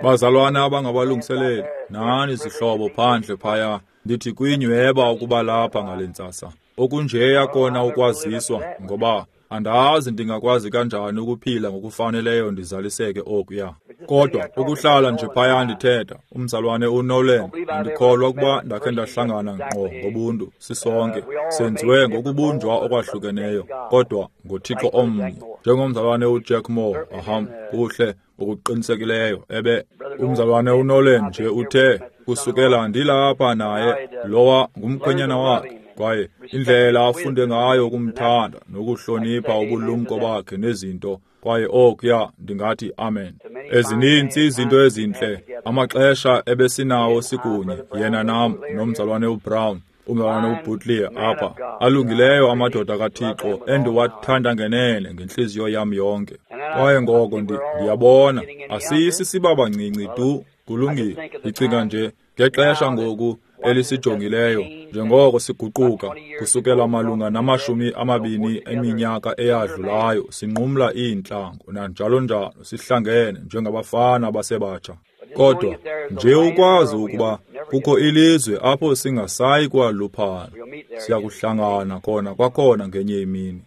Bazalwana abangabalungiseleli, nani zihlobo phandle phaya, ndithi kwinyweba ukuba lapha ngale ntsasa. Okunjeya kona ukwaziswa, ngoba andazi ndingakwazi kanjani ukuphila ngokufaneleyo ndizaliseke okuya. Kodwa ukuhlala nje phaya ndithetha, umzalwane uNolan, andikholwa ukuba ndakhe ndahlangana ngqo ngobuntu sisonke, senziwe ngokubunjwa okwahlukeneyo, kodwa ngoThixo omnye. Njengomzalwane uJack Moore, aham, kuhle ngokuqinisekileyo ebe umzalwane uNolan nje uthe kusukela ndilapha naye, lowa ngumkhwenyana wakhe. Kwaye indlela afunde ngayo ukumthanda nokuhlonipha ubulumko bakhe nezinto, kwaye okuya ndingathi amen. Ezininzi izinto ezintle, amaxesha ebesinawo sikunye, yena nam nomzalwane uBrown, umzalwane uButler apha, alungileyo amadoda kaThixo endiwathanda ngenene ngentliziyo yam yonke. Kwaye ngoko ndiyabona asisi sibabancinci tu, kulungile. Ndicinga nje ngexesha ngoku elisijongileyo njengoko siguquka kusukela malunga namashumi amabini eminyaka eyadlulayo, sinqumla iintlango nanjalo njalo, sihlangene njengabafana abasebatsha. Kodwa nje ukwazi ukuba kukho ilizwe apho singasayi kwaluphala, siyakuhlangana khona kwakhona ngenye imini.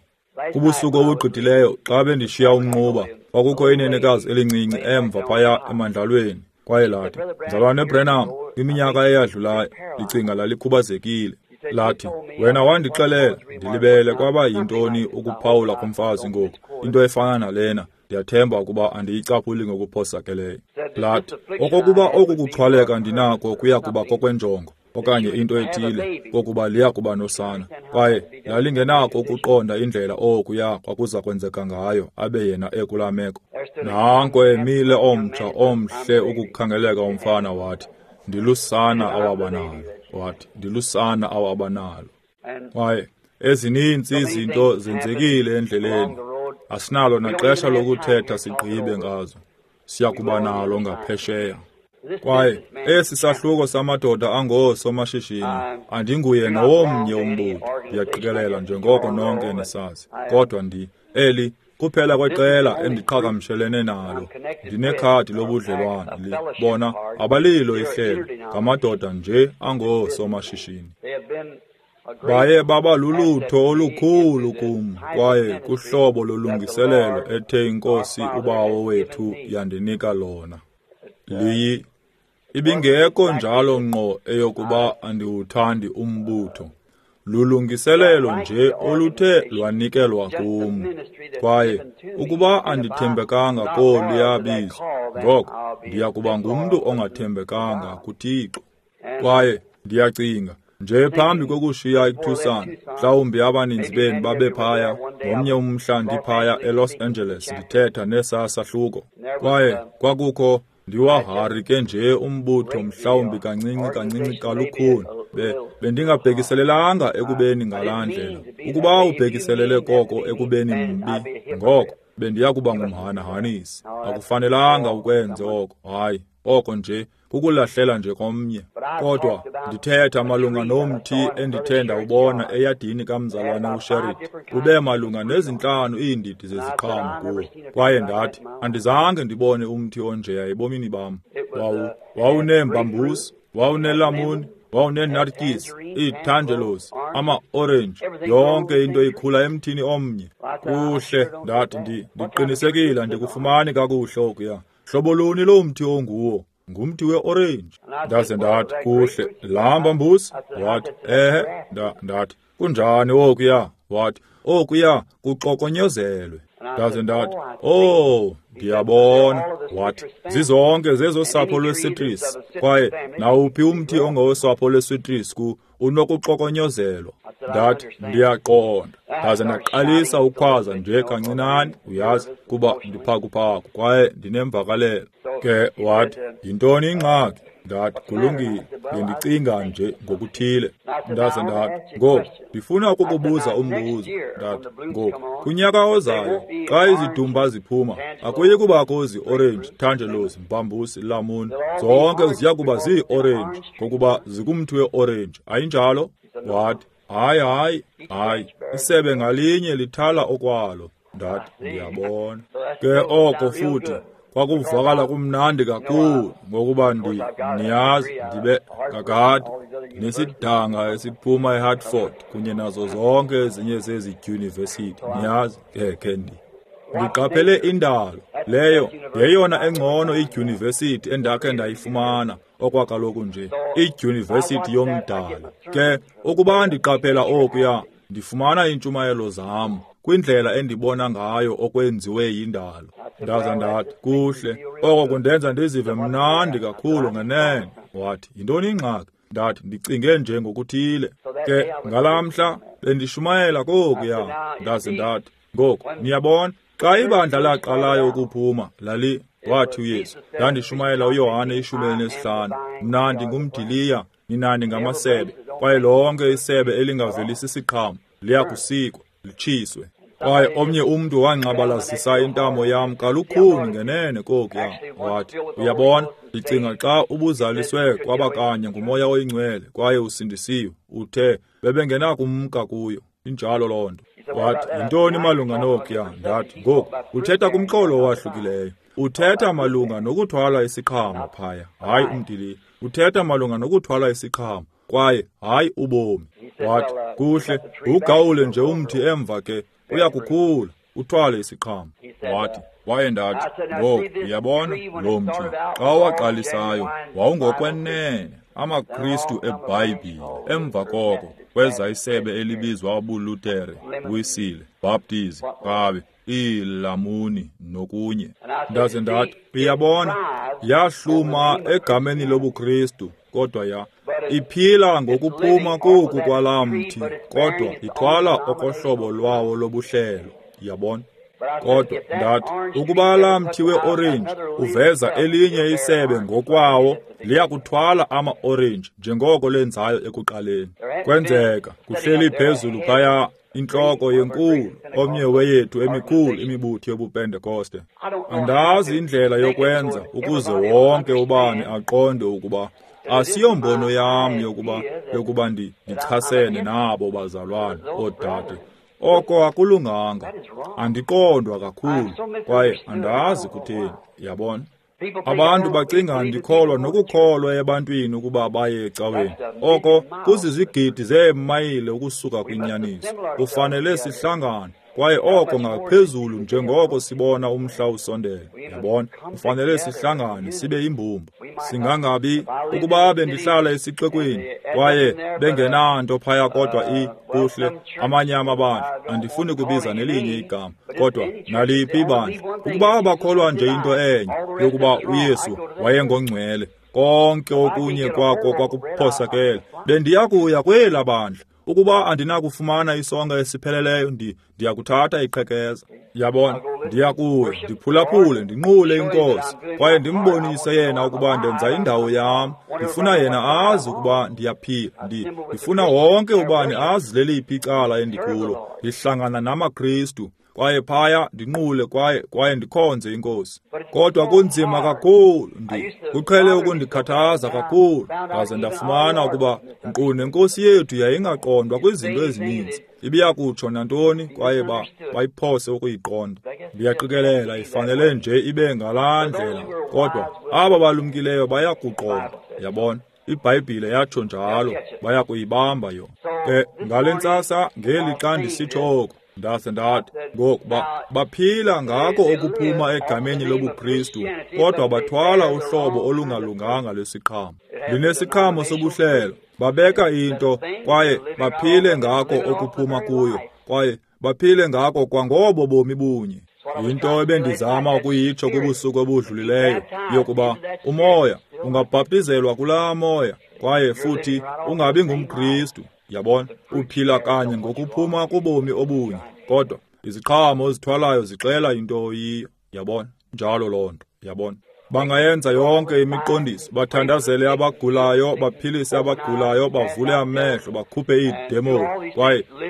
Kubusuku obugqithileyo xa bendishiya umnquba, kwakukho inenekazi elincinci emva phaya emandlalweni. Kwaye lathi, Mzalwane Branham, kwiminyaka eyadlulayo, ndicinga lalikhubazekile. Lathi, wena wandixelela, ndilibele kwaba yintoni ukuphawula komfazi ngoku, into efana nalena, ndiyathemba ukuba andiyicaphuli ngokuphosakeleyo. Lathi, okokuba oku kuxhwaleka ndinako kuya kuba kokwenjongo, okanye into ethile, kokuba liya kuba nosana. Kwaye lalingenako ukuqonda indlela okuya kwakuza kwenzeka ngayo, abe yena ekulaa meko. Nanko emile omtsha omhle ukukhangeleka umfana, wathi, ndilusana awabanalo. Wathi, ndilusana awabanalo. Kwaye ezininzi izinto zenzekile endleleni, asinalo naxesha lokuthetha sigqibe ngazo, siyakuba nalo ngaphesheya. Kwaye esi sahluko samadoda angoosomashishini, andinguye nowomnye umbutho, ndiyaqikelela njengoko nonke nisazi, kodwa eli kuphela kweqela endiqhagamshelene nalo. Ndinekhadi lobudlelwane, bona abalilo ihlelo, ngamadoda nje angoosomashishini. Baye baba lulutho olukhulu kum, kwaye kuhlobo lolungiselelo ethe iNkosi uBawo wethu yandinika lona. Liyi ibingekho njalo ngqo eyokuba andiwuthandi umbutho. Lulungiselelo nje oluthe lwanikelwa kum. Kwaye ukuba andithembekanga koluya bizo, ngoko ndiya kuba ngumntu ongathembekanga kuThixo. Kwaye ndiyacinga nje phambi kokushiya iTucson, mhlawumbi abaninzi benu babe phaya, ngomnye umhla ndiphaya eLos Angeles ndithetha nesa sahluko. Kwaye kwakukho ndiwahari ke nje umbutho mhlawumbi kancinci kancinci kalukhuni. Bendingabhekiselelanga ekubeni ngalaa ndlela. Ukuba ubhekiselele koko ekubeni mbi, ngoko bendiya kuba ngumhanahanisi. Akufanelanga ukwenze oko, hayi, oko nje kukulahlela nje komnye. Kodwa ndithetha malunga nomthi endithe ndawubona eyadini kamzalwane uSherrit, ube malunga nezintlanu iindidi zeziqhamo kuwo. Kwaye ndathi, andizange ndibone umthi onjeya ebomini bam. Wawuneembambusi, wawunelamuni, wawuneenartyisi, iitangelos, ama-orenji, yonke into ikhula emthini omnye. Kuhle, ndathi, ndiqinisekile andikufumani kakuhle okuya. Hlobo luni lo mthi onguwo? Ngumthi we-orenji. Ndaze ndathi, kuhle, laa mbambusi? Wathi, ehe. Ndathi, kunjani okuya? Wathi, okuya kuxokonyozelwe. Ndaze ndathi, oh, ndiyabona. Wathi, zizonke zezosapho lwesitrisi, kwaye nawuphi umthi ongowosapho lwesitrisi unokuxokonyozelwa. Ndathi, ndiyaqonda. Ndaze ndaqalisa ukukhwaza nje kancinane, uyazi, kuba ndiphakuphaku kwaye ndinemvakalelo. Ke wathi, yintoni ingxaki? Ndathi, kulungile, bendicinga nje ngokuthile. Ndaze ndathi, ngoku ndifuna ukukubuza umbuzo. Ndathi, ngoku kunyaka ozayo xa izidumba ziphuma, akuyi kubakho zi-orenji, tangelos, mbambusi, lamuni, zonke ziya kuba zii-orenji ngokuba zikumthi we-orenji, ayinjalo? Wathi, hayi, hayi, hayi, isebe ngalinye lithala okwalo. Ndathi, ndiyabona. Ke oko futhi Kwakuvakala kumnandi kakhulu ngokuba niyazi ndibe kakade nesidanga esiphuma eHartford kunye nazo zonke ezinye zezi dyunivesithi, niyazi ke ndiqaphele indalo leyo yeyona engcono idyunivesithi endakhe ndayifumana okwakaloku nje, idyunivesithi yomdalo. Ke ukuba ndiqaphela okuya, ndifumana iintshumayelo zam kwindlela endibona ngayo okwenziwe yindalo. Ndaza ndathi, kuhle, oko kundenza ndizive mnandi kakhulu ngenene. Wathi, yintoni ingxaki? Ndathi, ndicinge nje ngokuthile. Ke ngalaa mhla bendishumayela kokuya. Ndaze ndathi, ngoku niyabona, xa ibandla laqalayo ukuphuma, lali wathi uYesu, ndandishumayela uYohane 15, mna ndingumdiliya, nina ningamasebe, kwaye lonke isebe elingavelisi siqhamo liyakusikwa litshiswe. Kwaye omnye umntu wanqabalazisa intamo yam kalukhuni ngenene kokuya. Wathi, uyabona, ndicinga xa ubuzaliswe kwabakanye nguMoya oyiNgcwele kwaye usindisiwe, uthe bebengenakumka kuyo. Injalo loo nto. Wathi, yintoni malunga nokuya? Ndathi, ngoku uthetha kumxholo owahlukileyo. Uthetha malunga nokuthwala isiqhamo phaya, hayi umdiliya. Uthetha malunga nokuthwala isiqhamo kwaye hayi ubomi. Wathi, kuhle, ugawule nje umthi emva ke uyakukhula uthwale isiqhamo. Wathi, waye ndathi, ngoku uyabona lo mthi xa waqalisayo wawungokwenene amaKristu eBhayibhile. Emva koko kweza isebe elibizwa ubuLutere, Wisile, Baptizi, Kabe, iilamuni nokunye. Ndaze ndathi, uyabona, yahluma egameni lobuKristu, kodwa iphila ngokuphuma koku kwalaa mthi, kodwa ithwala okohlobo lwawo lobuhlelo. Yabona? Kodwa ndathi, ukuba laa mthi weorenji uveza elinye isebe ngokwawo, liyakuthwala ama-orenji njengoko lenzayo ekuqaleni. Kwenzeka kuhleli phezulu phaya intloko yenkulu, omnye weyethu emikhulu imibutho yobuPentekoste. Andazi indlela yokwenza ukuze wonke ubani aqonde ukuba asiyombono yam yokuba ndichasene nabo bazalwane oodade. Oko akulunganga. Andiqondwa kakhulu kwaye andazi kutheni, yabona. Abantu bacinga ndikholwa nokukholwa ebantwini ukuba baye ecaweni. Oko kuzizigidi zeemayile ukusuka kwinyaniso. Kufanele sihlangane kwaye oko ngaphezulu njengoko sibona umhla usondela. Yabona, kufanele sihlangane sibe yimbumba. Singangabi ukuba bendihlala esixekweni kwaye bengenanto phaya kodwa kuhle amanye amabandla, andifuni kubiza nelinye igama, kodwa naliphi ibandla, ukuba bakholwa nje into enye yokuba uYesu wayengongcwele, konke okunye kwako kwakuphosakele, bendiyakuya kwela bandla. Ukuba andinakufumana isonka esipheleleyo, ndiyakuthatha iqhekeza. Yabona, ndiyakuya ndiphulaphule, ndinqule iNkosi kwaye ndimbonise yena ukuba ndenza indawo yam. Ndifuna yena azi ukuba ndiyaphila. Ndifuna wonke ubani azi leliphi icala endikulo. Ndihlangana namaKristu kwaye phaya ndinqule kwaye ndikhonze iNkosi. Kodwa kunzima kakhulu, kuqhele ukundikhathaza kakhulu. Ndaze ndafumana ukuba nkqu nenkosi yethu yayingaqondwa kwizinto ezininzi. Ibiyakutsho nantoni kwaye bayiphose ukuyiqonda. Ndiyaqikelela ifanele nje ibe ngalaa ndlela, kodwa aba balumkileyo bayakuqonda. Yabona, iBhayibhile yatsho njalo, bayakuyibamba yona. Ke ngale ntsasa ngeli xa ndisitsho oku, ndaze ndathi, ngoku baphila ngako okuphuma egameni lobuKristu, kodwa bathwala uhlobo olungalunganga lwesiqhamo. Linesiqhamo sobuhlelo, babeka into kwaye baphile ngako okuphuma kuyo, kwaye baphile ngako kwangobo bomi bunye. Yinto ebendizama ukuyitsho kubusuku obudlulileyo, yokuba umoya ungabhaptizelwa kulaa moya kwaye futhi ungabi ngumKristu. Yabona, uphila kanye ngokuphuma kubomi obunye, kodwa iziqhamo ozithwalayo zixela into oyiyo. Yabona, njalo loo nto. Yabona, bangayenza yonke imiqondiso, bathandazele abagulayo, baphilise abagulayo, bavule amehlo, bakhuphe iidemoni,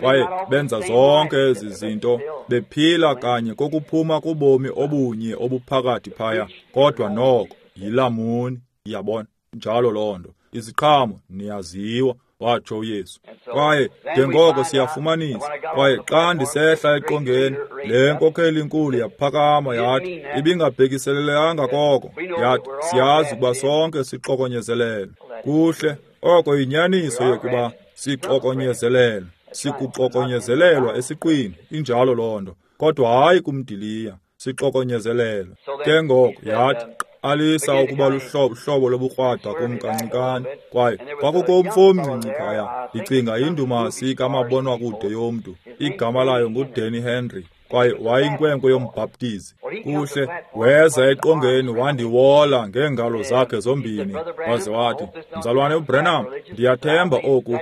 kwaye benza zonke ezi zinto, bephila kanye kokuphuma kubomi obunye obuphakathi phaya, kodwa noko yilamuni. Yabona, njalo loo nto. Iziqhamo niyaziwa. watsho uYesu. Kwaye njengoko siyafumanisa, kwaye xa ndisehla eqongeni, le nkokheli inkulu yaphakama yathi, ibingabhekiselelanga koko, yathi, siyazi ukuba sonke sixokonyezelelwe. Kuhle, oko yinyaniso yokuba sixokonyezelelwe, sikuxokonyezelelwa esiqwini, injalo loo nto, kodwa hayi kumdiliya, sixokonyezelelwe. Ke ngoko yathi, alisa ukuba luhlobo lobukrwada kum kancikane. Kwaye kwakukho umfo omncinci phaya, ndicinga yindumasi kamabonwakude yomntu, igama layo nguDanny Henry, kwaye wayinkwenkwe yombhaptizi. Kuhle, weza eqongeni wandiwola ngeengalo zakhe zombini, waze wathi, Mzalwane uBranham, ndiyathemba oku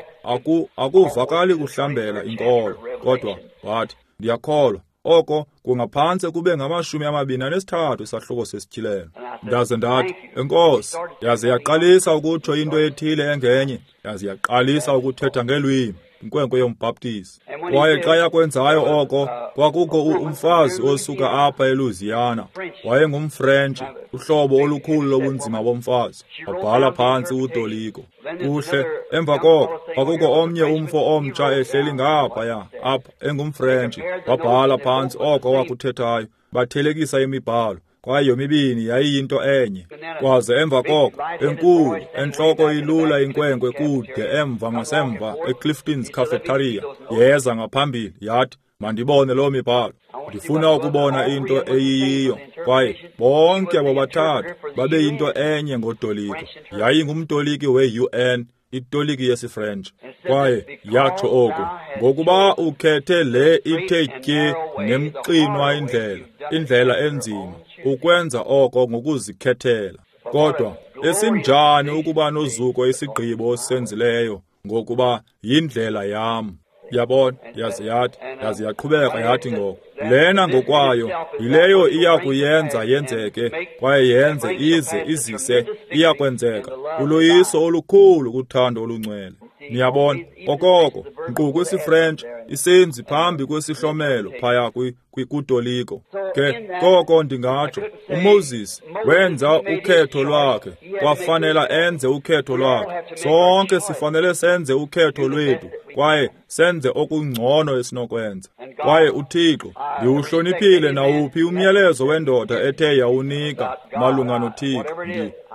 akuvakali kuhlambela inkolo, kodwa wathi, ndiyakholwa oko kungaphantse kube nge-23 isahluko sesityhilelo. Ndaze ndathi, enkosi. Yaze yaqalisa ukutsho into ethile engenye, yaze yaqalisa ukuthetha ngelwimi, inkwenkwe yombhaptizi. Kwaye xa yakwenzayo oko, kwakukho umfazi osuka apha eLouisiana, wayengumFrentshi, uhlobo olukhulu lobunzima bomfazi, wabhala phantsi utoliko. Kuhle, emva koko kwakukho omnye umfo omtsha ehleli ngaphaya apha engumFrentshi, wabhala phantsi oko wakuthethayo, bathelekisa imibhalo, kwaye yomibini yayiyinto enye. Kwaze emva koko, enkulu, entloko ilula inkwenkwe kude emva ngasemva eClifton's Cafeteria, yeza ngaphambili, yathi, mandibone loo mibhalo, ndifuna ukubona into eyiyiyo. Kwaye bonke abo bathathu babeyinto enye ngotoliko. Yayingumtoliki we-UN, itoliki yesiFrentshi. Kwaye yatsho oku, ngokuba ukhethe le ithe tye nemxinwa indlela, indlela enzima, ukwenza oko ngokuzikhethela. Kodwa esinjani ukuba nozuko isigqibo osenzileyo, ngokuba yindlela yam. Yabona, yaze yathi, yaze yaqhubeka yathi ngoko, lena ngokwayo yileyo iya kuyenza yenzeke, kwaye yenze ize izise, iya kwenzeka uloyiso olukhulu kuthando olungcwele. Niyabona, okoko nkqu kwisiFrentshi isenzi phambi kwesihlomelo phaya kutoliko. Ke koko ndingatsho, uMoses wenza ukhetho lwakhe, kwafanela enze ukhetho lwakhe. Sonke sifanele senze ukhetho lwethu, kwaye senze okungcono esinokwenza. Kwaye uThixo, ndiwuhloniphile nawuphi umyalezo wendoda ethe yawunika malunga noThixo,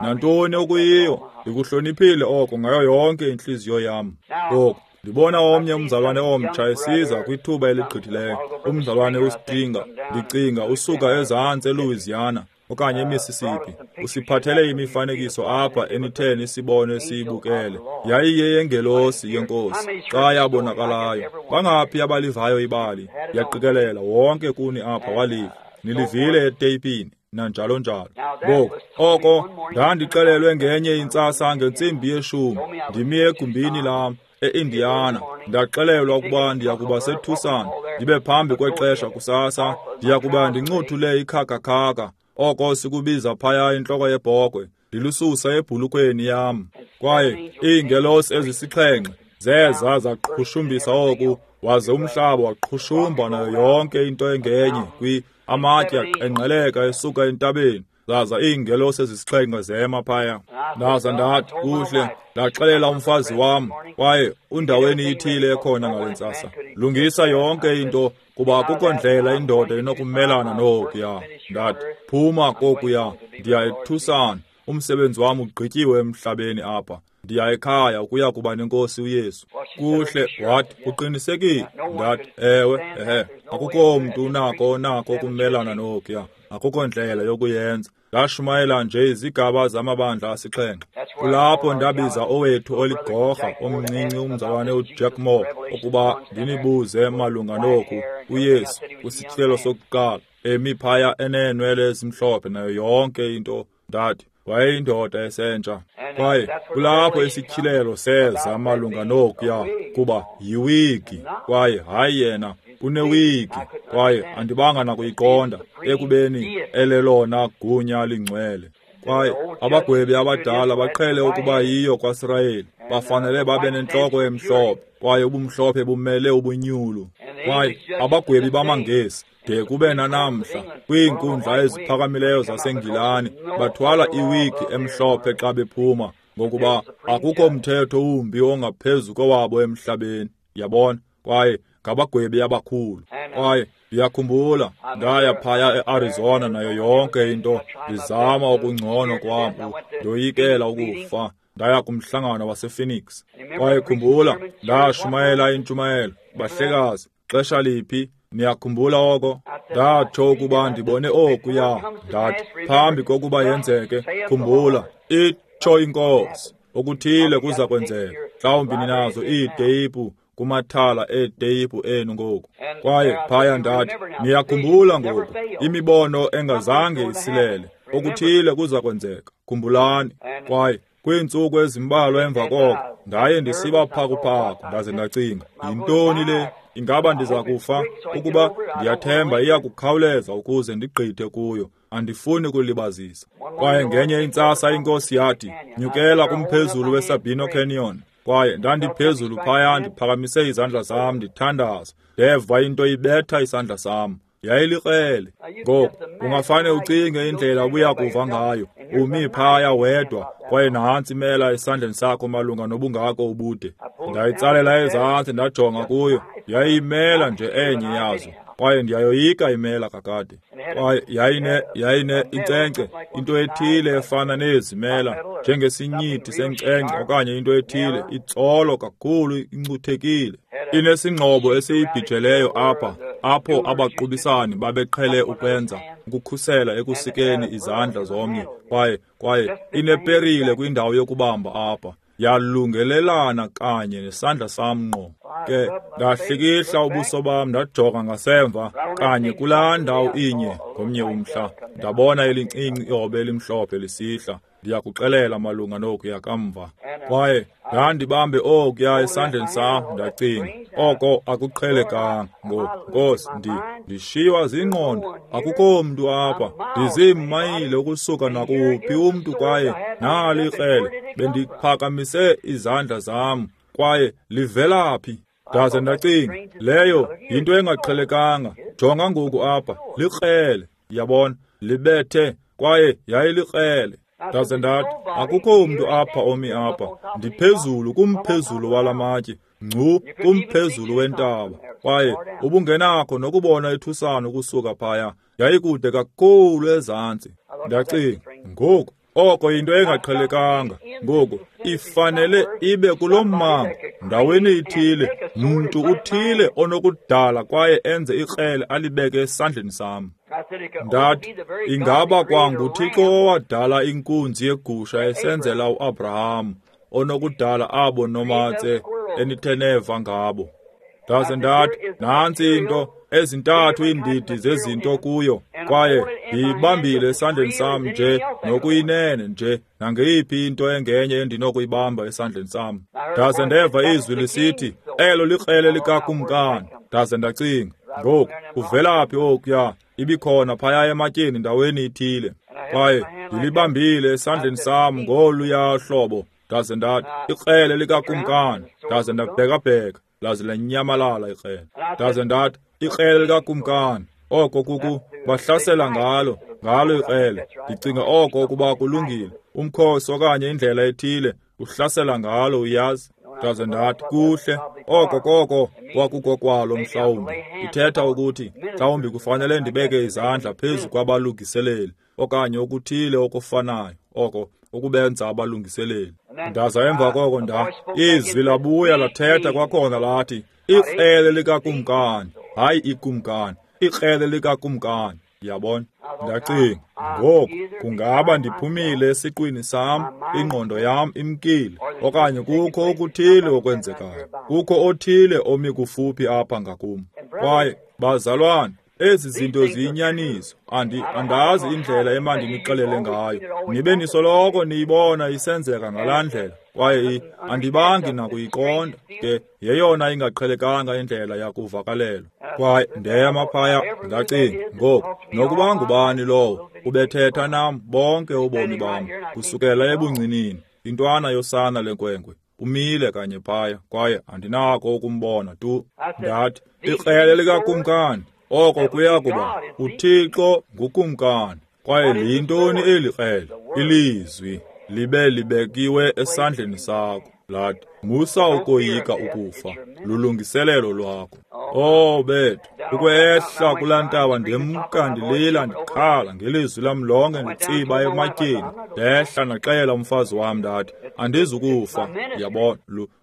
nantoni okuyiyo, ndikuhloniphile oko ngayo yonke intliziyo yam. Ngoku ndibona omnye umzalwane omtsha esiza kwithuba eligqithileyo, umzalwane uStringer, ndicinga usuka ezantsi eLouisiana okanye eMississippi, usiphathele imifanekiso apha enithe nisibone siyibukele. Yayiyeyengelosi yenkosi xa yabonakalayo. Bangaphi abalivayo ibali? Yaqikelela wonke kuni apha waliva, nilivile eteyipini nanjalo njalo. Ngoku oko ndandixelelwe ngenye intsasa ngentsimbi ye-10, ndimi egumbini lam eIndiana, ndaxelelwa ukuba ndiyakuba seTucson, ndibe phambi kwexesha kusasa, ndiyakuba ndincothule ikhakakhaka, oko sikubiza phaya intloko yebhokhwe, ndilususa ebhulukweni yam. Kwaye iingelosi ezisixhenxe zeza zaqhushumbisa oku, waze umhlaba waqhushumba nayo yonke into engenye amatye aqengqeleka esuka entabeni, zaza iingelosi ezisixhenxe zema phaya. Ndaza ndathi, kuhle, ndaxelela umfazi wam, kwaye undaweni ithile ekhona ngale ntsasa, lungisa yonke into, kuba akukho ndlela indoda inokumelana nokuya. Ndathi, phuma kokuya, ndiya eTucson, umsebenzi wam ugqityiwe emhlabeni apha, ndiya ekhaya ukuya kuba nenkosi uYesu. Kuhle, wathi, uqinisekile? Ndathi, ewe, ehe, akukho mntu unako ukumelana nokuya, akukho ndlela yokuyenza. Ndashumayela nje izigaba zamabandla asixhenxe. Kulapho ndabiza owethu oligorha omncinci umzalwane uJack Moore ukuba ndinibuze malunga noku uYesu kwisityhilelo sokuqala, emi phaya eneenwele ezimhlophe nayo yonke into. Ndathi, wayeyindoda esentsha. Kwaye kulapho isityhilelo seza malunga nokuya, kuba yiwigi, kwaye hayi yena unewigi, kwaye andibanga nakuyiqonda ekubeni elelona gunya lingcwele. Kwaye abagwebi abadala baqhele ukuba yiyo kwaSirayeli, bafanele babe nentloko emhlophe, kwaye ubumhlophe bumele ubunyulu. Kwaye abagwebi bamaNgesi de kube nanamhla kwiinkundla eziphakamileyo zaseNgilani bathwala iwigi emhlophe xa bephuma, Ngokuba akukho mthetho wumbi ongaphezu kowabo emhlabeni, yabona, kwaye ngabagwebi abakhulu. Kwaye ndiyakhumbula ndaya phaya eArizona nayo yonke into, ndizama okungcono kwam, ndoyikela ukufa. Ndaya kumhlangano wasePhoenix. Kwaye khumbula, ndashumayela intshumayelo. Bahlekazi, xesha liphi? Niyakhumbula oko? Ndatsho ukuba ndibone okuya. Ndathi, phambi kokuba yenzeke, khumbula, itsho iNkosi, okuthile kuza kwenzeka. Mhlawumbi ninazo iiteyipu kumathala eeteyipu enu ngoku. Kwaye phaya ndathi, niyakhumbula ngoku, imibono engazange isilele, okuthile kuza kwenzeka. Khumbulani. Kwaye kwiintsuku ezimbalwa emva koko, ndaye ndisiba phakuphaku, ndaze ndacinga, yintoni le? Ingaba ndiza kufa? Ukuba ndiyathemba iya kukhawuleza ukuze ndigqithe kuyo. Andifuni kulibazisa. Kwaye ngenye intsasa iNkosi yathi, nyukela kumphezulu weSabino Canyon. Kwaye ndandiphezulu phaya ndiphakamise izandla zam ndithandaza. Ndeva into ibetha isandla sam. Yayilikrele. Ngoku ungafane ucinge indlela obuya kuva ngayo. Umi phaya wedwa, kwaye nantsi imela esandleni sakho malunga nobungako ubude. Ndayitsalela ezantsi ndajonga kuyo. Yayimela nje enye yazo. Kwaye ndiyayoyika imela kakade. Kwaye yayine inkcenkce, into ethile efana nezimela, njengesinyithi senkcenkce okanye into ethile, itsolo kakhulu, incuthekile. Inesingxobo esiyibhijeleyo apha, apho abaqubisani babeqhele ukwenza, ukukhusela ekusikeni izandla zomnye. Kwaye ineperile kwindawo yokubamba apha. Yalungelelana kanye nesandla sam ngqo. Ke ndahlikihla ubuso bam ndajonga ngasemva kanye kulaa ndawo inye ngomnye umhla. Ndabona elincinci ihobe elimhlophe lisihla. Ndiyakuxelela malunga nokuya kamva. Kwaye ndandibambe okuya esandleni sam, ndacinga, oko akuqhelekanga. Nkosi, ndishiywa zingqondo, akukho mntu apha, ndiziimayile ukusuka nakuphi umntu, kwaye nali ikrele. Bendiphakamise izandla zam, kwaye livela phi? Ndaze ndacinga, leyo yinto engaqhelekanga. Jonga ngoku apha, likrele, yabona, libethe, kwaye yayilikrele. Ndaze ndathi, akukho mntu apha omi apha, ndiphezulu kumphezulu walamatye, ngcu kumphezulu wentaba. Kwaye ubungenakho nokubona ithusana ukusuka phaya, yayikude kakhulu ezantsi. Ndacinga, ngoku oko yinto engaqhelekanga. Ngoku ifanele ibe kulo mmango, ndaweni ithile, mntu uthile onokudala kwaye enze ikrele alibeke esandleni sam. Ndathi, ingaba kwanguThixo owadala inkunzi yegusha esenzela uAbraham, onokudala abo nomatse enithe neva ngabo. Ndaze ndathi, nantsi into, ezintathu iindidi zezinto kuyo, kwaye ndiyibambile esandleni sam nje nokuyinene nje nangeyiphi into engenye endinokuyibamba esandleni sam. Ndaze ndeva izwi lisithi, elo likrele likakumkani. Ndaze ndacinga, ngoku kuvela phi okuya? Ibikhona phaya ematyeni ndaweni ithile. Kwaye ndilibambile esandleni sam ngoluya hlobo. Ndaze ndathi, ikrele likakumkani. Ndaze ndabhekabheka, laze lanyamalala ikrele. Ndaze ndathi, ikrele likakumkani. Oko kuku bahlasela ngalo ikrele. Ndicinga oko ukuba kulungile, umkhosi okanye indlela ethile uhlasela ngalo, uyazi. Ndaze ndathi, kuhle, oko koko kwakukokwalo mhlawumbi. Ithetha ukuthi mhlawumbi kufanele ndibeke izandla phezu kwabalungiseleli okanye okuthile okufanayo oko ukubenza abalungiseleli. Ndaza emva koko izwi labuya lathetha kwakhona lathi, ikrele likakumkani, hayi ikumkani, ikrele likakumkani. Yabona? Ndacinga, ngoku kungaba ndiphumile esiqwini sam, ingqondo yam imkile, okanye kukho okuthile okwenzekayo, kukho othile omi kufuphi apha ngakum. Kwaye bazalwane, ezi zinto ziyinyaniso. Andazi indlela emandinixelele ngayo. Nibe nisoloko niyibona isenzeka ngalaa ndlela, kwaye andibangi nakuyiqonda. Ke yeyona ingaqhelekanga indlela yakuvakalelwa. Kwaye ndema phaya ndacinga, ngoku nokuba ngubani lowo ubethetha nam bonke ubomi bam kusukela ebuncinini, intwana yosana lenkwenkwe, umile kanye phaya, kwaye andinako ukumbona tu. Ndathi, ikrele likakumkani, oko kuya kuba uThixo ngukumkani. Kwaye liyintoni eli krele? Ilizwi. libe libekiwe esandleni sakho. Lathi, musa ukoyika ukufa, lulungiselelo lwakho. Oh bethu, ukwehla kulaa ntaba ndemka ndilila ndikhala ngelizwi lam lonke nditsiba ematyeni. Ndehla ndaxela umfazi wam ndathi, andizukufa, yabona,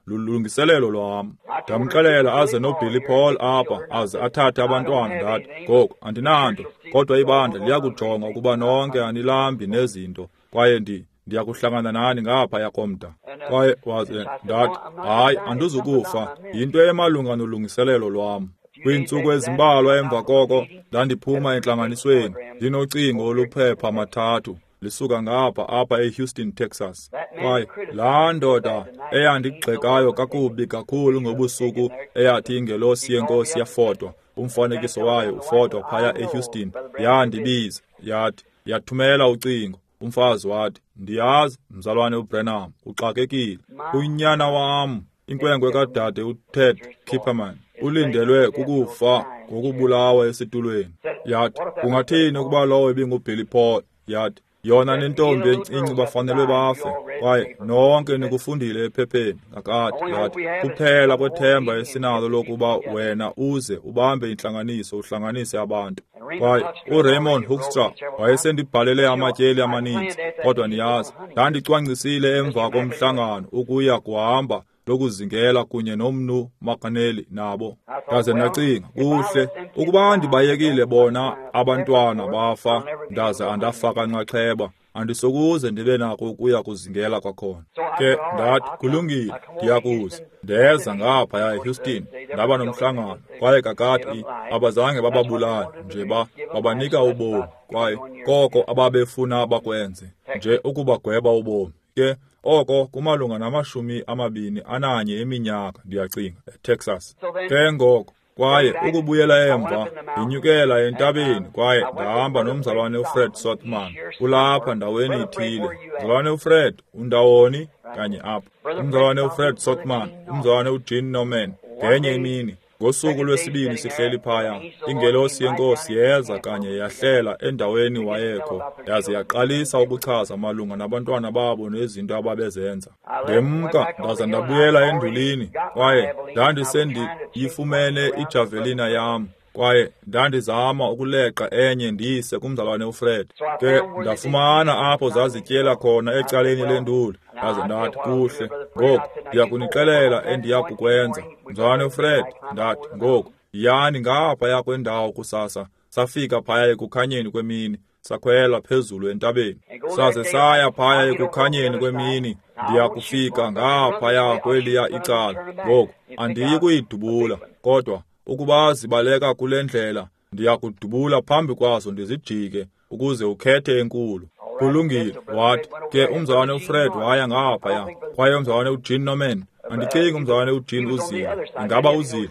lulungiselelo lwam. Ndamxelela aze noBilly Paul apha, aze athathe abantwana. Ndathi, ngoku andinanto, kodwa ibandla liyakujonga ukuba nonke anilambi nezinto, kwaye ndiyakuhlangana nani ngaphaya komda. Kwaye waze ndathi, hayi, andizukufa, yinto emalunga nolungiselelo lwam. Kwiintsuku ezimbalwa emva koko ndandiphuma entlanganisweni ndinocingo oluphepha mathathu lisuka ngapha apha eHouston, Texas. Kwaye laa ndoda eyandigxekayo kakubi kakhulu ngobusuku eyathi ingelosi yeNkosi yafotwa, umfanekiso wayo ufotwa phaya eHouston, yandibiza, yathi, yathumela ucingo. Umfazi wathi, ndiyazi, mzalwane uBranham, uxakekile. Unyana wam, inkwenkwe kadade uTed Kipperman, ulindelwe kukufa ngokubulawa esitulweni. Yathi, kungathini ukuba lowo ibinguBilly Paul? Yathi, yona nentombi encinci bafanelwe bafe. Kwaye nonke nikufundile ephepheni kakade. Yathi, kuphela kwethemba esinalo lokuba wena uze ubambe intlanganiso, uhlanganise abantu. Kwaye uRaymond Hoekstra wayesendibhalele amatyeli amaninzi, kodwa niyazi, ndandicwangcisile emva komhlangano ukuya kuhamba lokuzingela kunye nomnu Makaneli nabo. Ndaze ndacinga, kuhle, ukuba ndibayekile bona abantwana bafa, ndaze andafaka nxaxheba, andisokuze ndibe nako ukuya kuzingela kwakhona. Ke ndathi, kulungile, ndiyakuza. Ndeza ngaphaya eHouston, ndaba nomhlangano, kwaye kakade abazange bababulale, nje babanika ubomi, kwaye koko ababefuna bakwenze, nje ukubagweba ubomi. Ke oko kumalunga na-21 eminyaka, ndiyacinga, eTexas. Ke ngoko, kwaye ukubuyela emva, ndinyukela entabeni, kwaye ndahamba nomzalwane uFred Sothmann. Ulapha ndaweni ithile. Mzalwane uFred, undawoni? Kanye apha. Umzalwane uFred Sothmann, umzalwane uJean Norman, ngenye imini, ngosuku lwesibini sihleli phaya, ingelosi yeNkosi yeza kanye yahlela endaweni wayekho, yaze yaqalisa ukuchaza malunga nabantwana babo nezinto ababezenza. Ndemka ndaza ndabuyela endulini, kwaye ndandisendiyifumene ijavelina yam, kwaye ndandizama ukuleqa enye ndiyise kumzalwane uFred. Ke ndafumana apho zazityela khona ecaleni lenduli. Ndaze ndathi, kuhle, ngoku ndiyakunixelela endiyakukwenza. Mzalwane uFred, ndathi, ngoku yiyani ngaphaya kwendawo kusasa. Safika phaya ekukhanyeni kwemini, sakhwela phezulu entabeni. Saze saya phaya ekukhanyeni kwemini, ndiyakufika ngaphaya kweliya icala. Ngoku andiyi kuyidubula, kodwa ukuba zibaleka kule ndlela, ndiyakudubula phambi kwazo ndizijike ukuze ukhethe enkulu. Kulungile, wathi. Ke umzalwane uFred waya ngaphaya, kwaye umzalwane uJean Norman, andicingi umzalwane uJean uzile, ingaba uzile?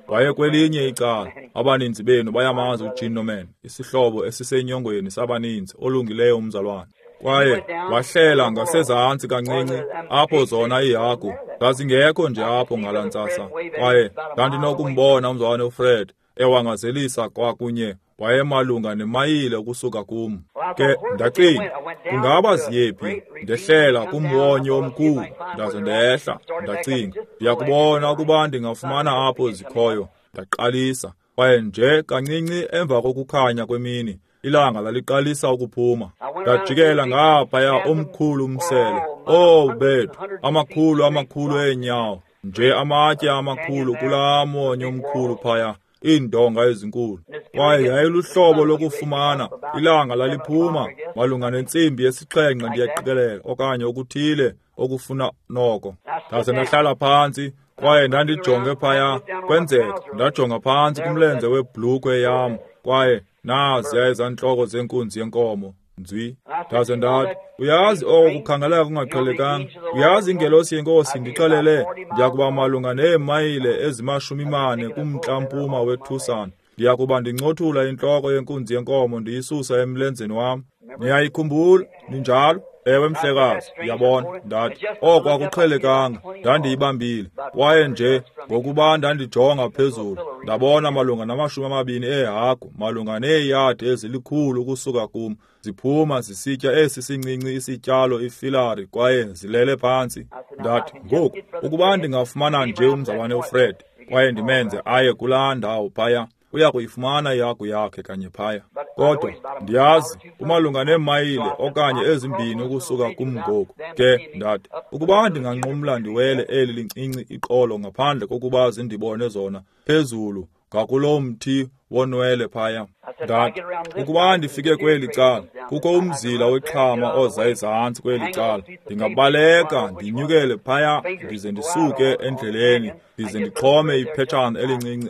Waye kwelinye icala. Abaninzi benu bayamazi uJean Norman, isihlobo esisenyongweni sabaninzi, olungileyo umzalwane. Kwaye wahlela ngasezantsi kancinci, apho zona iihagu zazingekho nje apho ngalaa ntsasa. Kwaye ndandinokumbona umzalwane uFred ewangazelisa kwakunye, wayemalunga nemayile ukusuka kum. Ke ndacinga, kungaba ziyephi? Ndehlela kumwonyo omkhulu, ndaze ndehla, ndacinga, ndiyakubona ukuba ndingafumana apho zikhoyo. Ndaqalisa, kwaye nje kancinci emva kokukhanya kwemini, ilanga laliqalisa ukuphuma. Ndajikela ngaphaya omkhulu umsele. Oh bethu, amakhulu amakhulu eenyawo, nje amatye amakhulu kulaa mwonyo omkhulu phaya, iindonga ezinkulu. Kwaye yayiluhlobo lokufumana, ilanga laliphuma malunga nentsimbi yesixhenxe, ndiyaqikelela, okanye okuthile okufuna noko. Ndaze ndahlala phantsi, kwaye ndandijonge phaya. Kwenzeka ndajonga phantsi kumlenze webhlukhwe yam, kwaye naziya ezantloko zenkunzi yenkomo nzwi. Ndaze ndathi, uyazi oko kukhangeleka kungaqhelekanga. Uyazi ingelosi yeNkosi ndixelele ndiyakuba malunga neemayile ezi-40 kumntla-mpuma weTucson. Ndiyakuba ndincothula intloko yenkunzi yenkomo ndiyisusa emlenzeni wam. Niyayikhumbula, ninjalo? Ewe mhlekazi, uyabona, ndathi, oko akuqhelekanga, ndandiyibambile. Kwaye nje ngokuba ndandijonga phezulu, ndabona malunga nama-20 eehagu, malunga neeyadi ezilikhulu ukusuka kum, ziphuma zisitya esi sincinci isityalo ifilari kwaye zilele phantsi. Ndathi, ngoku, ukuba ndingafumana nje umzalwane uFred kwaye ndimenze aye kulaa ndawo phaya, uya kuyifumana ihagu yakhe kanye phaya. Kodwa ndiyazi kumalunga neemayile okanye ezimbini ukusuka kum ngoku. Ke ndathi, ukuba ndinganqumla ndiwele eli lincinci iqolo ngaphandle kokuba zindibone zona phezulu ngakuloo mthi wonwele phaya. Ndathi, ukuba ndifike kweli cala, kukho umzila wexhama oza ezantsi kweli cala, ndingabaleka ndinyukele phaya ndize ndisuke endleleni ndize ndixhome iphetshana elincinci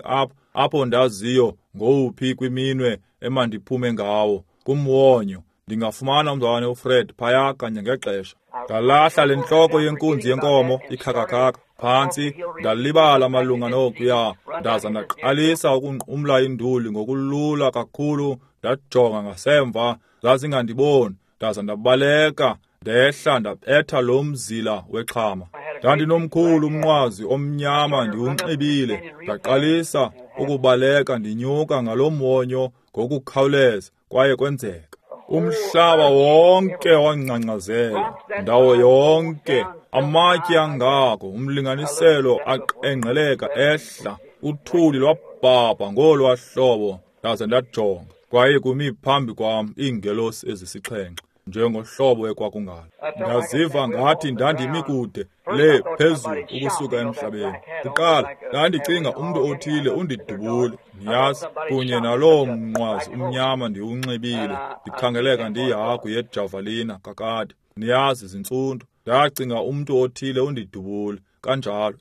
apho ndaziyo ngowuphi kwiminwe emandiphume ngawo kumwonyo, ndingafumana umzalwane uFred phaya kanye ngexesha. Ndalahla le ntloko yenkunzi yenkomo ikhakakhaka phantsi, ndalibala malunga nokuya, ndaza ndaqalisa ukunqumla induli ngokulula kakhulu. Ndajonga ngasemva, zazingandiboni, ndaza ndabaleka ndehla ndabetha lo mzila wexhama. Ndandinomkhulu umnqwazi omnyama ndiwunxibile, ndaqalisa ukubaleka ndinyuka ngalo mwonyo ngokukhawuleza, kwaye kwenzeka. Umhlaba wonke wangcangcazela, ndawo yonke, amatye angako, umlinganiselo aqengqeleka ehla, uthuli lwabhabha ngolwa hlobo. Ndaze ndajonga, kwaye kumi phambi kwam iingelosi ezisixhenxe, njengohlobo ekwakungalo. Ndaziva ngathi ndandimi kude le phezulu ukusuka emhlabeni. Kuqala ndandicinga umntu othile undidubule, niyazi, kunye naloo mnqwazi umnyama ndiwunxibile, ndikhangeleka ndiyihagu yejavalina kakade, niyazi, zintsundu. Ndacinga umntu othile undidubule kanjalo,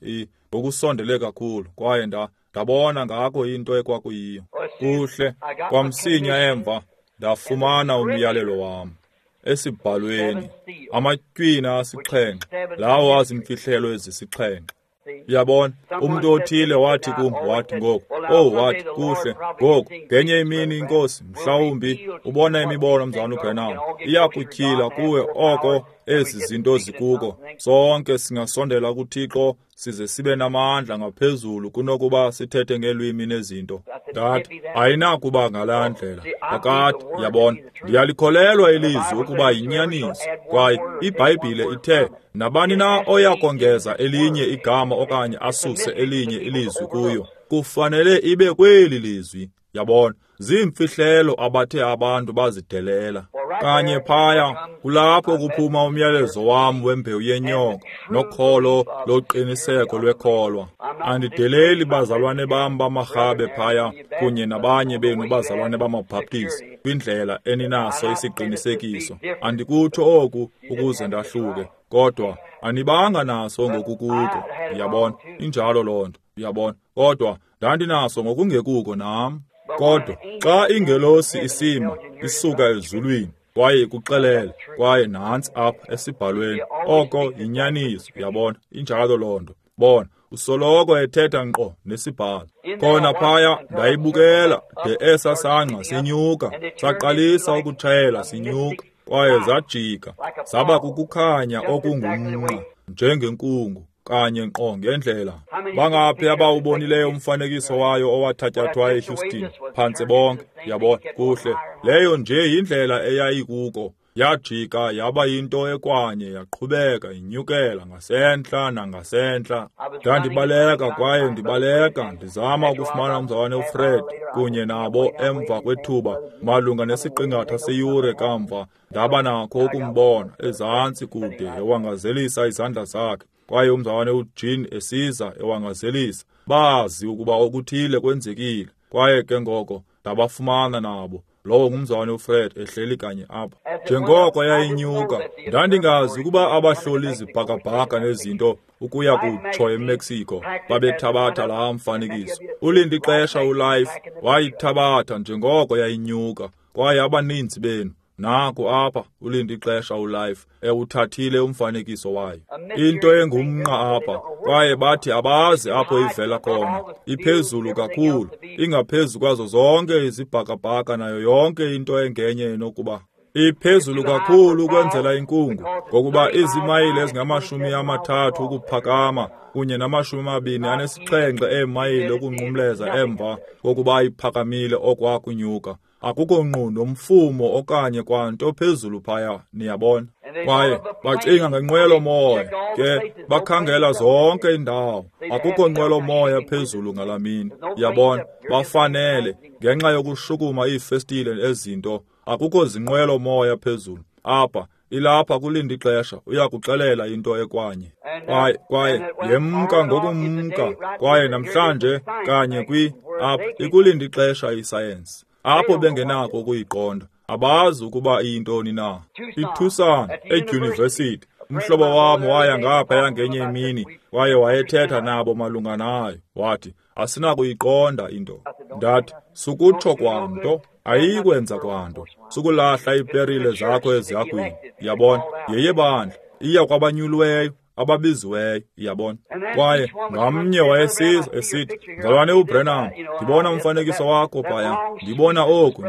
ngokusondele kakhulu, kwaye ndabona ngako into ekwakuyiyo. Kuhle, kwamsinya emva ndafumana umyalelo wam esibhalweni, amatywina asixhenxe, lawo azimfihlelo ezisixhenxe. Uyabona, umntu othile wathi kum, wathi ngoku, wathi, kuhle, ngoku, ngenye imini inkosi, mhlawumbi ubona imibono mzalwana uBrenham, iyakutyhila kuwe oko ezi zinto zikuko. Sonke singasondela kuThixo size sibe namandla ngaphezulu kunokuba sithethe ngeelwimi nezinto. Ndathi, ayinakuba ngalaa ndlela. Kakade, uyabona, ndiyalikholelwa ilizwi ukuba yinyaniso, kwaye iBhayibhile ithe, nabani na oya kongeza elinye igama okanye asuse elinye ilizwi kuyo, kufanele ibe kweli lizwi. Yabona, ziimfihlelo abathe abantu bazidelela. Kanye phaya kulapho kuphuma umyalezo wam wembewu yenyoka nokholo loqiniseko lwekholwa. Andideleli bazalwane bam bamarhabe phaya kunye nabanye benu bazalwane bamaBhaptizi kwindlela eninaso isiqinisekiso. Andikutsho oku ukuze ndahluke, kodwa anibanga naso ngokukuko. Uyabona, injalo loo nto. Uyabona, kodwa ndandinaso ngokungekuko nam. Kodwa xa ingelosi isima isuka ezulwini kwaye ikuxelele, kwaye nantsi apha esibhalweni, oko yinyaniso. Uyabona, injalo loo nto. Bona, usoloko ethetha nkqo nesibhalo. Khona phaya ndayibukela de esa sangqa sinyuka, saqalisa ukutshela sinyuka, kwaye zajika zaba kukukhanya okungumnqa njengenkungu, kanye nkqo ngendlela. Bangaphi abawubonileyo umfanekiso wayo owathatyathwa eHouston? Phantse bonke. Yabona, kuhle, leyo nje yindlela eyayikuko. Yajika yaba yinto ekwanye, yaqhubeka inyukela ngasentla nangasentla. Ndandibaleka kwaye ndibaleka ndizama ukufumana umzalwane uFred kunye nabo. Emva kwethuba, malunga nesiqingatha seyure kamva, ndaba nakho ukumbona ezantsi kude ewangazelisa izandla zakhe, kwaye umzalwane uJean esiza ewangazelisa. Bazi ukuba okuthile kwenzekile, kwaye ke ngoko ndabafumana nabo. Lowo ngumzalwane uFred ehleli kanye apha. Njengoko yayinyuka, ndandingazi ukuba abahloli zibhakabhaka nezinto ukuya kutsho eMexico babethabatha laa mfanekiso. Ulindi ixesha uLife wayithabatha njengoko yayinyuka, kwaye abaninzi benu naku apha ulindi ixesha uLife ewuthathile umfanekiso wayo. Into engumnqa apha, kwaye bathi abazi apho ivela khona. Iphezulu kakhulu, ingaphezu kwazo zonke izibhakabhaka nayo yonke into engenye enokuba. Iphezulu kakhulu ukwenzela inkungu, ngokuba izimayile ezingama-30 ukuphakama kunye nama-27 eemayile ukunqumleza emva kokuba iphakamile okwakunyuka. Akukho nqu nomfumo okanye kwanto phezulu phaya, niyabona. Kwaye bacinga ngenqwelo-moya, ke bakhangela zonke iindawo. Akukho nqwelo-moya phezulu ngalaa mini, yabona. Bafanele, ngenxa yokushukuma iifestile ezinto, akukho zinqwelo-moya phezulu. Apha, ilapha kulinda ixesha, uyakuxelela into ekwanye. Kwaye yemka ngokumka, kwaye namhlanje kanye apha ikulinda ixesha isayensi. Apho bengenako ukuyiqonda, abazi ukuba iyintoni na. ITucson, edyunivesithi, umhlobo wam waya ngaphaya ngenye imini kwaye wayethetha nabo malunga nayo. Wathi, asinakuyiqonda into. Ndathi, sukutsho kwanto, ayikwenza kwanto. Sukulahla iiperile zakho ezihagwini. Yabona, yeyebandla, iya kwabanyuliweyo, ababiziweyo, yabona. Kwaye ngamnye wayesiza esithi, mzalwane uBrenham, ndibona umfanekiso wakho phaya, ndibona oku,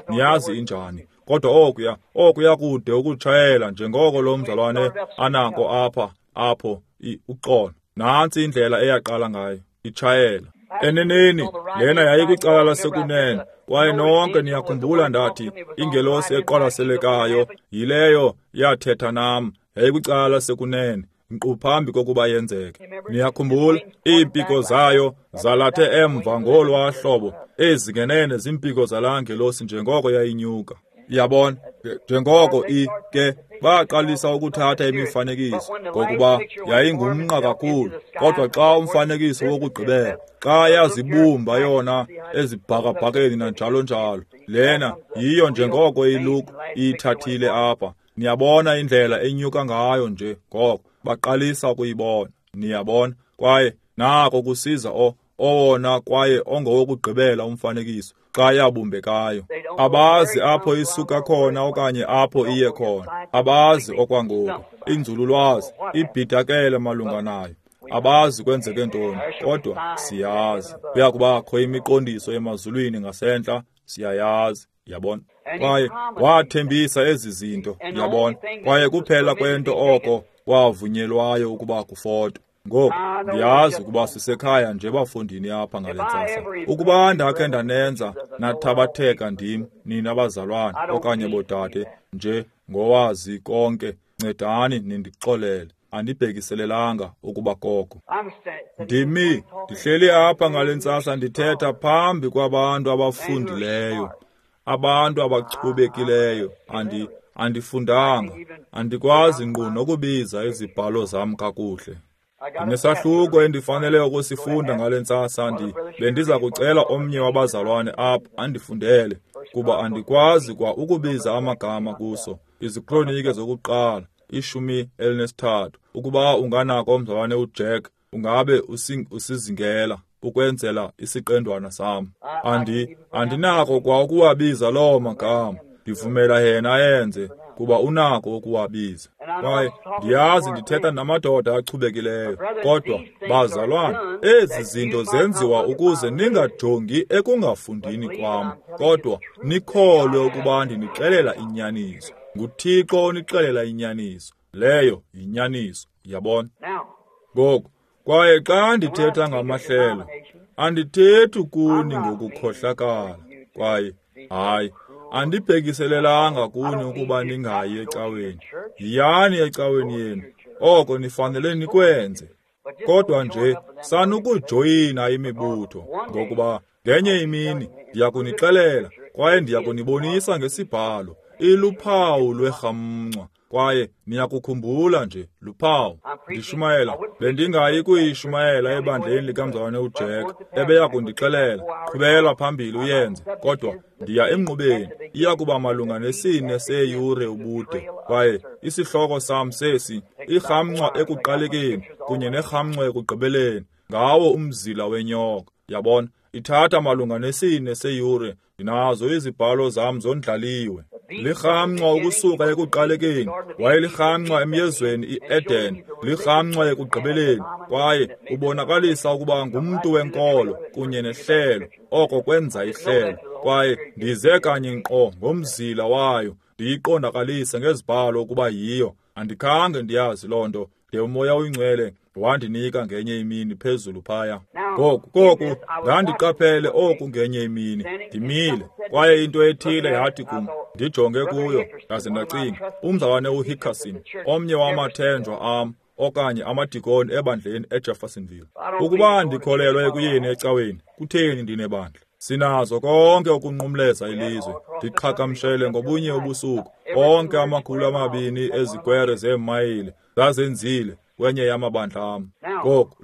niyazi injani. Kodwa okuya kude ukutshayela njengoko lo mzalwane anako apha, apho, uxolo. Nantsi indlela eyaqala ngayo, itshayela. Eneneni, lena yayikwicala lasekunene, kwaye nonke niyakhumbula ndathi, ingelosi eqwalaselekayo yileyo yathetha nam, yayikwicala lasekunene, nkqu phambi kokuba yenzeke. Niyakhumbula, iimpiko zayo zalathe emva ngolwaa hlobo, ezi ngenene ziimpiko zalaa ngelosi njengoko yayinyuka. Yabona, njengoko ke baqalisa ukuthatha imifanekiso, ngokuba yayingumnqa kakhulu. Kodwa xa umfanekiso wokugqibela, xa yazibumba yona ezibhakabhakeni nanjalo njalo, lena yiyo njengoko iLuke iyithathile apha. Niyabona indlela enyuka ngayo nje, ngoko baqalisa ukuyibona. Niyabona, kwaye nako kusiza owona kwaye ongowokugqibela umfanekiso xa yabumbekayo. Abazi apho isuka khona okanye apho iye khona. Abazi okwangoku. Inzululwazi ibhidakele malunga nayo. Abazi kwenzeke ntoni, kodwa siyazi. Kuyakubakho imiqondiso emazulwini ngasentla, siyayazi, yabona. Kwaye wathembisa ezi zinto, yabona. Kwaye kuphela kwento oko kwavunyelwayo ukuba kufotwe. Ngoku, ndiyazi ukuba sisekhaya nje bafundini apha ngale ntsasa. Ukuba ndakhe ndanenza nathabatheka ndim, nina bazalwane okanye bodade, nje ngowazi konke, ncedani nindixolele. Andibhekiselelanga ukuba koko. Ndimi, ndihleli apha ngale ntsasa ndithetha phambi kwabantu abafundileyo, abantu abachubekileyo. Andifundanga, andikwazi nkqu nokubiza izibhalo zam kakuhle. Ndinesahluko endifanele ukusifunda ngale ntsasa. Bendiza kucela omnye wabazalwane apha andifundele, kuba andikwazi kwa ukubiza amagama kuso. Izikronike zokuqala, 13. Ukuba unganako mzalwane uJack, ungabe usizingela ukwenzela isiqendwana sam. Andinako kwa ukuwabiza loo magama. Ndivumela yena ayenze, kuba unako ukuwabiza. Kwaye ndiyazi ndithetha namadoda achubekileyo, kodwa bazalwane, ezi zinto zenziwa ukuze ningajongi ekungafundini kwam, kodwa nikholwe ukuba ndinixelela inyaniso. NguThixo onixelela inyaniso. Leyo yinyaniso, yabona. Ngoku, kwaye xa ndithetha ngamahlelo, andithethi kuni ngokukhohlakala, kwaye hayi, andibhekiselelanga kuni ukuba ningayi ecaweni. Yiyani ecaweni yenu, oko nifanele nikwenze. Kodwa nje sanukujoyina imibutho, ngokuba ngenye imini ndiyakunixelela kwaye ndiyakunibonisa ngesibhalo iluphawu lwerhamncwa, kwaye niyakukhumbula nje luphawu. Ndishumayela, bendingayi kuyishumayela ebandleni likamzalwane uJack, ebeya kundixelela, qhubela phambili uyenze, kodwa ndiya emnqubeni, iya kuba malunga ne-4 seeyure ubude, kwaye isihloko sam sesi, irhamncwa ekuqalekeni kunye nerhamncwa ekugqibeleni, ngawo umzila wenyoka. Yabona, ithatha malunga ne-4 seeyure. Ndinazo izibhalo zam zondlaliwe. Lirhamncwa ukusuka ekuqalekeni, wayelirhamncwa emyezweni iEden, lirhamncwa ekugqibeleni, kwaye ubonakalisa ukuba ngumntu wenkolo kunye nehlelo, oko kwenza ihlelo. Kwaye ndize kanye nkqo ngomzila wayo, Ndiyiqondakalise ngezibhalo ukuba yiyo. Andikhange ndiyazi loo nto de uMoya oyiNgcwele wandinika ngenye imini phezulu phaya. Ngoku ndandiqaphele oku ngenye imini, ndimile, kwaye into ethile yathi kum, ndijonge kuyo, ndaze ndacinga, umzalwane uHickerson, omnye wamathenjwa am, okanye amadikoni ebandleni eJeffersonville. Ukuba ndikholelwa ekuyeni ecaweni, kutheni ndinebandla? Sinazo konke ukunqumleza ilizwe. Ndiqhagamshele ngobunye ubusuku, onke 200 ezikwere zeemayile zazenzile kwenye yamabandla am. Ngoku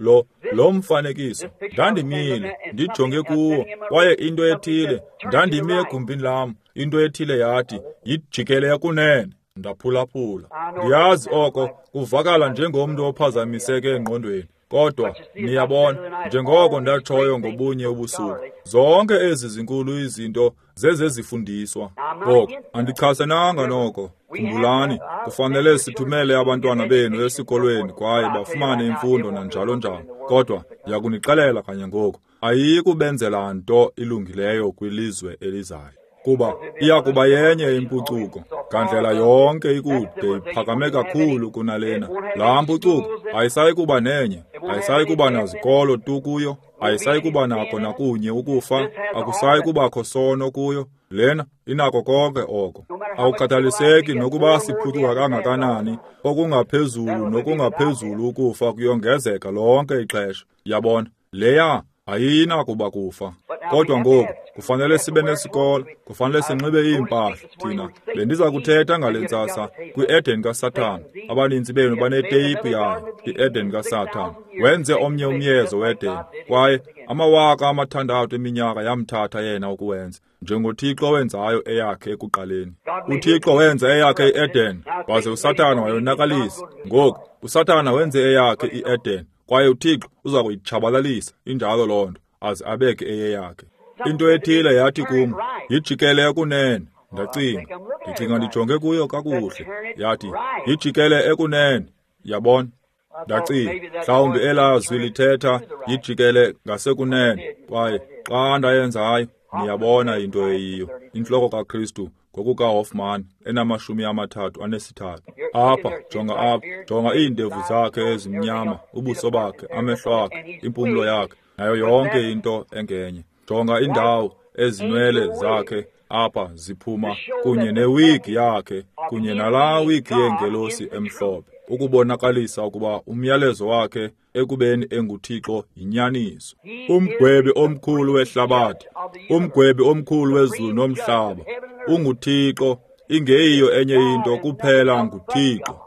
lo mfanekiso, ndandimile, ndijonge kuwo, kwaye into ethile, ndandimi egumbini lam, into ethile yathi, yijikele ekunene. Ndaphulaphula. Ndiyazi oko kuvakala njengomntu ophazamiseke engqondweni, kodwa niyabona, njengoko ndatshoyo ngobunye ubusuku, zonke ezi zinkulu izinto zezezifundiswa. Ngoku andichasenanga noko. Khumbulani, kufanele sithumele abantwana benu esikolweni kwaye bafumane imfundo nanjalo njalo. Kodwa ndiyakunixelela kanye ngoku, ayikubenzela nto ilungileyo kwilizwe elizayo, kuba iya kuba yenye impucuko ngandlela yonke ikude iphakame kakhulu kunalena. Laa mpucuko ayisayi kuba nenye, ayisayi kuba nazikolo tu kuyo, ayisayi kuba nako nakunye ukufa, akusayi kubakho sono kuyo. Lena inako konke oko. Awukhathaliseki nokuba siphucuka kangakanani, okungaphezulu nokungaphezulu ukufa kuyongezeka lonke ixesha. Yabona, leya ayinakuba kufa. Kodwa ngoku kufanele sibe nesikolo, kufanele sinxibe iimpahla. Thina bendiza kuthetha ngale ntsasa kwi-Eden kaSathana. Abaninzi benu baneteyiphu yayo, i-Eden kaSathana. Wenze omnye umyezo we-Eden, kwaye 6,000 eminyaka yamthatha yena ukuwenza, njengoThixo wenzayo eyakhe ekuqaleni. UThixo wenza eyakhe i-Eden, waze uSathana wayonakalisa. Ngoku uSathana wenze eyakhe i-Eden, kwaye uThixo uza kuyitshabalalisa. Injalo loo nto, aze abeke eyeyakhe. Into ethile yathi kum, yijikele ekunene. Ndacinga, ndicinga ndijonge kuyo kakuhle. Yathi, yijikele ekunene. Yabona? Ndacinga, mhlawumbi elaa zwi lithetha yijikele ngasekunene. Kwaye xa ndayenzayo, niyabona into eyiyo, intloko kaKristu ngokukaHoffman ena-33. Apha, jonga apha, jonga iindevu zakhe ezimnyama, ubuso bakhe, amehlo akhe, impumlo yakhe, nayo yonke into engenye. Jonga indawo ezinwele zakhe apha ziphuma, kunye newigi yakhe, kunye nalaa wigi yengelosi emhlophe, ukubonakalisa ukuba umyalezo wakhe ekubeni enguThixo yinyaniso. Umgwebi omkhulu wehlabathi, umgwebi omkhulu wezulu nomhlaba, unguThixo, ingeyiyo enye into kuphela nguThixo.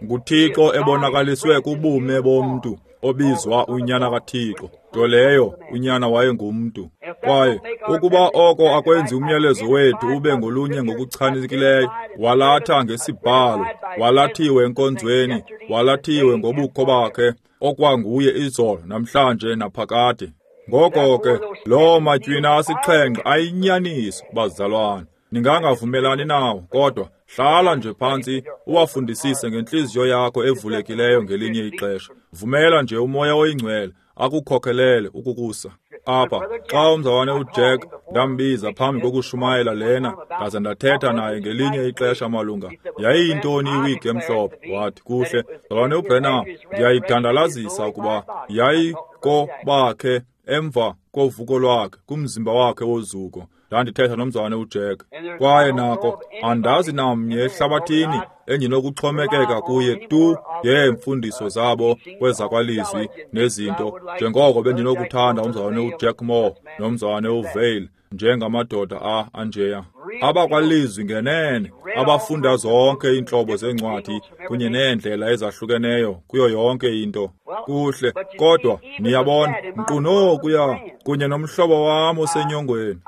NguThixo ebonakaliswe kubume bomntu obizwa uNyana kaThixo, nto leyo uNyana wayengumntu. Kwaye ukuba oko akwenzi umyalezo wethu ube ngolunye ngokuchanekileyo, walatha ngesibhalo, walathiwe enkonzweni, walathiwe ngobukho bakhe, okwanguye izolo, namhlanje naphakade. Ngoko ke loo matywina 7 ayinyaniso, bazalwane. Ningangavumelani nawo, kodwa hlala nje phantsi uwafundisise ngentliziyo yakho evulekileyo ngelinye ixesha. Vumela nje uMoya oyiNgcwele akukhokhelele ukukusa apha. Xa umzalwane uJack ndambiza phambi kokushumayela lena, ndaze ndathetha naye ngelinye ixesha malunga yayiyintoni iwigi emhlophe. Wathi, kuhle, mzalwane uBrenham, ndiyayidandalazisa ukuba yayikobakhe emva kovuko lwakhe kumzimba wakhe wozuko. Ndandithetha nomzalwane uJack, kwaye nako andazi namnye ehlabathini endinokuxhomekeka kuye tu ngeemfundiso zabo kwezakwalizwi nezinto, njengoko bendinokuthanda umzalwane uJack Moore nomzalwane uVale njengamadoda anjeya, abakwalizwi ngenene, abafunda zonke iintlobo zeencwadi kunye neendlela ezahlukeneyo kuyo yonke into. Kuhle, kodwa niyabona, nkqu nokuya kunye nomhlobo wam osenyongweni,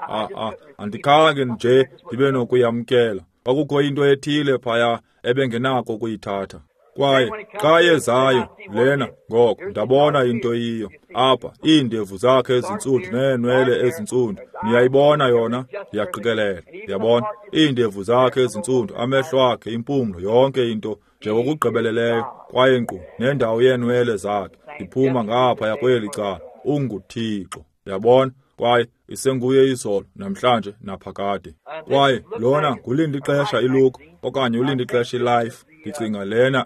andikhange nje ndibe nokuyamkela. Kwakukho into ethile phaya ebengenako ukuyithatha. Kwaye xa yezayo lena, ngoko ndabona into yiyo apha, iindevu zakhe ezintsundu neenwele ezintsundu. Niyayibona yona, ndiyaqikelela. Ndiyabona iindevu zakhe ezintsundu, amehlo akhe, impumlo, yonke into njengokugqibeleleyo, kwaye nkqu nendawo yeenwele zakhe iphuma ngaphaya kweli cala. UnguThixo. Yabona, kwaye isenguye izolo, namhlanje, naphakade. Kwaye lona ngulindixesha iLook okanye ulindixesha iLife. Ndicinga lena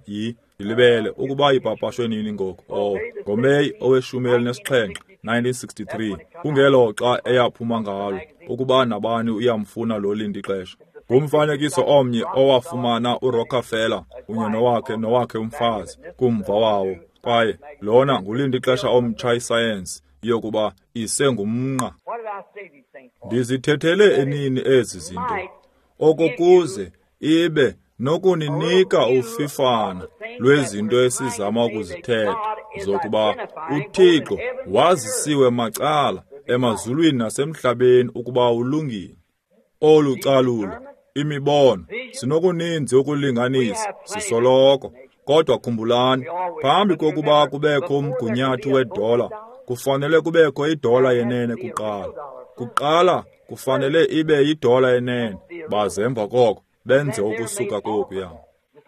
ndilibele ukuba ipapashwe nini ngoku. NgoMeyi owe-17, 1963, kungelo xa eyaphuma ngalo, ukuba nabani uyamfuna lo lindixesha. Ngumfanekiso omnye owafumana uRockefeller kunye nowakhe umfazi kumva wawo. Kwaye lona ngulindixesha omtsha isayensi yokuba isengumnqa. Ndizithethele enini ezi zinto, okokuze ibe nokuninika ufifana lwezinto esizama ukuzithetha, zokuba uThixo wazisiwe macala emazulwini nasemhlabeni ukuba ulungile. Olu calulo, imibono, sinokuninzi ukulinganisa sisoloko. Kodwa khumbulani, phambi kokuba kubekho umgunyathi wedola, kufanele kubekho idola yenene kuqala. Kuqala kufanele ibe yidola yenene, baze emva koko benze ukusuka kokuya.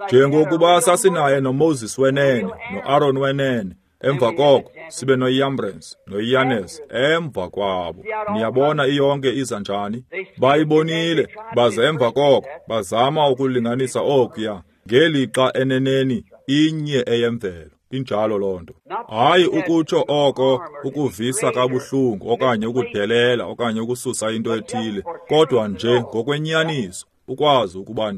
Njengokuba sasinaye noMoses wenene, noAaron wenene, emva koko sibe noYambres noYanes emva kwabo. Niyabona iyonke iza njani? Bayibonile, baze emva koko bazama ukulinganisa okuya, ngelixa eneneni inye eyemvelo. Injalo loo nto. Hayi ukutsho oko ukuvisa kabuhlungu okanye ukudelela okanye ukususa into ethile, kodwa nje ngokwenyaniso ukwazi ukuba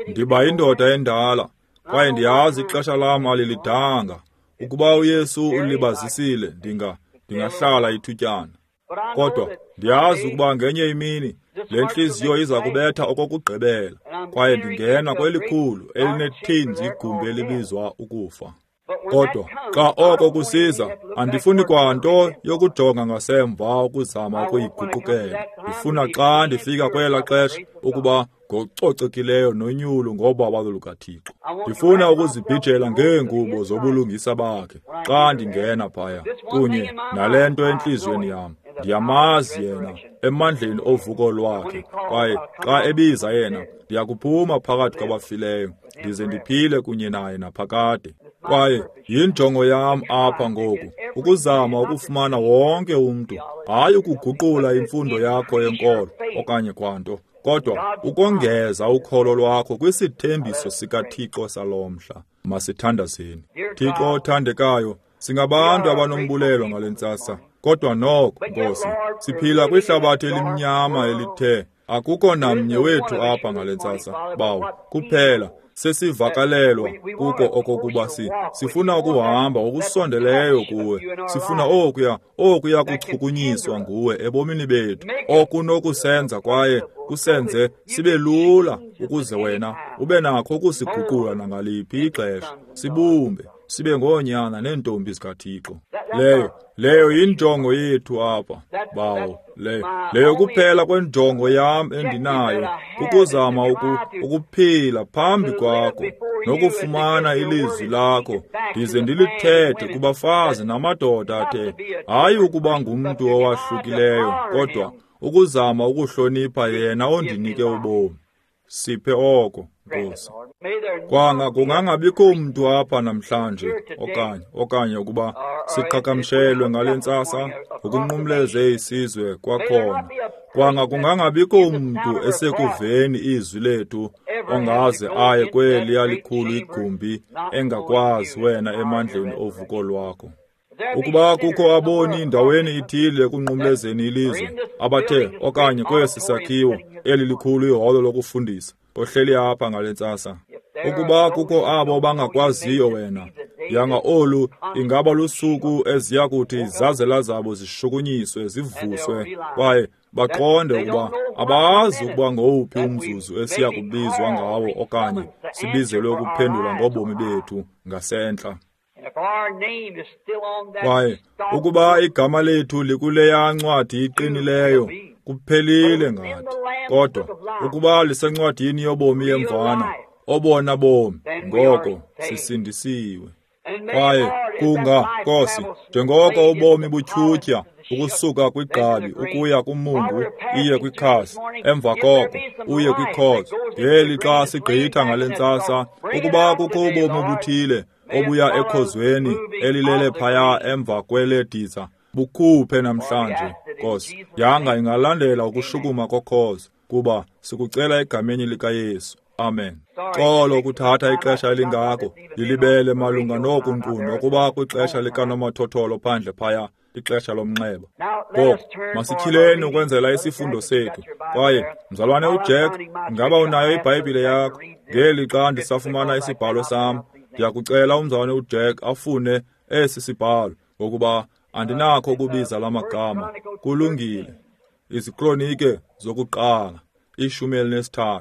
ndiba yindoda endala, kwaye ndiyazi ixesha lam alilidanga. Ukuba uYesu ulibazisile, ndingahlala ithutyana. Kodwa ndiyazi ukuba ngenye imini le ntliziyo iza kubetha okokugqibela, kwaye ndingena kwelikhulu elinethinzi igumbi elibizwa ukufa. Kodwa xa oko kusiza, andifuni kwanto yokujonga ngasemva ukuzama ukuyiguqukela. Ndifuna xa ndifika kwela xesha ukuba ngococekileyo nonyulo ngobabalo lukaThixo. Ndifuna ukuzibhijela ngeengubo zobulungisa bakhe xa ndingena phaya, kunye nale nto entliziyweni yam. Ndiyamazi yena emandleni ovuko lwakhe, kwaye xa ebiza yena, ndiyakuphuma phakathi kwabafileyo, ndize ndiphile kunye naye naphakade. Kwaye yinjongo yam apha ngoku, ukuzama ukufumana wonke umntu, hayi ukuguqula imfundo yakho yenkolo okanye kwanto, kodwa ukongeza ukholo lwakho kwisithembiso sikaThixo salo mhla. Masithandazeni. Thixo othandekayo, singabantu abanombulelo ngale ntsasa, kodwa noko, Nkosi, siphila kwihlabathi elimnyama elithe akukho namnye wethu apha ngale ntsasa, Bawo, kuphela sesivakalelwa kuko okokuba sifuna ukuhamba okusondeleyo kuwe, sifuna okuya kuchukunyiswa nguwe ebomini bethu, okunokusenza kwaye kusenze sibe lula ukuze wena ube nakho ukusiguqula nangaliphi ixesha, sibumbe sibe ngoonyana neentombi zikaThixo. Leyo yinjongo yethu apha, Bawo. Leyo kuphela kwenjongo yam endinayo, ukuzama ukuphila phambi kwakho nokufumana ilizwi lakho, ndize ndilithethe kubafazi namadoda athe, hayi ukuba ngumntu owahlukileyo, kodwa ukuzama ukuhlonipha yena ondinike ubomi. Siphe oko, Nkosi. Kwanga kungangabikho mntu apha namhlanje okanye ukuba siqhagamshelwe ngale ntsasa ngokunqumleze isizwe kwakhona. Kwanga kungangabikho mntu esekuveni izwi lethu ongaze aye kweliya likhulu igumbi engakwazi wena emandleni ovuko lwakho. Ukuba kukho aboni ndaweni ithile ekunqumlezeni ilizwe abathe okanye kwesi sakhiwo eli likhulu iholo lokufundisa ohleli apha ngale ntsasa, ukuba kukho abo bangakwaziyo wena, yanga olu ingaba lusuku eziya kuthi izazela zabo zishukunyiswe zivuswe kwaye baqonde ukuba abazi ukuba ngowuphi umzuzu esiya kubizwa ngawo okanye sibizelwe ukuphendula ngobomi bethu ngasentla. Kwaye ukuba igama lethu likuleya ncwadi iqinileyo, kuphelile ngathi. Kodwa ukuba lisencwadini yobomi yemvana, obona bomi, ngoko sisindisiwe. Kwaye kunga, Nkosi, njengoko ubomi butyhutyha ukusuka kwigqabi ukuya kumungu, iye kwikhasi, emva koko uye kwikhozo, ngeli xa sigqitha ngale ntsasa, ukuba kukho ubomi obuthile obuya ekhozweni elilele phaya emva kwelediza, bukhuphe namhlanje, Nkosi, yanga ingalandela ukushukuma kokhozo, kuba sikucela egameni likaYesu. Amen. Xolo kuthatha ixesha elingako, lilibele malunga noku nkqu nokuba kwixesha likanomathotholo phandle phaya, ixesha lomnxeba. Ngoku masityhileni ukwenzela isifundo sethu. Kwaye mzalwane uJack, ingaba unayo iBhayibhile yakho? Ngeli xa ndisafumana isibhalo sam, ndiyakucela umzalwane uJack afune esi sibhalo, ngokuba andinakho ukubiza la magama. Kulungile. IziKronike zokuqala, 13.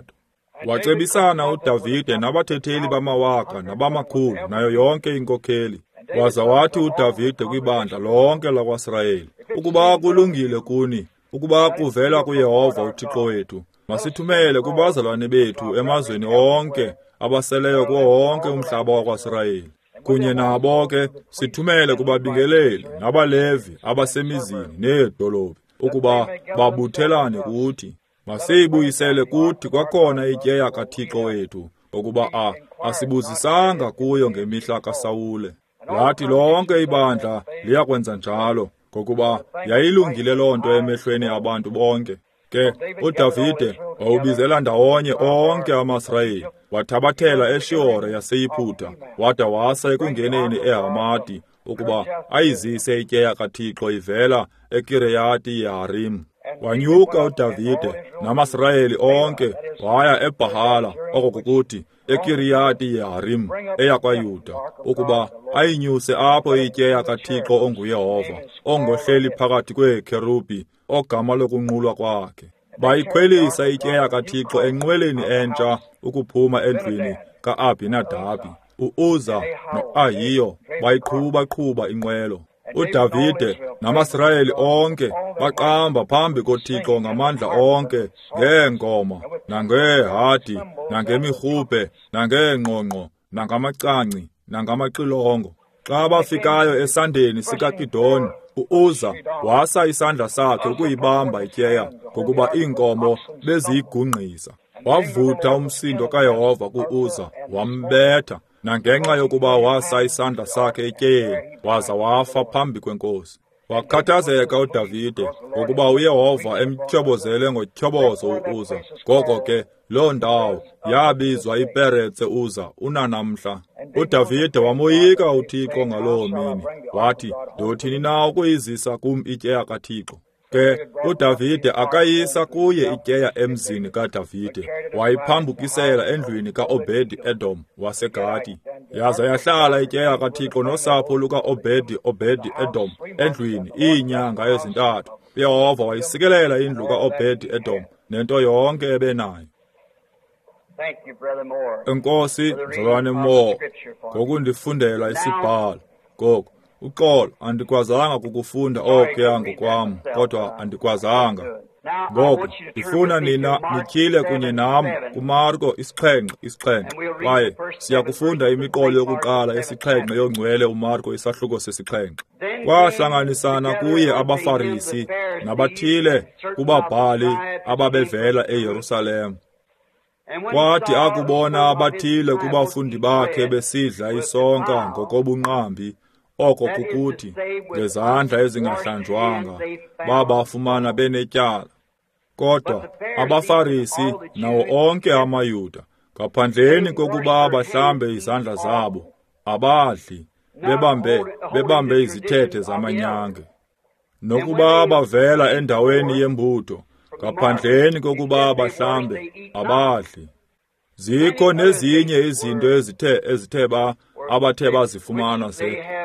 Wacebisana uDavide nabathetheli bamawaka nabamakhulu nayo yonke inkokheli. Waza wathi uDavide kwibandla lonke lakwaSirayeli, ukuba kulungile kuni, ukuba kuvela kuYehova uThixo wethu, masithumele kubazalwane bethu emazweni onke abaseleyo kuwo wonke umhlaba wakwaSirayeli. Kunye nabo ke sithumele kubabingeleli nabaLevi abasemizini needolophu, ukuba babuthelane kuthi. Masiyibuyisele kuthi kwakhona ityeya kaThixo wethu, ngokuba asibuzisanga kuyo ngemihla kaSawule. Lathi lonke ibandla liyakwenza njalo, ngokuba yayilungile loo nto emehlweni abantu bonke. Ke uDavide wawubizela ndawonye onke amaSirayeli, wathabathela eShihore yaseYiputa, wada wasa ekungeneni eHamati, ukuba ayizise ityeya kaThixo ivela eKireyati Yeharim. Wanyuka uDavide namaSirayeli onke waya eBhahala, oko kukuthi eKiriyati Yeharim eyakwaYuda, ukuba ayinyuse apho ityeya kaThixo onguYehova, ongohleli phakathi kweekherubhi, ogama lokunqulwa kwakhe. Bayikhwelisa ityeya kaThixo enqweleni entsha ukuphuma endlwini ka-Abhinadabi. U-Uza no-Ahiyo bayiqhuba-qhuba inqwelo. uDavide namaSirayeli onke baqamba phambi koThixo ngamandla onke, ngeengoma, nangeehadi, nangemirhubhe, nangeengqongqo, nangamacangci, nangamaxilongo. Xa bafikayo esandeni sikaKidoni, u-Uza wasa isandla sakhe ukuyibamba ityeya, ngokuba iinkomo beziyigungqisa. Wavutha umsindo kaYehova ku-Uza, wambetha, nangenxa yokuba wasa isandla sakhe etyeyeni, waza wafa phambi kwenkosi. Wakhathazeka uDavide ngokuba uYehova emtyhobozele ngotyhobozo u-Uza. Ngoko ke loo ndawo yabizwa iPeretse Uza unanamhla. uDavide wamoyika uThixo ngaloo mini, wathi, ndothini na ukuyizisa kum ityeya kaThixo? Ke uDavide akayisa kuye ityeya emzini kaDavide, wayiphambukisela endlwini kaObedi-Edom waseGati. Yaza yahlala ityeya kaThixo nosapho lukaObedi-Obedi-Edom endlwini iinyanga ezintathu. uYehova wayisikelela indlu kaObedi-Edom nento yonke ebenayo. Enkosi, mzalwane Moore, ngokundifundela isibhalo. Ngoku, uxolo, andikwazanga kukufunda okuya ngokwam, kodwa andikwazanga. Ngoku, ndifuna nina nityhile kunye nam kuMarko 7:7, kwaye siyakufunda imiqolo yokuqala 7 yongcwele uMarko isahluko 7. Kwahlanganisana kuye abaFarisi nabathile kubabhali ababevela eYerusalem. Kwathi akubona abathile kubafundi bakhe besidla isonka ngokobunqambi, oko kukuthi ngezandla ezingahlanjwanga, babafumana benetyala. Kodwa abaFarisi nawo onke amaYuda, ngaphandleni kokuba bahlambe izandla zabo, abadli, bebambe izithethe zamanyange. Nokuba bavela endaweni yembutho, ngaphandleni kokuba bahlambe, abadli. Zikho nezinye izinto ezithe abathe bazifumana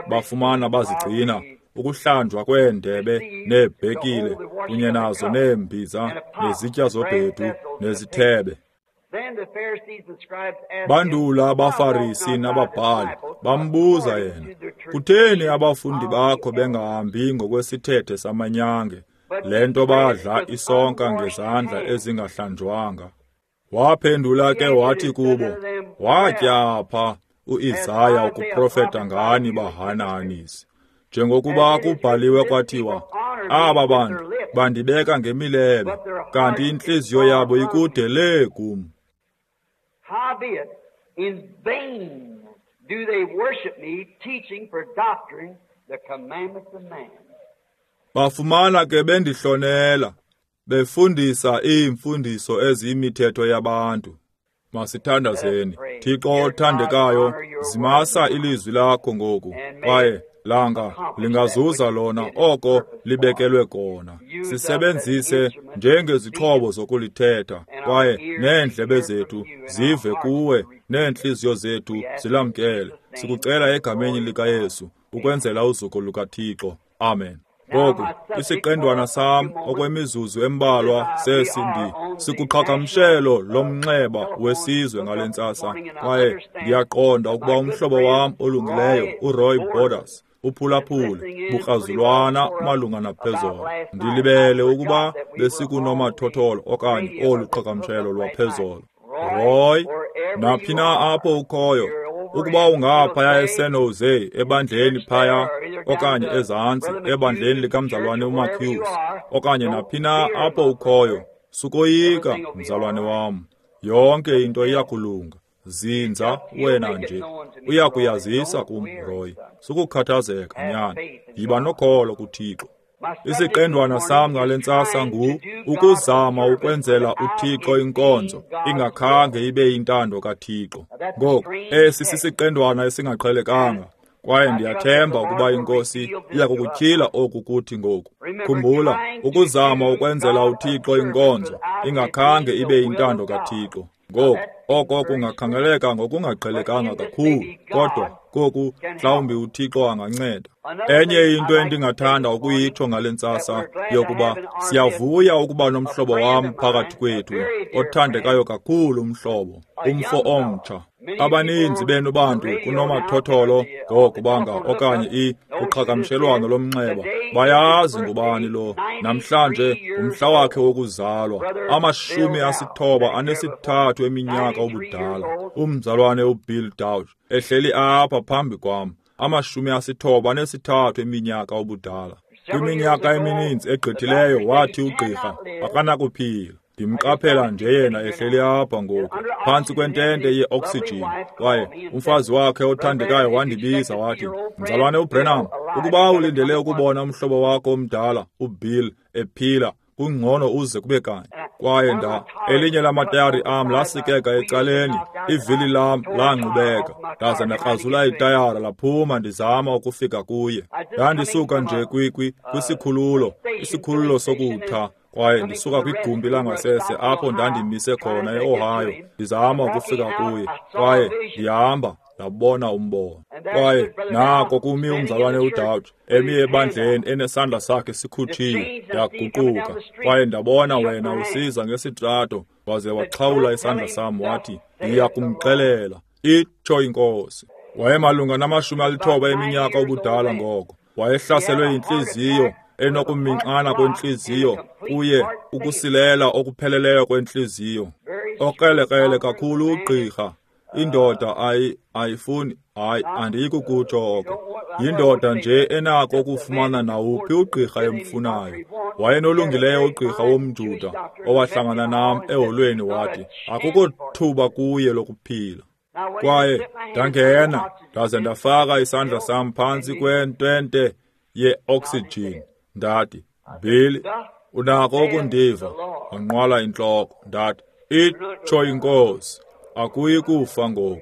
bafumana bazigcina, ukuhlanjwa kweendebe neebhekile kunye nazo neembiza nezitya zobhedu nezithebe. Bandula abaFarisi nababhali bambuza yena, kutheni abafundi bakho bengahambi ngokwesithethe samanyange, le nto badla isonka ngezandla ezingahlanjwanga? Waphendula ke wathi kubo, watya pha uIsaya ukuprofeta ngani bahanahanisi, njengokuba kubhaliwe kwathiwa, aba bantu bandibeka ngemilebe, kanti intliziyo yabo ikude lee kum. Howbeit, in vain do they worship me, teaching for doctrine the commandments of man. Bafumana ke bendihlonela, befundisa iimfundiso eziyimithetho yabantu. Masithandazeni. Thixo othandekayo, zimasa ilizwi lakho ngoku, kwaye langa lingazuza lona oko libekelwe kona. Sisebenzise njengezixhobo zokulithetha, kwaye neendlebe zethu zive kuwe, neentliziyo zethu zilamkele. Sikucela egameni likaYesu, ukwenzela uzuko lukaThixo. Amen. Ngoku, isiqendwana sam okwemizuzu embalwa sesindi sikuqhagamshelo lomnxeba wesizwe ngale ntsasa, kwaye ndiyaqonda ukuba umhlobo wam olungileyo uRoy Borders uphulaphule bukrazulwana malunga naphezolo. Ndilibele ukuba besikunomathotholo okanye olu qhagamshelo lwaphezolo. Roy, naphi na apho ukhoyo, ukuba ungaphaya eSan Jose ebandleni phaya, okanye ezantsi ebandleni likamzalwane uMarcus, okanye naphi na apho ukhoyo, sukoyika, mzalwane wam. Yonke into iyakulunga. Zinza wena nje. Uyakuyazisa kum, Roy. Sukukhathazeka, nyana. Yiba nokholo kuThixo. Isiqendwana sam ngale ntsasa ngu ukuzama ukwenzela uThixo inkonzo ingakhange ibe yintando kaThixo. Ngoku, esi sisiqendwana esingaqhelekanga, kwaye ndiyathemba ukuba iNkosi iya kukutyhila oku kuthi ngoku. Khumbula, ukuzama ukwenzela uThixo inkonzo ingakhange ibe yintando kaThixo. Ngoku, oko kungakhangeleka ngokungaqhelekanga kakhulu, kodwa koku mhlawumbi uThixo anganceda. Enye into endingathanda ukuyitsho ngale ntsasa yokuba siyavuya ukuba nomhlobo wam phakathi kwethu, othandekayo kakhulu umhlobo, umfo omtsha. Abaninzi benu bantu kunomathotholo ngokubanga okanye uqhagamshelwano lomnxeba bayazi ngubani lo. Namhlanje ngumhla wakhe wokuzalwa, 93 eminyaka ubudala, umzalwane uBill Dauch ehleli apha phambi kwam, 93 eminyaka ubudala. Kwiminyaka emininzi egqithileyo wathi ugqirha akanakuphila. Ndimqaphela nje yena ehleli apha ngoku phantsi kwentente ye-oksijini, kwaye umfazi wakhe othandekayo wandibiza wathi, Mzalwane uBrenham, ukuba ulindele ukubona umhlobo wakho omdala uBill ephila, kungcono uze kube kanye. Kwaye elinye lamatayari am lasikeka ecaleni, ivili lam lanqubeka, ndaza ndakrazula itayara laphuma ndizama ukufika kuye. Ndandisuka nje kwisikhululo, isikhululo sokutha, kwaye ndisuka kwigumbi langasese apho ndandimise khona eOhio, ndizama ukufika kuye, kwaye ndihamba ndabona umbono. Kwaye nako kumi umzalwane uDauch emi ebandleni enesandla sakhe sikhutshiwe. Ndaguquka kwaye ndabona wena usiza ngesitrato, waze waxhawula isandla sam wathi, ndiya kumxelela, itsho iNkosi. Wayemalunga na-90 eminyaka ubudala ngoko. Wayehlaselwe yintliziyo enokuminxana kwentliziyo, kuye ukusilela okupheleleyo kwentliziyo. Okrelekrele kakhulu ugqirha. Indoda ayifuni, hayi, andiyikukutsho oko. Yindoda nje enako ukufumana nawuphi ugqirha emfunayo. Wayenolungileyo ugqirha womJuda owahlangana nam eholweni wathi, akukho thuba kuye lokuphila. Kwaye ndangena ndaze ndafaka isandla sam phantsi kwentente ye-oksijini. Ndathi, Bill, unako ukundiva? Wanqwala intloko. Ndathi, itsho iNkosi, akuyi kufa ngoku.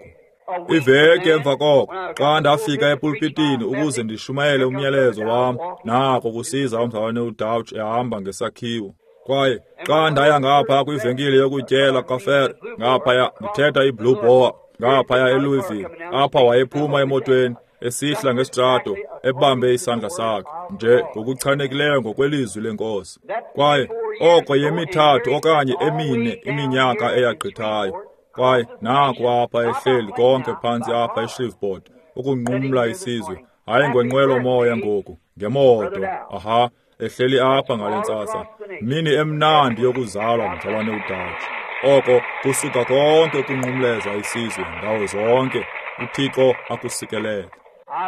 Iveki emva koko, xa ndafika epulpitini ukuze ndishumayele umyalezo wam, nako kusiza umzalwane uDauch ehamba ngesakhiwo. Kwaye xa ndaya ngapha kwivenkile yokutyela kaFer, ngaphaya ndithetha iBlue Boar, ngaphaya eLouisville, apha wayephuma emotweni esihla ngesitrato ebambe isandla sakhe nje ngokuchanekileyo ngokwelizwi lenkosi. Kwaye oko yemithathu okanye emine iminyaka eyagqithayo. Kwaye naku apha ehleli konke phantsi apha eShreveport ukunqumla isizwe, hayi ngenqwelo-moya ngoku, ngemoto. Aha, ehleli apha ngale ntsasa, mini emnandi yokuzalwa mzalwane uDauch. Oko kusuka konke ukunqumleza isizwe ndawo zonke. UThixo akusikelele.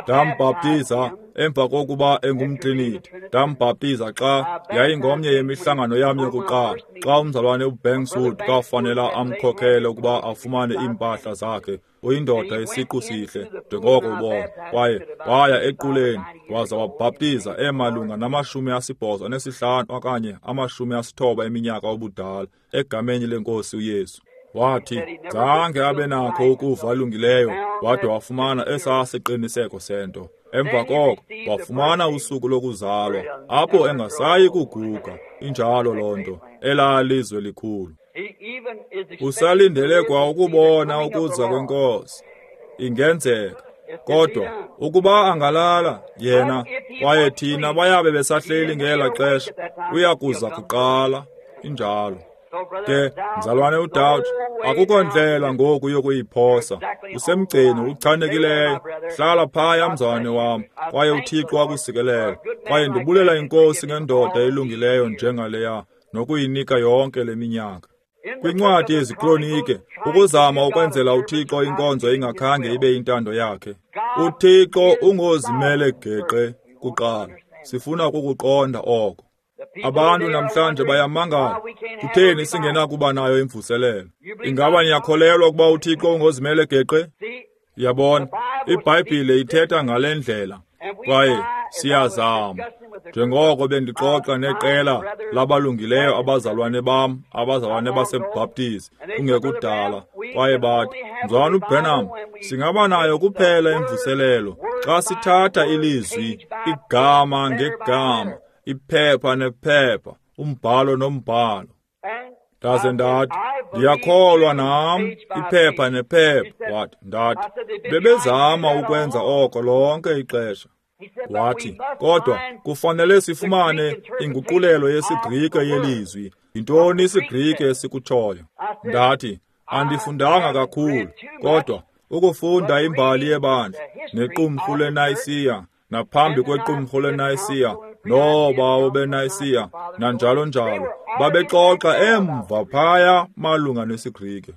Ndambhaptiza emva kokuba engumtriniti. Ndambhaptiza xa yayingomnye yemihlangano yam yokuqala, xa umzalwane uBankswood kwafanela amkhokhele ukuba afumane iimpahla zakhe. Uyindoda isiqu sihle, njengoko ubona. Kwaye waya equleni waza wabhaptiza emalunga nama-85 okanye 90 eminyaka obudala, egameni leNkosi uYesu. Wathi zange abe nakho ukuva alungileyo, wade wafumana esaa siqiniseko sento. Emva koko wafumana usuku lokuzalwa apho engasayi kuguga. Injalo loo nto, elaa lizwe likhulu. Usalindele kwa ukubona ukuza kweNkosi. Ingenzeka. Kodwa ukuba angalala yena kwaye thina bayabe besahleli ngela xesha, uya kuza kuqala. Injalo. Ke, mzalwane uDouch, akukho ndlela ngoku yokuyiphosa. Usemgceni uchanekileyo. Hlala phaya, mzalwane wam, kwaye uThixo akusikelele. Kwaye ndibulela iNkosi ngendoda elungileyo njengaleya, nokuyinika yonke le minyaka. Kwincwadi yeziKronike, ukuzama ukwenzela uThixo inkonzo ingakhange ibe yintando yakhe. UThixo ungozimele geqe kuqala. Sifuna ukukuqonda oko. Abantu namhlanje bayamangala, kutheni singenakuba nayo imvuselelo? Ingaba niyakholelwa ukuba uThixo ungozimele geqe? Yabona, iBhayibhile ithetha ngale ndlela, kwaye siyazama. Njengoko bendixoxa neqela labalungileyo abazalwane bam, abazalwane baseBaptist, kungekudala, kwaye bathi, Mzalwana uBranham, singaba nayo kuphela imvuselelo xa sithatha ilizwi igama ngegama, iphepha nephepha, umbhalo nombhalo. Ndaze ndathi, ndiyakholwa nam, iphepha nephepha. Wathi, ndathi, bebezama ukwenza oko lonke ixesha. Wathi, kodwa kufanele sifumane inguqulelo yesiGrike yelizwi. Yintoni isiGrike esikutshoyo? Ndathi, andifundanga kakhulu, kodwa ukufunda imbali yebandla nequmrhu leNayisiya, naphambi kwequmrhu leNayisiya, noobawo beNayisiya, nanjalo njalo, babexoxa emva phaya malunga nesiGrike.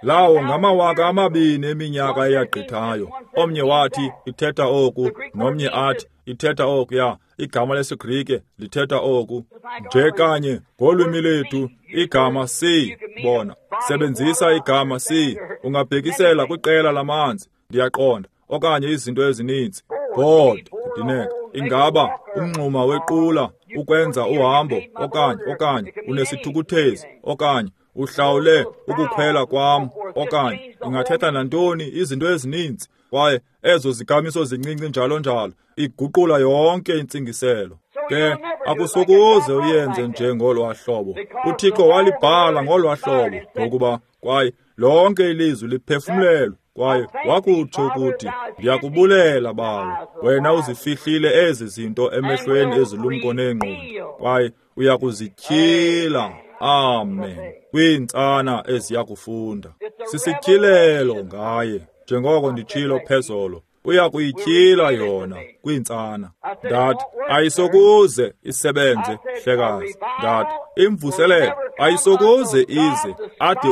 Lawo ngama 2000 eminyaka eyagqithayo. Omnye wathi ithetha oku, nomnye athi ithetha okuya. Igama lesiGrike lithetha oku. Nje kanye ngolwimi lethu igama si, bona, sebenzisa igama si, ungabhekisela kwiqela lamanzi, ndiyaqonda, okanye izinto ezininzi. God, ndineka, ingaba umngxuma wequla ukwenza uhambo, okanye unesithukuthezi, okanye uhlawule ukukhwela kwam, okanye ingathetha nantoni, izinto ezininzi. Kwaye ezo zikamiso zincinci njalo njalo iguqula yonke intsingiselo. Ke akusokuze uyenze nje ngolwa hlobo. UThixo walibhala ngolwa hlobo, ngokuba kwaye lonke ilizwi liphefumlelwe. Kwaye wakutsho ukuthi, ndiyakubulela Bawo, wena uzifihlile ezi zinto emehlweni ezilumko neengqondo, kwaye uyakuzityhila, amen, kwiintsana eziyakufunda. Sisityhilelo ngaye, njengoko nditshilo phezolo, uyakuyityhila yona kwiintsana. Ndathi, ayisokuze isebenze, hlekazi. Ndathi, imvuselelo ayisokuze ize ade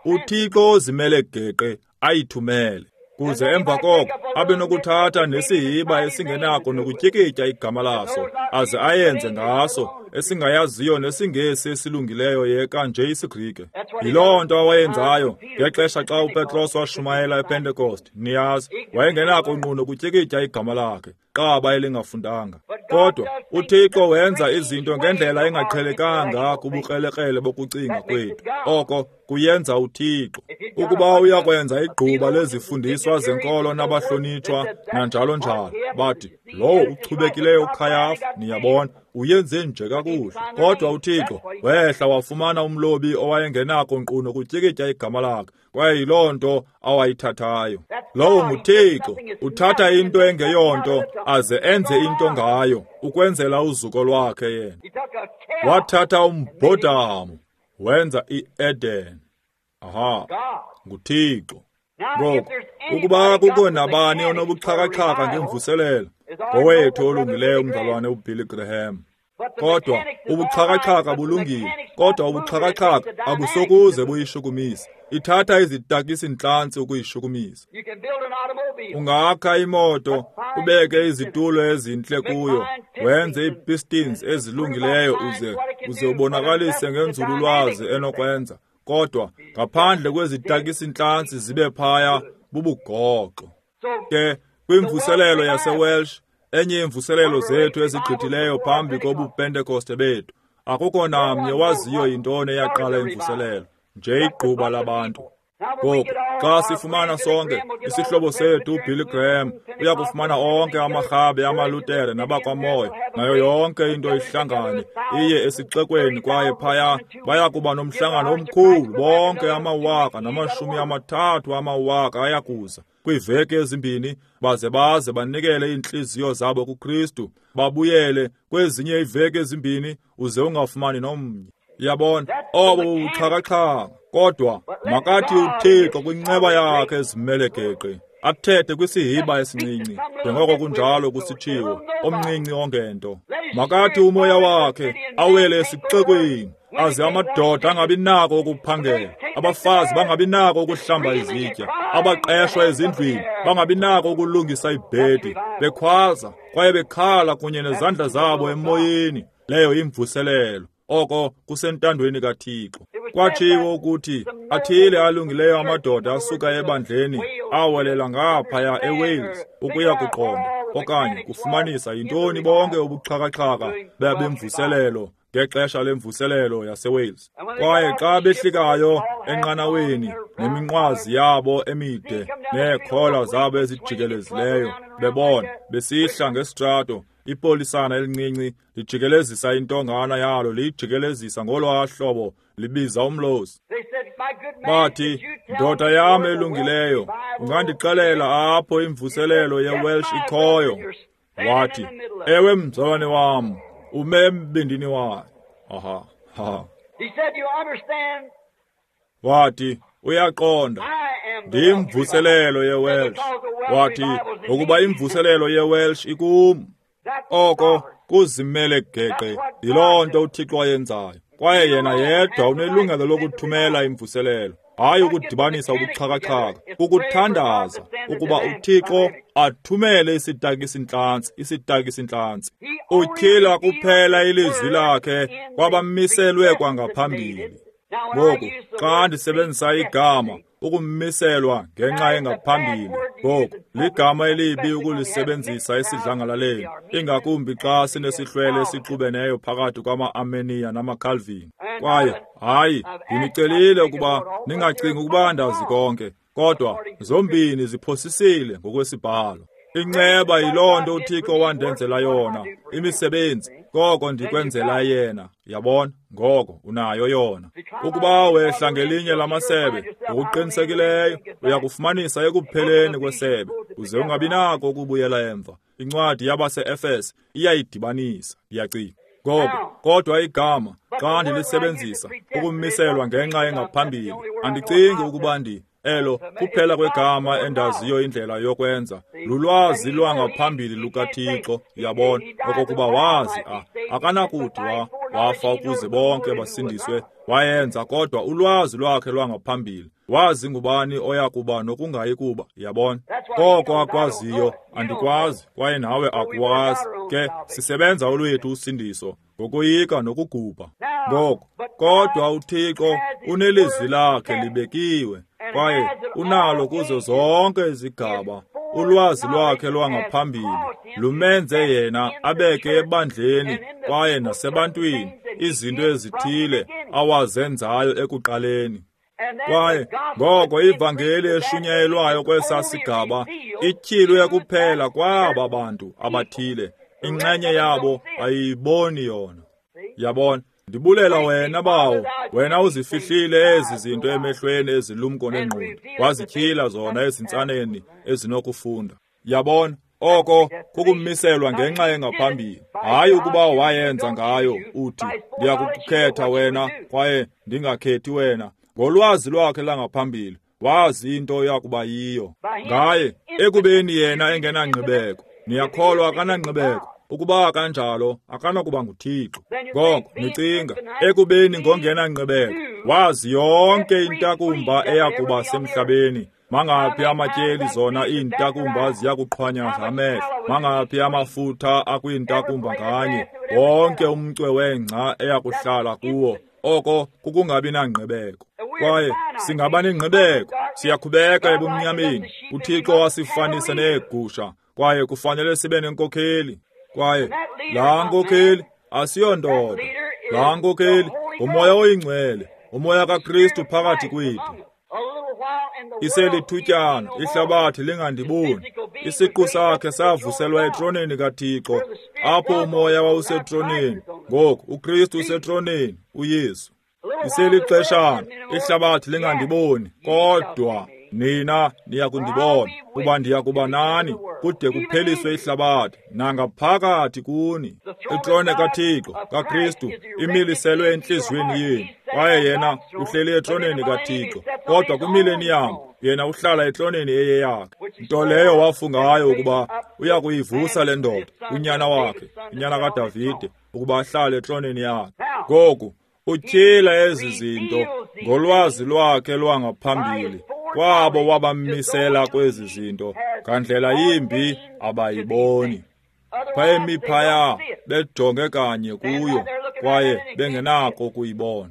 uThixo ozimele geqe ayithumele, kuze emva koko abe nokuthatha nesihiba esingenako nokutyikitya igama laso, aze ayenze ngaso esingayaziyo nesiNgesi esilungileyo yeka nje isiGrike. Yiloo nto awayenzayo ngexesha xa uPetros washumayela ePentecost. Niyazi, wayengenako nqu nokutyikitya igama lakhe, qaba elingafundanga. Kodwa uThixo wenza izinto ngendlela engaqhelekanga kubukrelekrele bokucinga kwethu. Oko kuyenza uThixo. Ukuba uyakwenza igquba lezifundiswa zenkolo nabahlonitshwa nanjalo njalo, bathi lowo uchubekileyo uKhayafa, niyabona, uyenze nje kakuhle. Kodwa uThixo wehla wafumana umlobi owayengenako nkqu nokutyikitya igama lakhe, kwaye yiloo nto awayithathayo. Lowo nguThixo, uthatha into engeyonto aze enze into ngayo ukwenzela uzuko lwakhe yena. Wathatha umbhodamo wenza iEden. Aha, nguThixo. Ngoku, ukuba kukho nabani onobuxhakaxhaka ngemvuselelo, ngowethu olungileyo umzalwane uBilly Graham. Kodwa ubuxhakaxhaka bulungile, kodwa ubuxhakaxhaka abusokuze buyishukumise. Ithatha izitakisi-ntlantsi ukuyishukumisa. Ungakha imoto, ubeke izitulo ezintle kuyo, wenze ii-pistons ezilungileyo uze ubonakalise ngenzululwazi enokwenza. Kodwa ngaphandle kwezitakisi-ntlantsi zibe phaya bubugoxo. Ke kwimvuselelo yaseWelsh, enye imvuselelo zethu ezigqithileyo phambi kobuPentekoste bethu, akukho namnye waziyo yintoni eyaqala imvuselelo, nje igquba labantu. Ngoku xa sifumana sonke isihlobo sethu uBilly Graham uya kufumana onke amarhabe amaLutere nabakwaMoya nayo yonke into ihlangane iye esixekweni, kwaye phaya baya kuba nomhlangano omkhulu. Bonke amawaka 30 amawaka ayakuza kwiiveki ezimbini, baze banikele iintliziyo zabo kuKristu, babuyele kwezinye iiveki ezimbini, uze ungafumani nomnye. Yabona, obo bubuxhakaxhaka. Kodwa makathi uThixo kwinceba yakhe ezimele geqe athethe kwisihiba esincinci, njengoko kunjalo kusitshiwo, omncinci ongento. Makathi umoya wakhe awele esixekweni, aze amadoda angabi nako ukuphangela, abafazi bangabi nako ukuhlamba izitya, abaqeshwa ezindlwini bangabi nako ukulungisa ibhedi, bekhwaza kwaye bekhala kunye nezandla zabo emoyeni. Leyo imvuselelo. Oko kusentandweni kaThixo. Kwatshiwo ukuthi athile alungileyo amadoda asuka ebandleni awelela ngaphaya eWales ukuya kuqonda okanye kufumanisa yintoni bonke ubuxhakaxhaka bemvuselelo ngexesha lemvuselelo yaseWales. Kwaye xa behlikayo enqanaweni neminqwazi yabo emide neekhola zabo ezijikelezileyo, bebona besihla ngesitrato, ipolisana elincinci lijikelezisa intongana yalo, liyijikelezisa ngolwaa hlobo, libiza umlozi. Bathi, ndoda yam elungileyo, ungandixelela apho imvuselelo yeWelsh ikhoyo? Wathi, ewe mzalwane wam, ume embindini wayo. Aha, ha. Wathi, uyaqonda, ndiyimvuselelo yeWelsh. Wathi, ngokuba imvuselelo yeWelsh ikum. Oko kuzimele geqe, yiloo nto uThixo ayenzayo. Kwaye yena yedwa unelungelo lokuthumela imvuselelo, hayi ukudibanisa ubuxhakaxhaka, kukuthandaza ukuba uThixo athumele isitakisi-ntlantsi, isitakisi-ntlantsi. Utyhila kuphela ilizwi lakhe kwabamiselwe kwangaphambili. Ngoku xa ndisebenzisa igama ukumiselwa ngenxa engaphambili, ngoku ligama elibi ukulisebenzisa esidlangalaleni, ingakumbi xa sinesihlwele esixubeneyo phakathi kwama-Armenia namaCalvin. Kwaye hayi, ndinicelile ukuba ningacingi ukuba ndazi konke, kodwa zombini ziphosisile ngokwesibhalo. Inceba yiloo nto uThixo wandenzela yona, imisebenzi koko ndikwenzela yena. Yabona, ngoko unayo yona. Ukuba wehla ngelinye lamasebe, ngokuqinisekileyo uyakufumanisa ekupheleni kwesebe, uze ungabi nako ukubuyela emva. Incwadi yabase-Efese iyayidibanisa, ndiyacinga. Ngoko, kodwa igama xa ndilisebenzisa ukumiselwa ngenxa engaphambili, andicingi ukuba elo kuphela kwegama endaziyo indlela yokwenza lulwazi lwangaphambili lukaThixo. Yabona, okokuba wazi akanakuthi wafa ukuze bonke basindiswe, wayenza, kodwa ulwazi lwakhe lwangaphambili wazi ngubani oya kuba nokungayi kuba. Yabona, koko akwaziyo andikwazi, kwaye nawe akuwazi. Ke sisebenza olwethu usindiso ngokoyika nokugubha. Ngoko, kodwa uThixo unelizwi lakhe libekiwe, kwaye unalo kuzo zonke izigaba. Ulwazi lwakhe lwangaphambili lumenze yena abeke ebandleni kwaye nasebantwini izinto ezithile awazenzayo ekuqaleni. Kwaye ngoko ivangeli eshunyayelwayo kwesa sigaba ityhilwe kuphela kwaba bantu abathile, inxenye yabo ayiboni yona. Yabona, ndibulela wena bawo, wena uzifihlile ezi zinto emehlweni ezilumko nengqondo, wazityhila zona ezintsaneni ezinokufunda. Yabona, oko kukumiselwa ngenxa engaphambili, hayi ukuba wayenza ngayo uthi ndiyakukhetha wena kwaye ndingakhethi wena. Ngolwazi lwakhe langaphambili wazi into yakuba yiyo ngaye, ekubeni yena engenangqibeko. Niyakholwa akanangqibeko? Ukuba kanjalo, akanakuba nguThixo. Ngoko nicinga, ekubeni ngongenangqibeko, wazi yonke intakumba eyakuba semhlabeni. Mangaphi amatyeli zona iintakumba ziyakuqhwanyaza amehlo, mangaphi amafutha akwiintakumba nganye, wonke umcwe wengca eyakuhlala kuwo. Oko kukungabi nangqibeko. Kwaye singaba nengqibeko, siyakhubeka ebumnyameni. UThixo wasifanisa neegusha, kwaye kufanele sibe nenkokheli. Kwaye laa nkokheli asiyondoda, laa nkokheli nguMoya oyiNgcwele, uMoya kaKristu phakathi kwethu. Iselithutyana ihlabathi lingandiboni. Isiqu sakhe savuselwa etroneni kaThixo, apho uMoya wawusetroneni. Ngoku uKristu usetroneni, uYesu. Iselixeshana ihlabathi lingandiboni, kodwa nina niya kundibona, kuba ndiya kuba nani kude kupheliswe ihlabathi nangaphakathi kuni. Itrone kaThixo kaKristu imiliselwe entliziyweni yenu, kwaye yena uhleli etroneni kaThixo. Kodwa kwimileniyam yena uhlala etroneni eyeyakhe, nto leyo wafungayo ukuba uya kuyivusa le ndoda, unyana wakhe, unyana kaDavide, ukuba ahlale etroneni yakhe. Ngoku utyhila ezi zinto ngolwazi lwakhe lwangaphambili kwabo wabamisela kwezi zinto, ngandlela yimbi abayiboni. Phayemi phaya bejonge kanye kuyo, kwaye bengenako ukuyibona.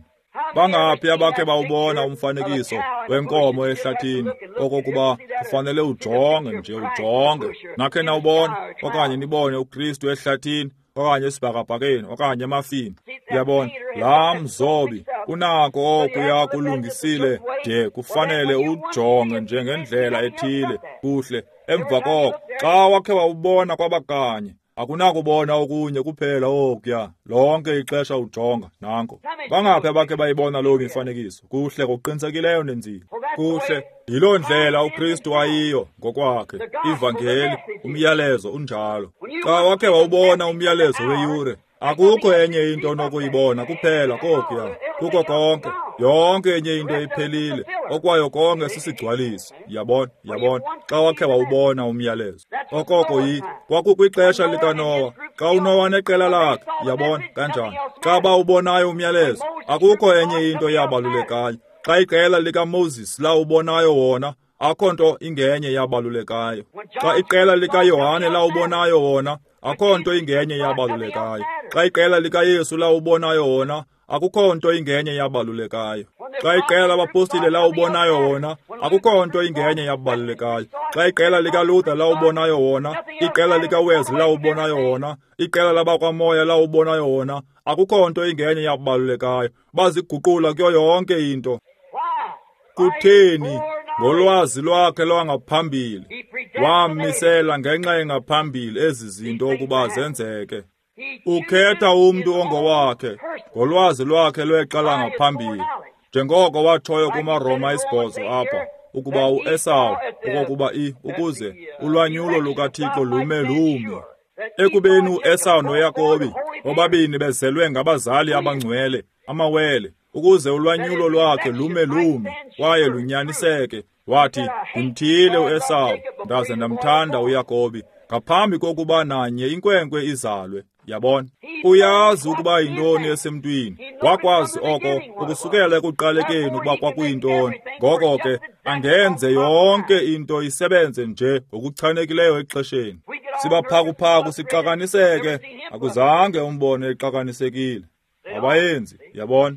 Bangaphi abakhe bawubona umfanekiso wenkomo ehlathini, okokuba kufanele ujonge nje ujonge? Nakhe nawubona, okanye nibone uKristu ehlathini, okanye esibhakabhakeni, okanye emafini. Uyabona, laa mzobi unako okuya kulungisile de kufanele ujonge njengendlela ethile kuhle. Emva koko, xa wakhe wawubona kwabakanye, akunakubona okunye kuphela okuya. Lonke ixesha ujonga nanko. Bangaphi abakhe bayibona loo mifanekiso? Kuhle ngokuqinisekileyo nenzile. Kuhle, yiloo ndlela uKristu ayiyo ngokwakhe. Ivangeli, umyalezo unjalo. Xa wakhe wawubona umyalezo weyure, akukho enye into onokuyibona kuphela kokuya. Kuko konke, yonke enye into iphelile, okwayo konke sisigcwaliso. Yabona, yabona, xa wakhe wawubona umyalezo. Okoko kwakukwixesha likaNowa, xa uNowa neqela lakhe, yabona kanjani. Xa bawubonayo umyalezo, akukho enye into yabalulekayo. Xa iqela likaMoses lawubonayo wona, akho nto ingenye yabalulekayo. Xa iqela likaYohane lawubonayo wona, akho nto ingenye yabalulekayo. Xa iqela likaYesu lawubonayo wona, akukho nto ingenye yabalulekayo. Xa iqela labapostile lawubonayo wona, akukho nto ingenye yabalulekayo. Xa iqela likaLuther lawubonayo wona, iqela likaWesley lawubonayo wona, iqela labakwaMoya lawubonayo wona, akukho nto ingenye yabalulekayo. Baziguqula kuyo yonke into. Kutheni? Ngolwazi lwakhe lwangaphambili wamisela ngenxa engaphambili ezi zinto ukuba zenzeke. Ukhetha umntu ongowakhe ngolwazi lwakhe lwexa langaphambili, njengoko watshoyo kumaRoma 8 apha, ukuba uEsawu, okokuba ukuze ulwanyulo lukaThixo lume lumi. Ekubeni uEsawu noYakobi bobabini bezelwe ngabazali abangcwele, amawele, ukuze ulwanyulo lwakhe lume lumi kwaye lunyaniseke, wathi, ndimthiyile uEsawu ndaze ndamthanda uYakobi, ngaphambi kokuba nanye inkwenkwe izalwe. Yabona, uyazi ukuba yintoni esemntwini. Wakwazi oko ukusukela ekuqalekeni ukuba kwakuyintoni. Ngoko ke angenze yonke into isebenze nje ngokuchanekileyo exesheni. Sibaphakuphaku sixakaniseke, akuzange umbone exakanisekile. Abayenzi, yabona.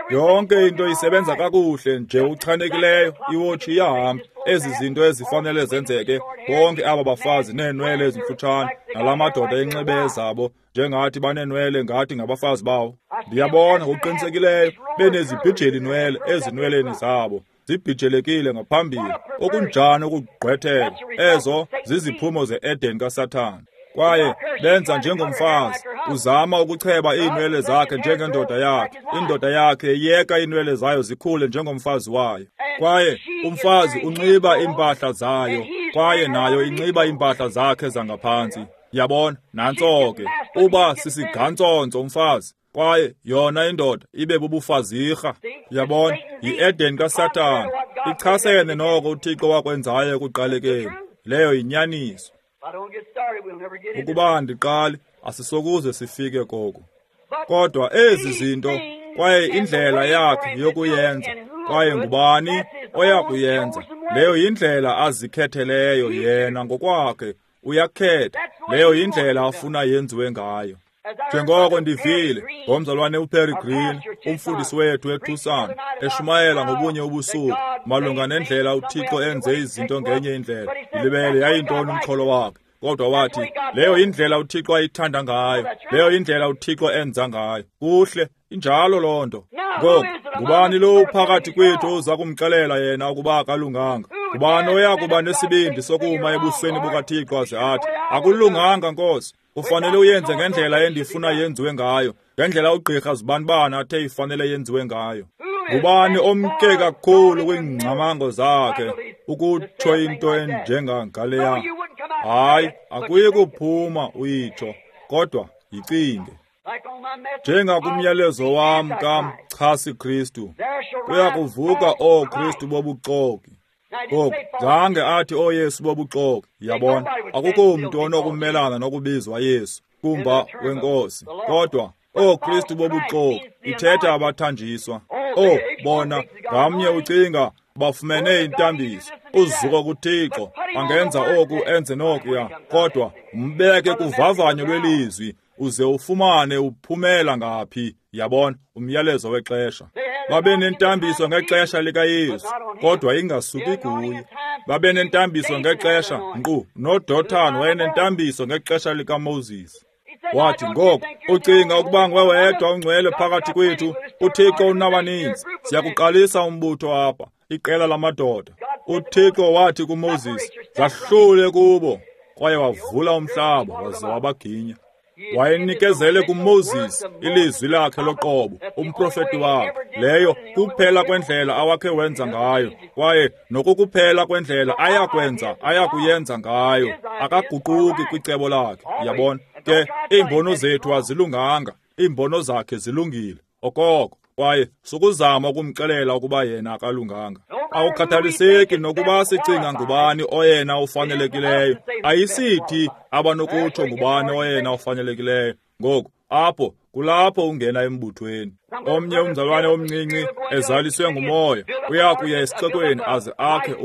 Yonke into isebenza kakuhle nje uchanekileyo, iwotshi iyahamba. Ezi zinto ezifanele zenzeke, bonke aba bafazi neenwele ezimfutshane, nala madoda enxibe ezabo, njengathi baneenwele ngathi ngabafazi bawo. Ndiyabona ngokuqinisekileyo benezibhijeli nwele ezinweleni zabo, zibhijelekile ngaphambili. Okunjani ukugqwetheka! Ezo ziziphumo ze-Eden kaSathana. Kwaye benza njengomfazi, uzama ukucheba iinwele zakhe njengendoda yakhe. Indoda yakhe iyeka iinwele zayo zikhule njengomfazi wayo. Kwaye umfazi unxiba iimpahla zayo, kwaye nayo inxiba iimpahla zakhe zangaphantsi. Yabona, nantso ke, uba sisigantsonso umfazi, kwaye yona indoda ibe bubufazirha. Yabona, yi-Eden kaSathana, ichasene noko uThixo wakwenzayo ekuqalekeni. Leyo yinyaniso. Ukuba andiqali, asisokuze sifike koko. Kodwa ezi zinto, kwaye indlela yakhe yokuyenza, kwaye ngubani oya kuyenza, leyo yindlela azikhetheleyo yena ngokwakhe. Uyakhetha, leyo yindlela afuna yenziwe ngayo. Njengoko ndivile ngomzalwane uPerry Green, umfundisi wethu eTucson, eshumayela ngobunye ubusuku malunga nendlela uThixo enze izinto ngenye indlela. Ndilibele yayintoni umxholo wakhe, kodwa wathi leyo yindlela uThixo ayithanda ngayo, leyo yindlela uThixo enza ngayo. Kuhle, injalo loo nto. Ngoku, ngubani lo uphakathi kwethu oza kumxelela yena ukuba akalunganga? Ngubani oya kuba nesibindi sokuma ebusweni bukaThixo aze athi, akulunganga Nkosi, ufanele uyenze ngendlela endifuna yenziwe ngayo, ngendlela ugqirha zibanibani athe ifanele yenziwe ngayo? Ngubani omke kakhulu kwiingcamango zakhe ukutsho into enjengangaleya? Hayi, akuyi kuphuma uyitsho, kodwa yicinge. Njengakumyalezo wam kamchasi Kristu, kuya kuvuka ooKristu bobuxoki. Ngoku, zange athi ooYesu bobuxoki, yabona, akukho mntu onokumelana nokubizwa Yesu kumba wenkosi, kodwa ooKristu bobuxoki ithetha abathanjiswa. Oh, bona ngamnye ucinga bafumene intambiso, uzuko kuThixo, angenza oku enze nokuya, kodwa mbeke kuvavanyo lwelizwi uze ufumane uphumela ngaphi. Yabona, umyalezo wexesha. Babe nentambiso ngexesha likaYesu, kodwa ingasuki kuye. Babe nentambiso ngexesha, nkqu noDothan wayenentambiso ngexesha likaMoses. Wathi, ngoku ucinga ukuba nguwe wedwa ungcwele phakathi kwethu, uThixo unabaninzi, siyakuqalisa umbutho apha, iqela lamadoda. uThixo wathi kuMoses, zahlule kubo, kwaye wavula umhlaba waze wabaginya. Wayenikezele kuMoses ilizwi lakhe loqobo, umprofeti wakhe. Leyo kuphela kwendlela awakhe wenza ngayo, kwaye nokukuphela kwendlela ayakuyenza ngayo. Akaguquki kwicebo lakhe, yabona. Ke iimbono zethu azilunganga, iimbono zakhe zilungile okoko, kwaye sukuzama ukumxelela ukuba yena akalunganga. Awukhathaliseki nokuba sicinga ngubani oyena ufanelekileyo, ayisithi abanokutsho ngubani oyena ufanelekileyo. Ngoku apho kulapho ungena embuthweni. Omnye umzalwane omncinci ezaliswe ngumoya uya kuya esixekweni aze akhe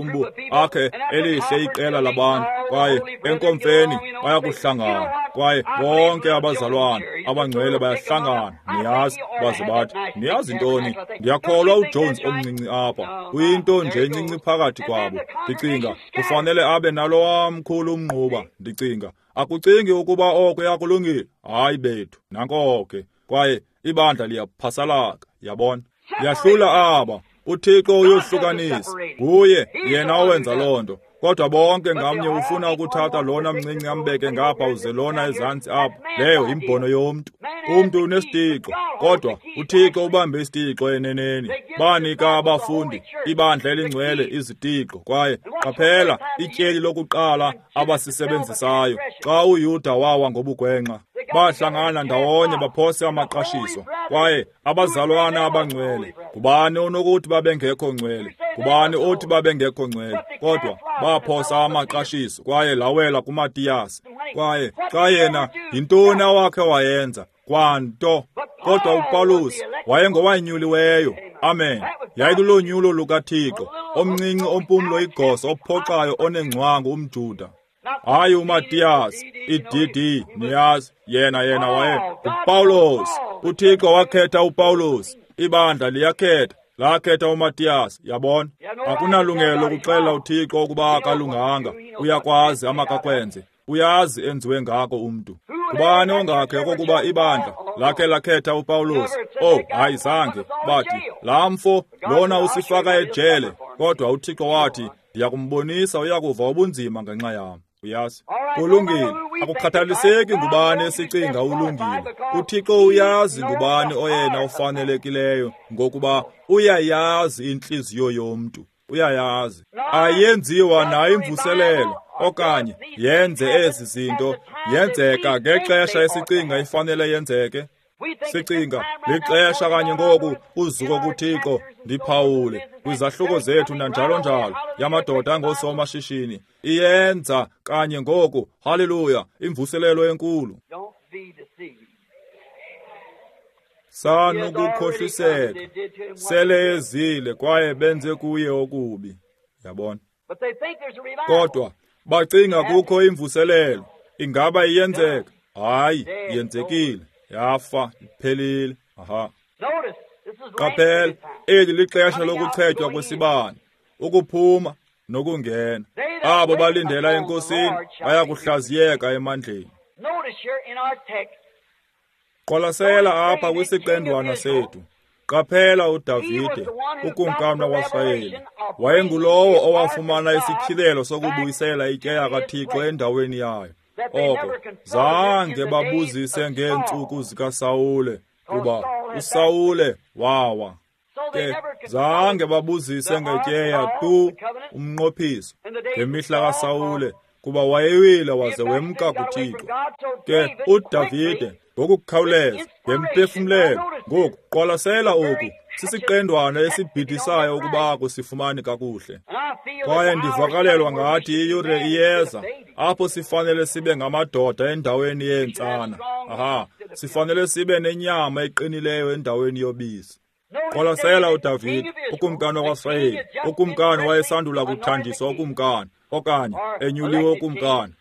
akhe elihle iqela labantu, kwaye enkomfeni bayakuhlangana, kwaye bonke abazalwane abangcwele bayahlangana, niyazi, baze bathi, niyazi ntoni, ndiyakholwa uJones omncinci apha uyinto nje encinci phakathi kwabo. Ndicinga kufanele abe nalowa mkhulu umnquba. Ndicinga, akucingi ukuba oko yakulungile? Hayi bethu, nanko ke. Kwaye ibandla liyaphasalaka, yabona. Yahlula aba, uThixo uyohlukanisa, nguye yena owenza loo nto. Kodwa bonke ngamnye ufuna ukuthatha lona mncinci ambeke ngapha uze lona ezantsi apha. Leyo imbono yomntu. Umntu unesitixo, kodwa uThixo ubambe isitixo eneneni. Banika abafundi ibandla elingcwele izitixo, kwaye qaphela ityeli lokuqala abasisebenzisayo xa uYuda wawa ngobugwenxa. Bahlangana ndawonye baphose amaqashiso, kwaye abazalwana abangcwele, ngubani onokuthi babengekho ngcwele? Ngubani othi babengekho ngcwele? Kodwa baphosa amaqashiso, kwaye lawela kuMatiyasi. Kwaye xa yena, yintoni awakhe wayenza? Kwanto. Kodwa uPawulos wayengowanyuliweyo. Amen. Yayilulonyulo lukaThixo, omncinci ompumlo igosa ophoxayo onengcwangu umJuda. Hayi uMatiyasi, iDD, niyazi, yena waye uPawulos. uThixo wakhetha uPawulos, ibandla liyakhetha, lakhetha uMatiyasi, yabona. Akunalungelo lokuxelela uThixo ukuba akalunganga, uyakwazi amakakwenze, uyazi enziwe ngako umntu. Ngubani ongakhe okokuba ibandla lakhe lakhetha uPawulos? Oh, hayi zange. Bathi, laa mfo lona usifaka ejele, kodwa uThixo wathi, ndiyakumbonisa uyakuva ubunzima ngenxa yam. Uyazi, kulungile. Akukhathaliseki ngubani esicinga ulungile, uThixo uyazi ngubani oyena ufanelekileyo, ngokuba uyayazi intliziyo yomntu. Uyayazi. Ayenziwa nayo imvuselelo okanye yenze ezi zinto, yenzeka ngexesha esicinga ifanele yenzeke. Sicinga lixesha kanye ngoku, uzuko kuThixo, ndiphawule kwizahluko zethu nanjalo njalo yamadoda angoosomashishini iyenza kanye ngoku. Haleluya, imvuselelo enkulu. Sanukukhohliseka, sele ezile kwaye benze kuye okubi. Yabona? Kodwa bacinga kukho imvuselelo. Ingaba iyenzeka? Hayi, yenzekile, yafa, iphelile. Aha. Qaphela, eli lixesha lokuchetywa kwesibane, ukuphuma nokungena. Abo balindela eNkosini bayakuhlaziyeka emandleni. Qwalasela apha kwisiqendwana sethu. Qaphela uDavide, ukumkani wakwaSirayeli, wayengulowo owafumana isityhilelo sokubuyisela ityeya kaThixo endaweni yayo. Oko zange babuzise ngeentsuku zikaSawule, kuba uSawule wawa. Ke zange babuzise ngetyeya tu umnqophiso ngemihla kaSawule, kuba wayewile waze wemka kuThixo. Ke uDavide ngokukhawuleza ngempefumlelo. Ngoku qwalasela oku, sisiqendwana esibhidisayo ukuba kusifumane kakuhle. Kwaye ndivakalelwa ngathi iyure iyeza apho sifanele sibe ngamadoda endaweni yeentsana. Aha, sifanele sibe nenyama eqinileyo endaweni yobisi. Qwalasela uDavide, ukumkani wakwaSirayeli. Ukumkani wayesandula kuthanjiswa ukumkani, okanye enyuliwe ukumkani.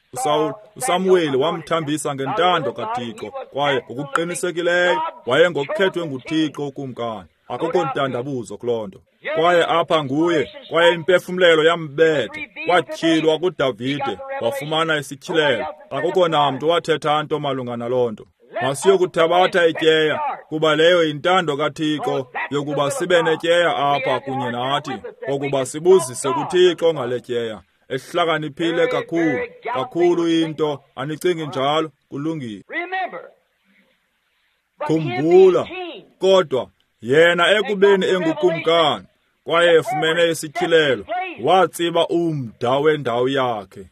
uSamuweli wamthambisa ngentando kaThixo, kwaye ngokuqinisekileyo wayengokhethwe nguThixo ukumkani. Akukho ntandabuzo kuloo nto. Kwaye apha nguye, kwaye impefumlelo yambetha. Kwatyhilwa kuDavide, wafumana isityhilelo. Akukho namntu wathetha nto malunga naloo nto. Masiyokuthabatha ityeya, kuba leyo yintando kaThixo yokuba sibe netyeya apha kunye nathi, kokuba sibuzise kuThixo ngale tyeya. Ehlakaniphile kakhulu, kakhulu into, anicingi njalo? Kulungile. Khumbula, kodwa yena ekubeni engukumkani kwaye efumene isityhilelo, watsiba umda wendawo yakhe.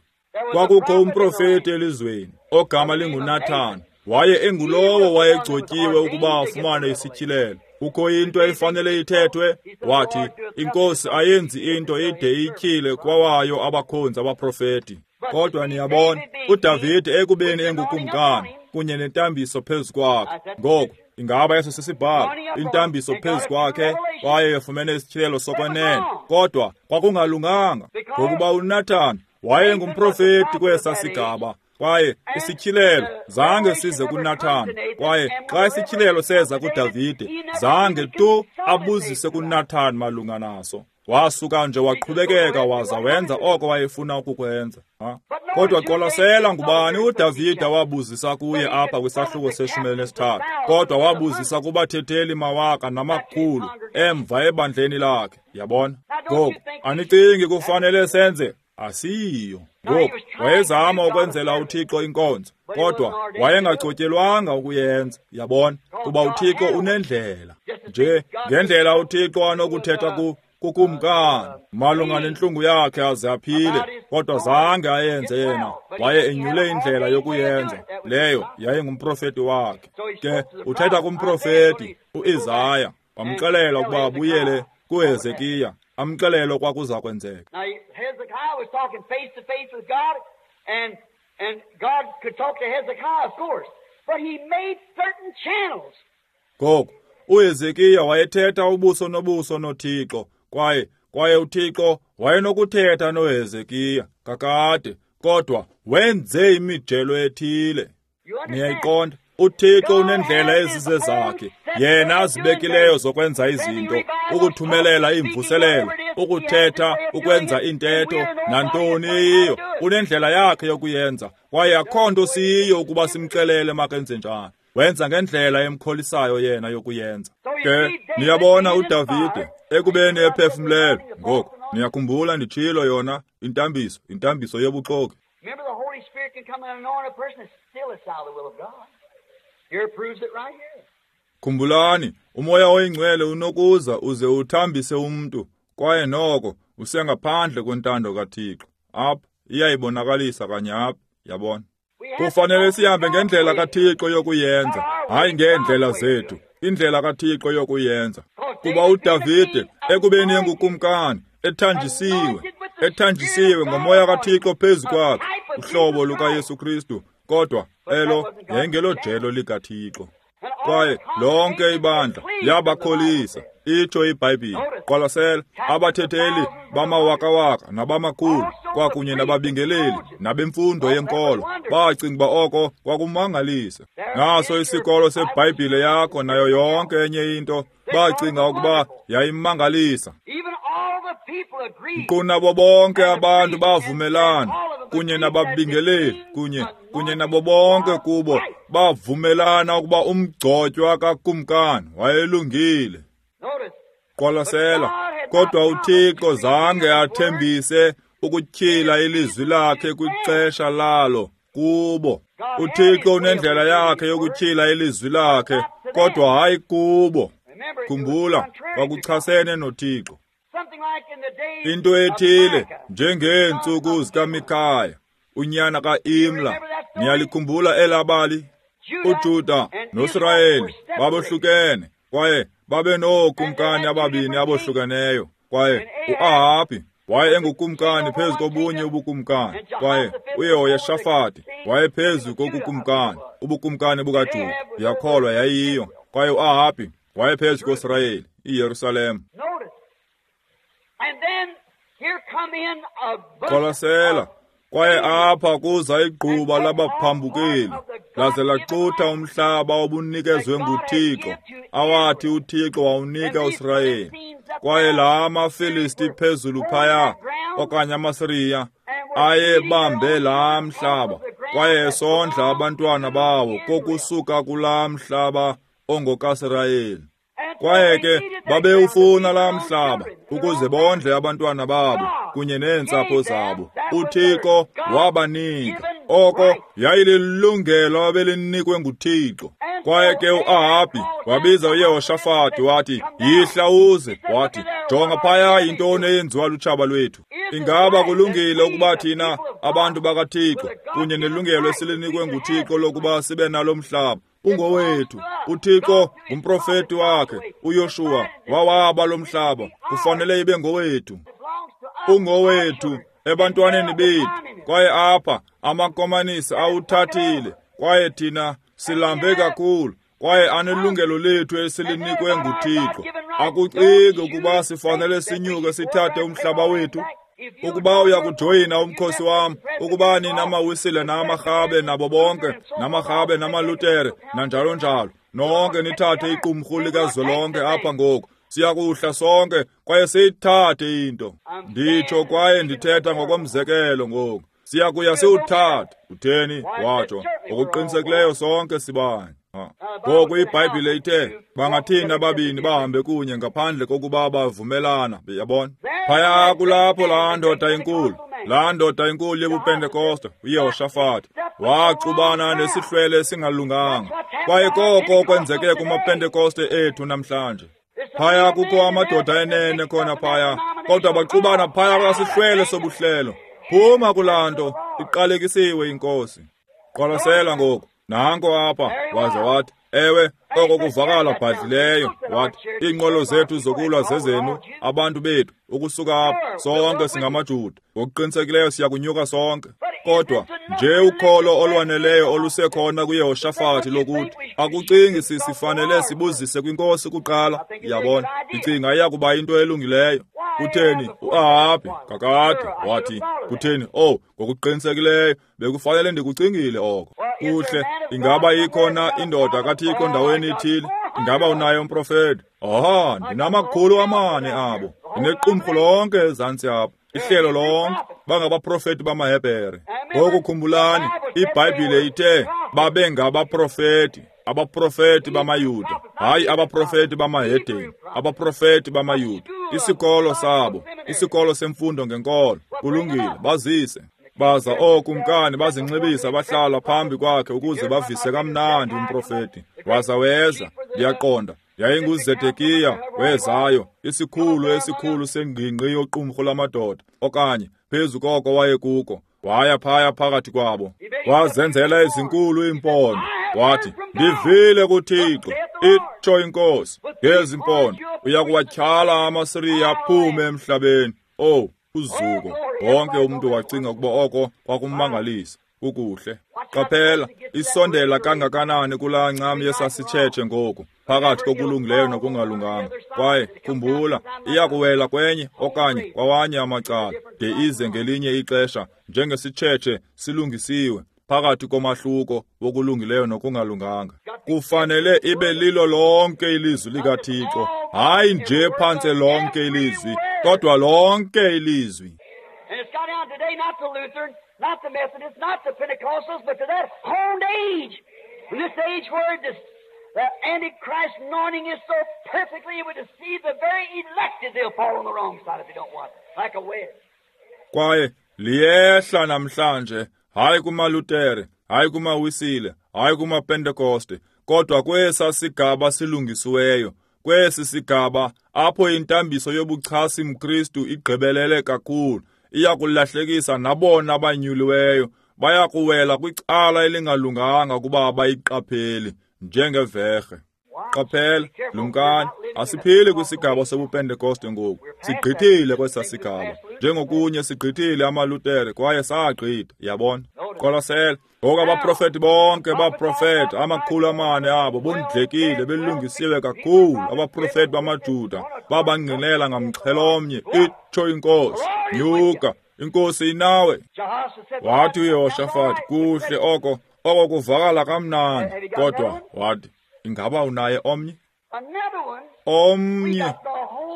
Kwakukho umprofeti elizweni ogama linguNathan. Waye engulowo wayegcotyiwe ukuba afumane isityhilelo. Kukho into efanele ithethwe. Wathi, iNkosi ayenzi into ide ityhile kwawayo abakhonzi abaprofeti. Kodwa niyabona, uDavide ekubeni engukumkani kunye nentambiso phezu kwakhe. Ngoku ingaba eso sisibhalo, intambiso phezu kwakhe, kwaye efumene isityhilelo sokwenene. Kodwa kwakungalunganga, ngokuba uNathan wayengumprofeti kwesa sigaba, kwaye isityhilelo zange size kuNathan. Kwaye xa isityhilelo seza kuDavide, zange tu abuzise kuNathan malunga naso. Wasuka nje waqhubekeka waza wenza oko wayefuna ukukwenza. Kodwa qwalasela ngubani uDavide wabuzisa kuye apha kwisahluko se-13. Kodwa wabuzisa kubathetheli mawaka namakhulu emva ebandleni lakhe. Yabona? Ngoku anicingi kufanele senze? Asiyo. Ngoku wayezama ukwenzela uThixo inkonzo, kodwa wayengacotyelwanga ukuyenza. Yabona? Kuba uThixo unendlela. Nje ngendlela uThixo anokuthetha kukumkani malunga nentlungu yakhe aze aphile, kodwa zange ayenze yena. Waye enyule indlela yokuyenza, leyo yayingumprofeti wakhe. Ke uthetha kumprofeti uIsaya, wamxelela ukuba abuyele kuHezekiya, amxelele okwakuza kwenzeka. Hezekiah was talking face to face with God, and God could talk to Hezekiah, of course, but he made certain channels. Ngoku uHezekiya wayethetha ubuso nobuso noThixo, kwaye uThixo wayenokuthetha noHezekiya kakade, kodwa wenze imijelo ethile. Niyayiqonda? uThixo unendlela ezizezakhe, yena azibekileyo zokwenza izinto, ukuthumelela iimvuselelo, ukuthetha, ukwenza intetho, nantoni eyiyo. Unendlela yakhe yokuyenza, kwaye akho nto siyiyo ukuba simxelele makenze njani. Wenza ngendlela emkholisayo yena yokuyenza. Ke niyabona uDavide ekubeni ephefumlelwe. Ngoku niyakhumbula nditshilo yona intambiso, intambiso yobuxoki. Khumbulani, uMoya oyiNgcwele unokuza uze uthambise umntu, kwaye noko usengaphandle kwentando kaThixo. Apha iyayibonakalisa kanye apha, yabona. Kufanele sihambe ngendlela kaThixo yokuyenza, Hayi ngeendlela zethu, indlela kaThixo yokuyenza. Kuba uDavide ekubeni engukumkani, ethanjisiwe ngomoya kaThixo phezu kwakhe, uhlobo lukaYesu Kristu, kodwa elo yayingelojelo likaThixo. Kwaye lonke ibandla liyabakholisa, itsho iBhayibhile. Qwalasela, abathetheli bamawakawaka nabamakhulu kwakunye nababingeleli nabemfundo yenkolo bacinga uba oko kwakumangalisa. Naso isikolo seBhayibhile yakho nayo yonke enye into, bacinga ukuba yayimangalisa. Nkqu nabo bonke abantu bavumelana kunye nababingeleli kunye nabo bonke kubo bavumelana ukuba umgcotywa kakumkani wayelungile. Qwalasela, kodwa uThixo zange athembise ukutyhila ilizwi lakhe kwixesha lalo kubo. uThixo unendlela yakhe yokutyhila ilizwi lakhe, kodwa hayi kubo. Khumbula, kwakuchasene noThixo. Into ethile njengeentsuku zikaMikhaya, unyana kaImla. Niyalikhumbula elabali? uJuda noSirayeli babohlukene, kwaye babe nookumkani ababini abohlukeneyo. Kwaye uAhabhi waye engukumkani phezu kobunye ubukumkani, kwaye uYehoshafati waye phezu kokukumkani, ubukumkani bukaJuda. Ndiyakholwa yayiyo. Kwaye uAhabhi waye phezu koSirayeli, iYerusalem. Qwalasela, kwaye apha kuza igquba labaphambukeli, laze laxutha umhlaba obunikezwe nguThixo, awathi uThixo wawunika uSirayeli. Kwaye la maFilisti phezulu phaya, okanye amaSiriya, ayebambe laa mhlaba, kwaye esondla abantwana bawo kokusuka kulaa mhlaba ongokaSirayeli. Kwaye ke babewufuna laa mhlaba ukuze bondle abantwana babo kunye neentsapho zabo. uThixo wabanika oko yayililungelo abelinikwe nguThixo. Kwaye ke uAhabhi wabiza uYehoshafati wathi, yihla uze. Wathi, jonga phaya yintoni eyenziwa lutshaba lwethu. Ingaba kulungile ukuba thina abantu bakaThixo kunye nelungelo esilinikwe nguThixo lokuba sibe nalo mhlaba ungowethu? uThixo ngumprofeti wakhe uYoshuwa wawaba lo mhlaba, kufanele ibe ngowethu. Ungowethu ebantwaneni bethu. Kwaye apha amakomanisi awuthathile, kwaye thina silambe kakhulu, kwaye anelungelo lethu esilinikwe nguThixo. Akucingi ukuba sifanele sinyuke sithathe umhlaba wethu? Ukuba uyakujoyina umkhosi wam, ukuba nina maWisile namaRhabe nabo bonke, namaRhabe namaLutere nanjalo njalo, nonke nithathe iqumrhu likazwelonke apha ngoku, siyakuhla sonke kwaye siyithathe into. Nditsho kwaye ndithetha ngokomzekelo ngoku. Siyakuya siwuthathe. Utheni? Watsho. Ngokuqinisekileyo sonke sibanye. Ngoku iBhayibhile ithe bangathini ababini bahambe kunye ngaphandle kokuba bavumelana, yabona? Phaya kulapho laa ndoda inkulu, yobuPentekoste, uYehoshafati, waxubana nesihlwele esingalunganga. Kwaye koko kwenzeke kumaPentekoste ethu namhlanje. Phaya kukho amadoda enene khona phaya, kodwa baxubana phaya kwasihlwele sobuhlelo. Phuma kulaa nto, iqalekisiwe iNkosi. Qwalasela ngoku. Nanko apha, waze wathi, ewe, oko kuvakala bhadlileyo. Wathi, iinqwelo zethu zokulwa zezenu, abantu bethu, ukusuka apha, sonke singamaJuda. Ngokuqinisekileyo siyakunyuka sonke. Kodwa nje ukholo olwaneleyo olusekhona kuYehoshafati lokuthi akucingi sifanele sibuzise kwiNkosi kuqala. Yabona, ndicinga iyakuba into elungileyo. Kutheni uAhabhi kakade wathi, kutheni, oh, ngokuqinisekileyo bekufanele ndikucingile oko. Kuhle, ingaba ikhona indoda kaThixo ndaweni ithile? Ingaba unaye umprofeti? Aha, ndinamakhulu amane abo. Ndinequmrhu lonke ezantsi apha, ihlelo lonke, bangabaprofeti bamaHebhere. Ngoku khumbulani, iBhayibhile ithe babengabaprofeti, abaprofeti bamaYuda, hayi abaprofeti bamahedeni, abaprofeti bamaYuda. Isikolo sabo, isikolo semfundo ngenkolo, kulungile, bazise. Baza ookumkani bazinxibisa bahlala phambi kwakhe ukuze bavise kamnandi umprofeti. Waza weza, ndiyaqonda, yayinguZedekiya wezayo, isikhulu esikhulu sengingqi yoqumrhu lamadoda, okanye phezu koko wayekuko. Waya phaya phakathi kwabo, wazenzela ezinkulu iimpondo. Wathi, ndivile kuThixo, itsho iNkosi, ngezi mpondo uyakuwatyhala amaSiriya aphume emhlabeni. Oh, uzuko! Wonke umntu wacinga ukuba oko kwakummangalisa. Kukuhle. Qaphela, isondela kangakanani kulaa ncam yesasitshetshe ngoku, phakathi kokulungileyo nokungalunganga. Kwaye khumbula, iyakuwela kwenye okanye kwawanye amacala, de ize ngelinye ixesha njengesitshetshe silungisiwe, phakathi komahluko wokulungileyo nokungalunganga. Kufanele ibe lilo lonke ilizwi likaThixo, hayi nje phantse lonke ilizwi, kodwa lonke ilizwi. And it's got down today not to Lutheran, not the Methodists, not the Pentecostals, but to that honed age. In this age where the Antichrist anointing is so perfectly, it would deceive the very elected. They'll fall on the wrong side if they don't want it, like a wedge. Kwaye liyehla namhlanje, hayi kumaLutere, hayi kumaWisile, hayi kumaPentekoste, kodwa kwesa sigaba silungisiweyo, kwesi sigaba apho intambiso yobuchasi mKristu igqibelele kakhulu, iyakulahlekisa nabona abanyuliweyo, bayakuwela kwicala elingalunganga kuba abayiqapheli njengeverhe. Qaphela, lumkani, asiphili kwisigaba sobuPentekoste ngoku. Sigqithile kwesa sigaba. Njengokunye sigqithile amaLutere kwaye sagqitha, yabona. Qwalasela, ngoku abaprofeti bonke baprofeta, 400 abo bondlekile, belungisiwe kakhulu. Abaprofeti bamaJuda babangqinela ngamxhelomnye, itsho iNkosi, nyuka, iNkosi inawe. Wathi uYehoshafati, kuhle oko, oko kuvakala kamnandi, kodwa wathi, ingaba unaye omnye? Omnye.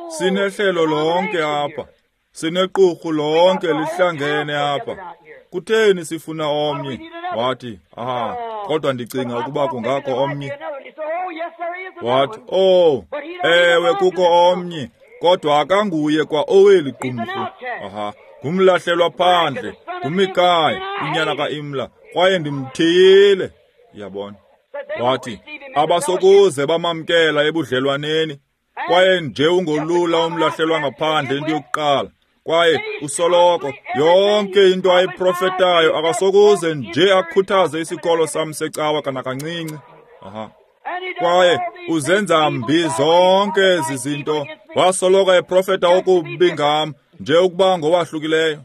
Sinehlelo lonke apha. Sinequrhu lonke lihlangene apha. Kutheni sifuna omnye? Wathi, aha, kodwa ndicinga ukuba kungakho omnye. Wathi, oh, ewe kukho omnye, kodwa akanguye kwa oweli qumrhu. Aha, ngumlahlelwa phandle, nguMikaya, unyana kaImla, kwaye ndimthiyile. Yabona. Wathi, abasokuze bamamkela ebudlelwaneni, kwaye nje ungolula umlahlelwa ngaphandle into yokuqala. Kwaye usoloko yonke into ayiprofetayo akasokuze nje akhuthaze isikolo sam secawa kanakancinci. Aha. Kwaye uzenza mbi zonke ezi zinto, wasoloko eprofeta okubi ngam nje ukuba ngowahlukileyo.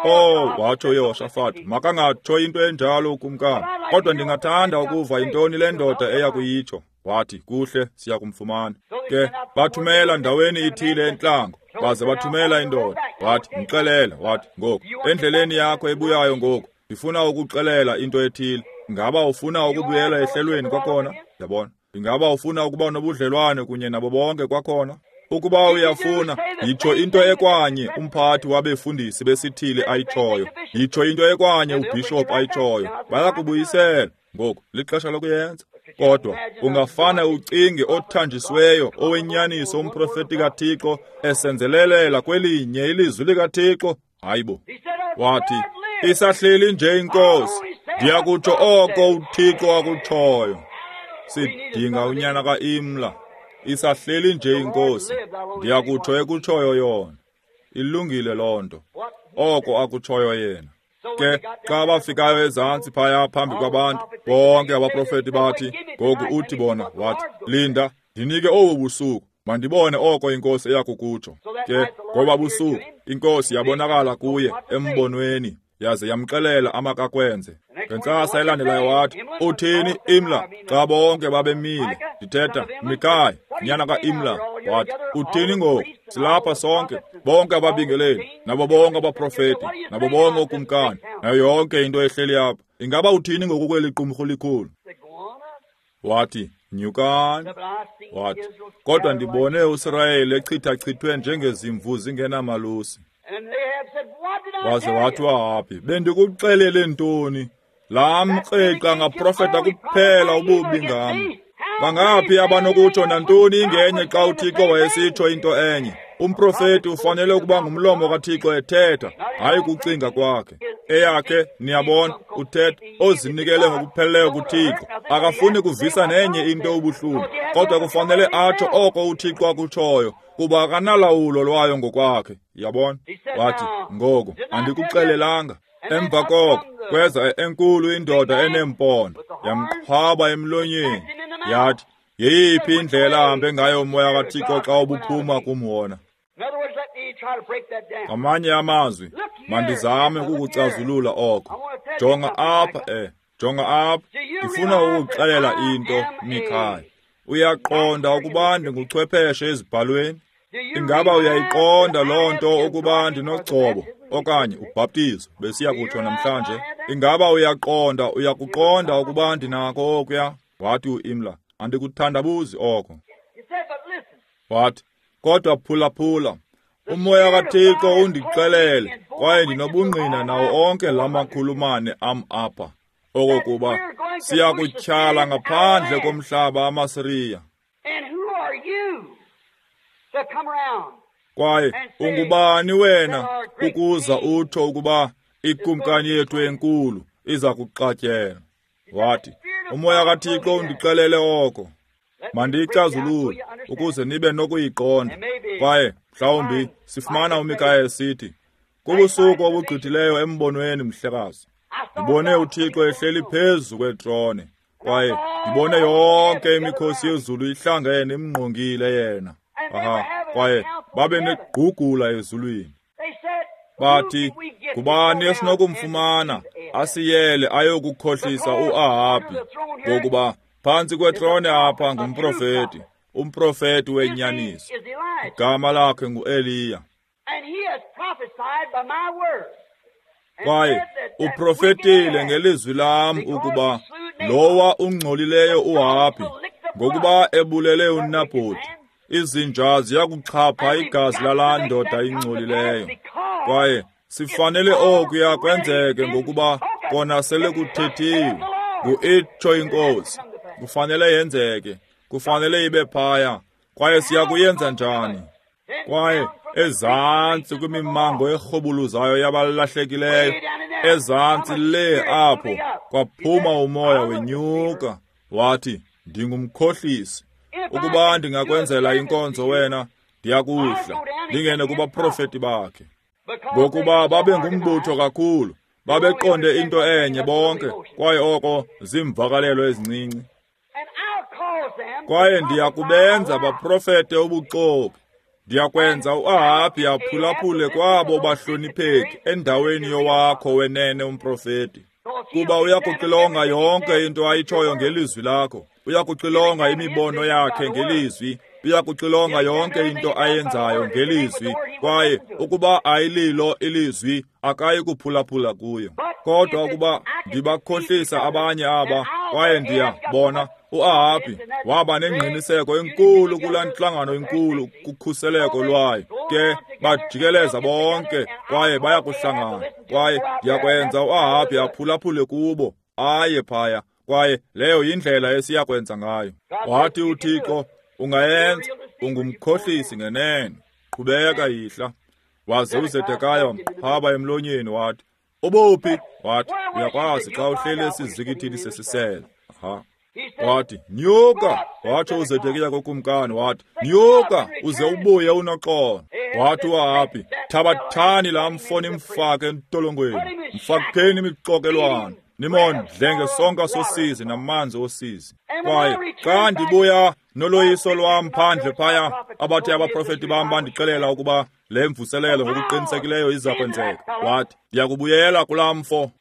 Oh, watsho uYehoshafati, makangatsho into enjalo ukumkani, kodwa ndingathanda ukuva yintoni le ndoda eya kuyitsho. Wathi, kuhle, siya kumfumana. Ke bathumela ndaweni ithile entlango, baze bathumela indoda. Wathi, mxelele. Wathi, ngoku endleleni yakho ebuyayo ngoku, ndifuna ukuxelela into ethile. Ingaba ufuna ukubuyela ehlelweni kwakhona? Yabona. Ingaba ufuna ukuba nobudlelwane kunye nabo bonke kwakhona? Ukuba uyafuna, yitsho into ekwanye umphathi wabefundisi besithili ayitshoyo, yitsho into ekwanye ubhishophu ayitshoyo, bayakubuyisela. Ngoku lixesha lokuyenza. Kodwa ungafane ucinge othanjisiweyo owenyaniso umprofeti kaThixo esenzelelela kwelinye ilizwi likaThixo? Hayibo. Wathi, isahleli nje iNkosi, ndiyakutsho oko uThixo akutshoyo. Sidinga unyana kaImla. Isahleli nje iNkosi, ndiyakutsho ekutshoyo yona. Ilungile loo nto, oko akutshoyo yena. Ke xa bafikayo ezantsi phaya phambi kwabantu, bonke abaprofeti bathi, ngoku uthi bona, wathi, linda, ndinike obu busuku, mandibone oko iNkosi eyakukutsho. Ke ngoba busuku, iNkosi yabonakala kuye embonweni, yaze yamxelela amakakwenze. Ngentsasa elandelayo wathi, uthini Imla? Xa bonke babemile, ndithetha Mikaya, nyana kaImla. Wathi, uthini ngoku? Silapha sonke, bonke ababingeleli, nabo bonke abaprofeti, nabo bonke ookumkani, nayo yonke into ehleli apha. Ingaba uthini ngoku kweli qumrhu likhulu? Wathi, nyukani. Wathi, kodwa ndibone uSirayeli echithachithwe njengezimvu zingenamalusi. Waze wathi uAhabhi, bendikuxelele ntoni? Laa mkreqa ngaprofeta kuphela ububi ngam. Bangaphi abanokutsho nantoni ingenye xa uThixo wayesitsho into enye? Umprofeti ufanele ukuba ngumlomo kaThixo ethetha, hayi kucinga kwakhe. Eyakhe, niyabona, uthetha ozinikele ngokupheleleyo kuThixo. Akafuni kuvisa nenye into ubuhlungu, kodwa kufanele atsho oko uThixo akutshoyo, kuba akanalawulo lwayo ngokwakhe. Yabona? Wathi, ngoku andikuxelelanga. Emva koko kweza enkulu indoda eneempondo, yamqhwaba emlonyeni, yathi, yeyiphi indlela ahambe ngayo umoya kaThixo xa ubuphuma kum wona? Ngamanye amazwi, mandizame ukukucazulula oko. Jonga apha, jonga apha, ndifuna ukukuxelela into, Mikhaya. Uyaqonda ukuba ndinguchwepheshe ezibhalweni? Ingaba uyayiqonda loo nto ukuba ndinogcobo okanye ubhaptizo besiya kutsho namhlanje? Ingaba uyaqonda, uyakuqonda ukuba ndinako okuya? Wathi uImla, andikuthandabuzi oko. Wathi, kodwa phulaphula, umoya kaThixo undixelele kwaye ndinobungqina nawo onke la makhulumane am apha, okokuba siya kutyhala ngaphandle komhlaba amaSiriya. Kwaye ungubani wena ukuza utsho ukuba ikumkani yethu enkulu iza kuxatyelwa? Wathi, umoya kaThixo undixelele oko. Mandiyicazulule ukuze nibe nokuyiqonda. Kwaye mhlawumbi sifumana uMikaya esithi, kubusuku obugqithileyo embonweni, mhlekazi, ndibone uThixo ehleli phezu kwetrone, kwaye ndibone yonke imikhosi yezulu ihlangene imngqongile yena. Aha, kwaye babe negqugula ezulwini. Bathi, ngubani esinokumfumana asiyele ayokukhohlisa uAhabhi, ngokuba phantsi kwetrone apha ngumprofeti, umprofeti wenyaniso. Igama lakhe nguEliya. Kwaye uprofetile ngelizwi lam ukuba lowa ungcolileyo uAhabhi, ngokuba ebulele uNabhoti, izinja ziyakuxhapha igazi lalaa ndoda ingcolileyo. Kwaye sifanele okuya kwenzeke ngokuba kona sele kuthethiwe, nguitsho iNkosi. Kufanele yenzeke, kufanele ibe phaya. Kwaye siya kuyenza njani? Kwaye ezantsi kwimimango erhubuluzayo yabalahlekileyo, ezantsi le apho kwaphuma umoya wenyuka. Wathi, ndingumkhohlisi. Ukuba ndingakwenzela inkonzo wena, ndiyakuhla ndingene kubaprofeti bakhe. Ngokuba babe ngumbutho kakhulu, babeqonde into enye bonke, kwaye oko ziimvakalelo ezincinci. Kwaye ndiyakubenza baprofete ubuxoki. Ndiyakwenza uAhabhi aphulaphule kwabo bahlonipheki endaweni yowakho wenene umprofeti. Kuba uyakuxilonga yonke into ayitshoyo ngelizwi lakho. Uyakuxilonga imibono yakhe ngelizwi. Uyakuxilonga yonke into ayenzayo ngelizwi. Kwaye ukuba ayililo ilizwi, akayi kuphulaphula kuyo. Kodwa ukuba ndibakhohlisa abanye aba, kwaye ndiyabona uAhabhi waba nengqiniseko enkulu kulaa ntlangano enkulu kukhuseleko lwayo. Ke bajikeleza bonke kwaye bayakuhlangana. Kwaye ndiyakwenza uAhabhi aphulaphule kubo, aye phaya. Kwaye leyo yindlela esiyakwenza ngayo. Wathi uThixo, ungayenza, ungumkhohlisi ngenene. Qhubeka yihla. Waze uZedekaya wamqhwaba emlonyeni wathi, ubuphi? Wathi, uyakwazi xa uhleli esizikithini sesisele. Aha. Wathi, nyuka. Watsho uZedekiya kukumkani, wathi, nyuka uze ubuye unoxolo. Wathi uAhabhi, thabathani laa mfo nimfake entolongweni, mfakeni imixokelwane, nimondle ngesonka sosizi namanzi osizi. Kwaye xa ndibuya noloyiso lwam phandle phaya, abathe abaprofeti bam bandixelela ukuba le mvuselelo ngokuqinisekileyo iza kwenzeka. Wathi, ndiyakubuyela kulaa mfo.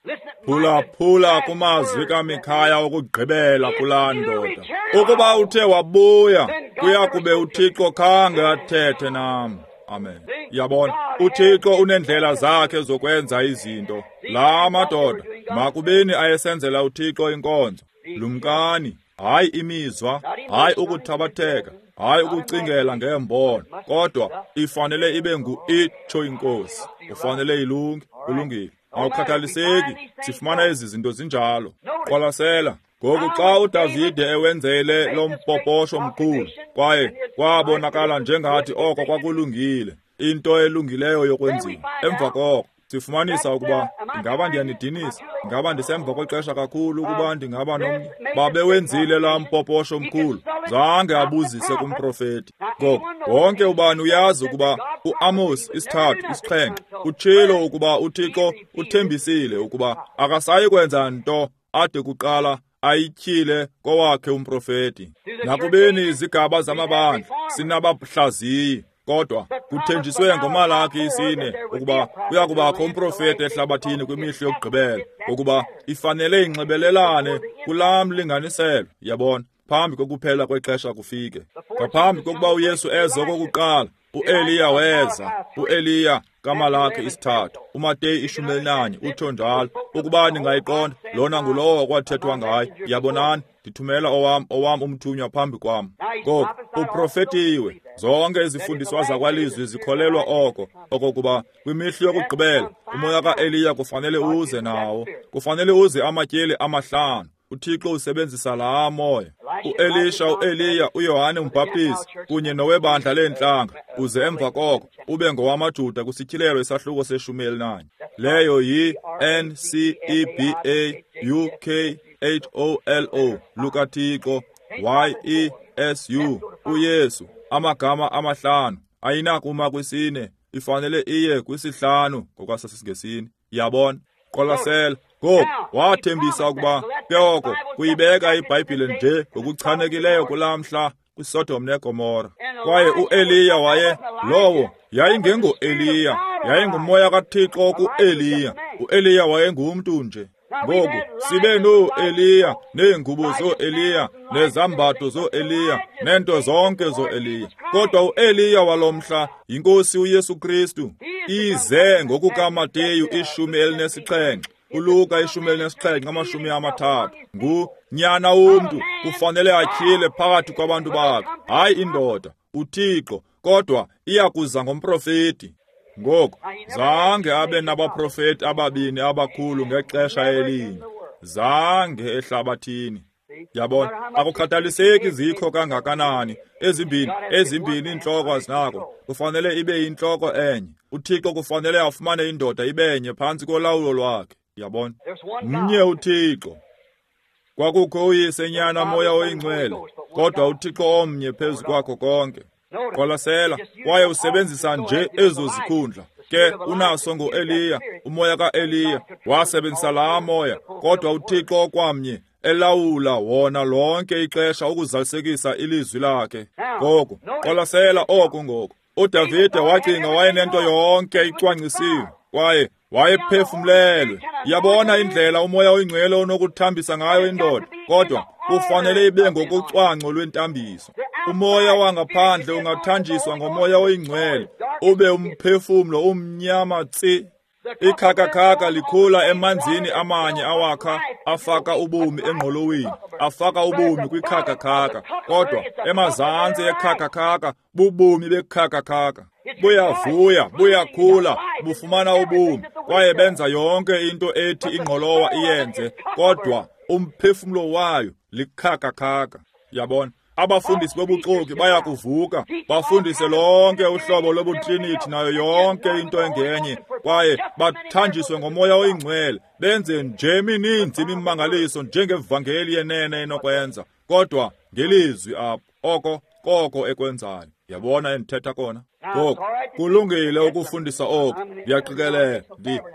Phulaphula kumazwi kaMikhaya okugqibela kulaa ndoda. Ukuba uthe wabuya, kuya kube uThixo khange athethe nam. Amen. Yabona, uThixo unendlela zakhe zokwenza izinto. La madoda makubeni ayesenzela uThixo inkonzo. Lumkani, hayi imizwa, hayi ukuthabatheka, hayi ukucingela ngembono, kodwa ifanele ibe ngu-itsho iNkosi. Ufanele ilunge, ulungile. Awukhathaliseki, sifumana ezi zinto zinjalo. Qwalasela, ngoku xa uDavide ewenzele lo mpoposho mkhulu, kwaye kwabonakala njengathi oko kwakulungile, into elungileyo yokwenziwa. Emva koko sifumanisa ukuba ingaba ndiyanidinisa, ingaba ndisemva kwexesha kakhulu ukuba ndingaba nomnye. Babewenzile laa mpoposho mkhulu, Zange abuzise kumprofeti. Ngoku wonke ubani uyazi ukuba uAmos 3:7 utshilo ukuba uThixo uthembisile ukuba akasayi kwenza nto ade kuqala ayityhile kowakhe umprofeti. Nakubeni izigaba zamabandla sinabahlaziyi, kodwa kuthenjiswe ngoMalaki 4 ukuba kuya kubakho umprofeti ehlabathini kwimihla yokugqibela, ukuba ifanele inxibelelane kulaa mlinganiselo, yabona, phambi kokuphela kwexesha kufike. Ngaphambi kokuba uYesu eze okokuqala, uEliya weza. uEliya kaMalaki 3, uMateyu 11 utsho njalo. Ukuba ningayiqonda, lona ngulowo okwathethwa ngaye. Yabonani, ndithumela owam umthunywa phambi kwam. Ngoku uprofetiwe. Zonke izifundiswa zakwalizwi zikholelwa oko, okokuba kwimihla yokugqibela umoya kaEliya kufanele uze nawo. Kufanele uze amatyeli 5. uThixo usebenzisa laa moya. uElisha, uEliya, uYohane umbhaptizi kunye nowebandla leentlanga, uze emva koko ube ngowamaJuda kwisityhilelo isahluko se-11. Leyo yi-NCEBAUKHOLO lukaThixo, YESU, uYesu. Amagama 5 ayinakuma kwisine, ifanele iye kwisihlanu ngokwasesiNgesini. Yabona? Qwalasela. Ngoku wathembisa ukuba ke oko kuyibeka iBhayibhile nje ngokuchanekileyo kulaa mhla kwiSodom neGomora. Kwaye uEliya waye lowo yayingengoEliya, yayingumoya kaThixo kuEliya. uEliya wayengumntu nje. Ngoku sibe noEliya neengubo zoEliya nezambatho zoEliya neento zonke zoEliya, kodwa uEliya walomhla yinkosi uYesu Kristu. Ize ngokukaMateyu 17, uLuka 17:30. Ngunyana womntu kufanele atyhile phakathi kwabantu bakhe, hayi indoda, uThixo, kodwa iyakuza ngomprofeti. Ngoku zange abe nabaprofeti ababini abakhulu ngexesha elinye, zange ehlabathini. Yabona, akukhathaliseki zikho kangakanani, ezimbini iintloko azinako, kufanele ibe yintloko enye. uThixo kufanele afumane indoda ibenye phantsi kolawulo lwakhe. Yabona, mnye uThixo. Kwakukho uYise, Nyana, Moya oyiNgcwele, kodwa uThixo omnye phezu kwakho konke. Qwalasela, kwaye usebenzisa nje ezo zikhundla. Ke unaso ngoEliya, umoya kaEliya wasebenzisa laa moya, kodwa uThixo okwamnye elawula wona lonke ixesha ukuzalisekisa ilizwi lakhe. Ngoku qwalasela oku ngoku. uDavide wacinga wayenento yonke icwangcisiwe, kwaye wayephefumlelwe. Yabona indlela umoya oyingcwele onokuthambisa ngayo indoda, kodwa kufanele ibe ngokucwangco lwentambiso. Umoya wangaphandle ungathanjiswa ngomoya oyingcwele, ube umphefumlo umnyama tsi. Ikhakakhaka likhula emanzini amanye awakha afaka ubomi engqoloweni, afaka ubomi kwikhakakhaka, kodwa emazantsi ekhakakhaka bubomi bekhakakhaka. Buyavuya, buyakhula, bufumana ubomi, kwaye benza yonke into ethi ingqolowa iyenze, kodwa umphefumlo wayo likhakakhaka. Yabona, abafundisi bobuxoki bayakuvuka bafundise lonke uhlobo lobuTrinity nayo yonke into engenye, kwaye bathanjiswe ngomoya oyingcwele, benze nje mininzi imimangaliso njengevangeli yenene enokwenza, kodwa ngelizwi apho oko koko ekwenzayo. Yabona endithetha kona? Ngoku kulungile ukufundisa oku. Ndiyaqikelela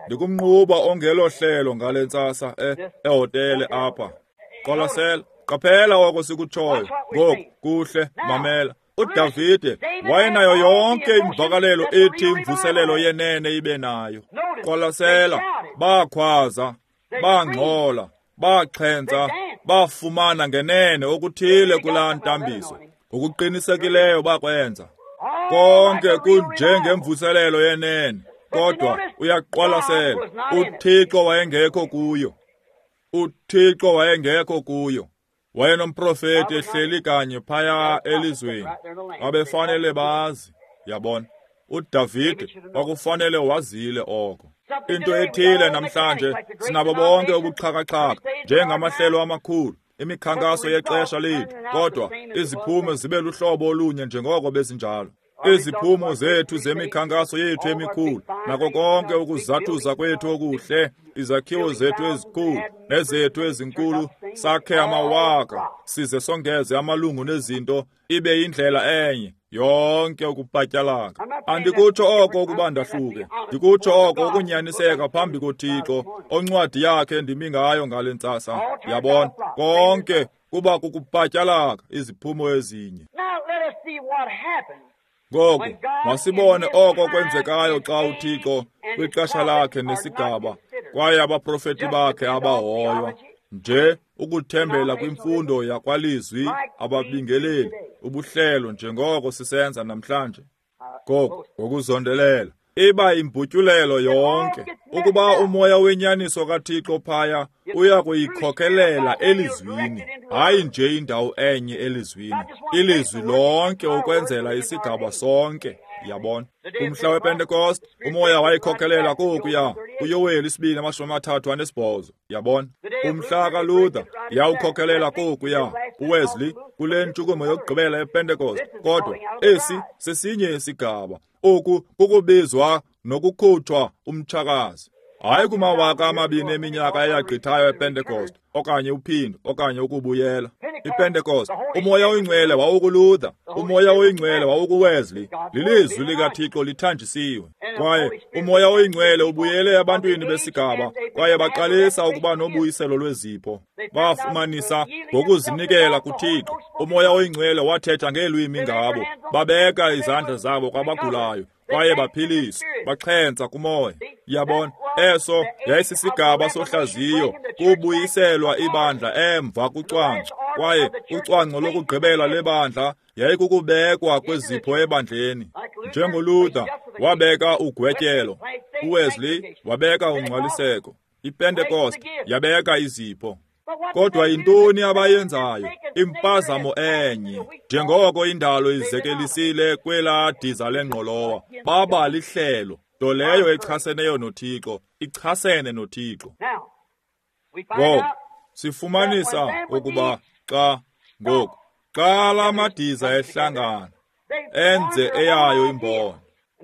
ndikumnquba ongelo hlelo ngale ntsasa ehotele apha. Qwalasela, qaphela oko sikutshoyo. Ngoku kuhle, mamela. uDavide wayenayo yonke imvakalelo ethi imvuselelo yenene ibe nayo. Qwalasela, bakhwaza, bangxola, baxhentsa, bafumana ngenene okuthile kulaa ntambiso. Ngokuqinisekileyo bakwenza. Konke kunjengemvuselelo yenene, kodwa uyaqwalasela, uThixo wayengekho kuyo. uThixo wayengekho kuyo. Wayenomprofeti ehleli kanye phaya elizweni. Babefanele bazi, yabona. uDavide kwakufanele wazile oko. Into ethile namhlanje sinabo bonke ubuxhakaxhaka njengamahlelo amakhulu, imikhankaso yexesha lethu, kodwa iziphumo zibe luhlobo olunye njengoko bezinjalo. Iziphumo zethu zemikhankaso yethu emikhulu, nako konke ukuzathuza kwethu okuhle, izakhiwo zethu ezikhulu nezethu ezinkulu, sakhe amawaka, size songeze amalungu nezinto, ibe yindlela enye yonke ukupatyalaka. Andikutsho oko ukuba ndahluke, ndikutsho oko ukunyaniseka phambi koThixo, oncwadi yakhe ndimi ngayo ngale ntsasa. Yabona, konke kuba kukupatyalaka, iziphumo ezinye. Ngoku masibone oko kwenzekayo xa uThixo kwixesha lakhe nesigaba, kwaye abaprofeti bakhe abahoywa nje ukuthembela kwimfundo yakwalizwi, ababingeleli, ubuhlelo, njengoko sisenza namhlanje. Ngoku ngokuzondelela iba imbutyulelo yonke, ukuba umoya wenyaniso kaThixo phaya uya kuyikhokelela elizwini, hayi nje indawo enye elizwini, ilizwi lonke ukwenzela isigaba sonke. Yabona, kumhla wePentecost umoya wayikhokelela kokuya kuYoweli 2:38. Yabona, kumhla kaLuther yawukhokelela kokuya uWesley kule ntshukumo yokugqibela yePentecost. Kodwa esi sesinye isigaba, oku kukubizwa nokukhutshwa umtshakazi, hayi kumawaka amabini eminyaka eyagqithayo ePentecost, okanye uphindo, okanye ukubuyela. IPentecost, umoya oyingcwele wawukuLuther, umoya oyingcwele wawukuWesley, lilizwi likaThixo lithanjisiwe. Kwaye umoya oyingcwele ubuyele ebantwini besigaba, kwaye baqalisa ukuba nobuyiselo lwezipho. Bafumanisa ngokuzinikela kuThixo, umoya oyingcwele wathetha ngeelwimi ngabo, babeka izandla zabo kwabagulayo, kwaye baphiliswa, baxhentsa kumoya. Yabona, eso yayisisigaba sohlaziyo, kubuyiselwa ibandla emva kucwangco. Kwaye ucwangco lokugqibela lebandla yayikukubekwa kwezipho ebandleni. NjengoLuther wabeka ugwetyelo, uWesley wabeka ungcwaliseko, iPentecost yabeka izipho. Kodwa yintoni abayenzayo? Impazamo enye, njengoko indalo izekelisile kwelaa diza lengqolowa, baba lihlelo, nto leyo echaseneyo noThixo, ichasene noThixo. Ngoku sifumanisa ukuba xa ngoku xa la madiza ehlangana enze eyayo imbono,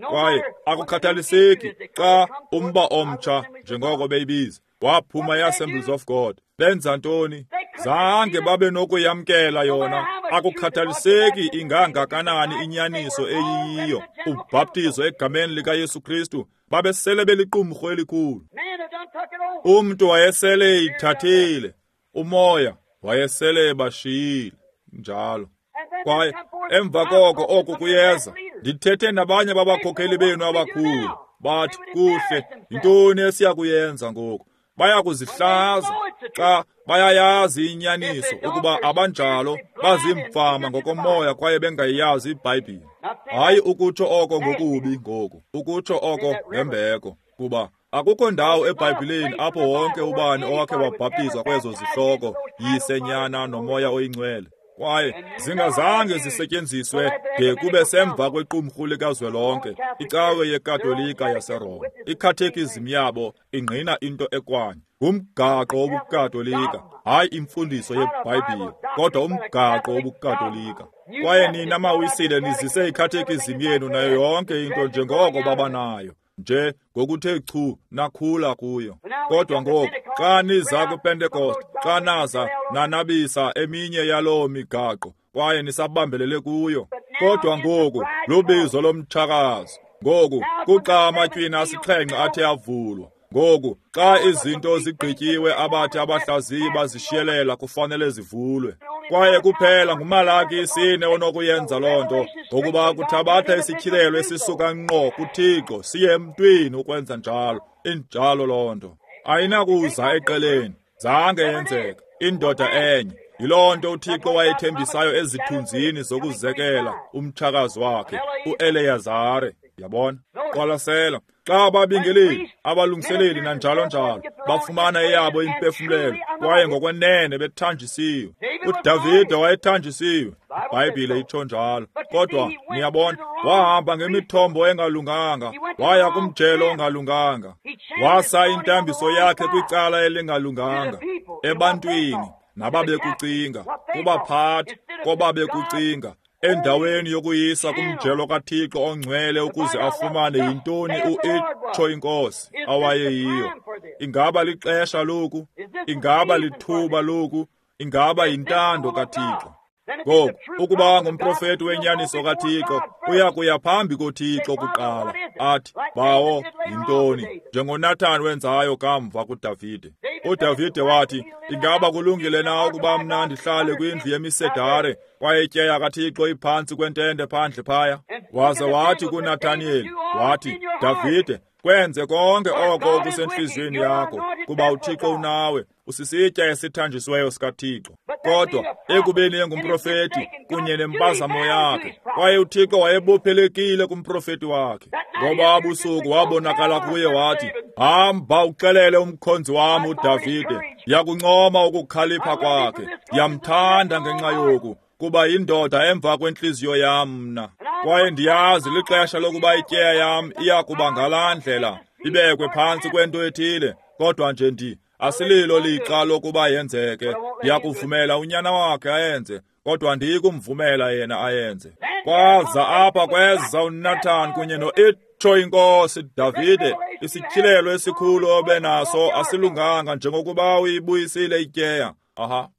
kwaye akukhathaliseki xa umba omtsha, njengoko beyibiza, waphuma i-Assemblies of God, benza ntoni? Zange babe nokuyamkela yona. Akukhathaliseki ingangakanani inyaniso eyiyiyo, ubhaptizo egameni likaYesu Kristu, babesele beliqumrhu elikhulu. Umntu wayesele eyithathile, umoya wayesele ebashiyile njalo. Kwaye emva koko oku kuyeza, ndithethe nabanye babakhokheli benu abakhulu, bathi, kuhle, yintoni esiya kuyenza ngoku? Baya kuzihlaza xa bayayazi inyaniso ukuba abanjalo bazimfama ngokomoya kwaye bengayazi iBhayibhile. Hayi ukutsho oko ngokubi ngoku, ukutsho oko ngembeko, kuba akukho ndawo eBhayibhileni apho wonke ubani owakhe wabhaptizwa kwezo zihloko, Yise, Nyana noMoya oyiNgcwele, kwaye zingazange zisetyenziswe de kube semva kwequmrhu likazwelonke, icawe yeKatolika yaseRoma. Ikhathekizim yabo ingqina into ekwanye, ngumgaqo wobuKatolika, hayi imfundiso yeBhayibhile, kodwa umgaqo wobuKatolika. Kwaye nina mawisile nizise ikhathekizim yenu nayo yonke into njengoko babanayo, nje ngokuthe chu nakhula kuyo. Kodwa ngoku xa niza kwiPentecost, xa naza nanabisa eminye yaloo migaqo kwaye nisabambelele kuyo. Kodwa ngoku lubizo lomtshakazi. Ngoku kuxa amatywina asixhenxe athe avulwa. Ngoku xa izinto zigqityiwe abathi abahlaziyi bazishiyelela kufanele zivulwe. Kwaye kuphela nguMalaki 4 onokuyenza loo nto, ngokuba kuthabatha isityhilelo esisuka ngqo kuThixo siye emntwini ukwenza njalo. Injalo loo nto. Ayinakuza eqeleni, zange yenzeka. Indoda enye. Yiloo nto uThixo wayethembisayo ezithunzini zokuzekela umtshakazi wakhe, uEleyazare. Yabona? Qwalasela, xa ababingeleli, abalungiseleli nanjalo njalo bafumana eyabo impefumlelo kwaye ngokwenene bethanjisiwe. uDavide wayethanjisiwe, iBhayibhile itsho njalo. Kodwa niyabona, wahamba ngemithombo engalunganga, waya kumjelo ongalunganga, wasa intambiso yakhe kwicala elingalunganga, ebantwini nababekucinga, kubaphathi kobabekucinga. Endaweni yokuyisa kumjelo kaThixo ongcwele ukuze afumane yintoni uitsho inkosi awayeyiyo. Ingaba lixesha loku? Ingaba lithuba loku? Ingaba yintando kaThixo? Ngoku, ukuba ngumprofeti wenyaniso kaThixo, uya kuya phambi koThixo kuqala, athi, Bawo, yintoni? NjengoNathan wenzayo kamva kuDavide. uDavide wathi, ingaba kulungile na ukuba mna ndihlale kwindlu yemisedare, kwaye ityeya kaThixo iphantsi kwentente phandle phaya? Waze wathi kuNathaniyeli, wathi, Davide, kwenze konke oko okusentliziyweni yakho, kuba uThixo unawe, usisitya esithanjisiweyo sikaThixo. Kodwa ekubeni engumprofeti kunye nempazamo yakhe, kwaye uThixo wayebophelekile kumprofeti wakhe. Ngoba busuku wabonakala kuye wathi, hamba uxelele umkhonzi wam uDavide, ndiyakuncoma ukukhalipha kwakhe, ndiyamthanda ngenxa yoku, kuba yindoda emva kwentliziyo yam mna. Kwaye ndiyazi lixesha lokuba ityeya yam iya kuba ngalaa ndlela, ibekwe phantsi kwento ethile, kodwa nje asililo lixa lokuba yenzeke. Ndiyakuvumela unyana wakhe ayenze, kodwa ndiyikumvumela yena ayenze. Kwaza apha kweza uNathan kunye noitsho inkosi, Davide, isityhilelo esikhulu obenaso asilunganga njengokuba uyibuyisile ityeya. Aha,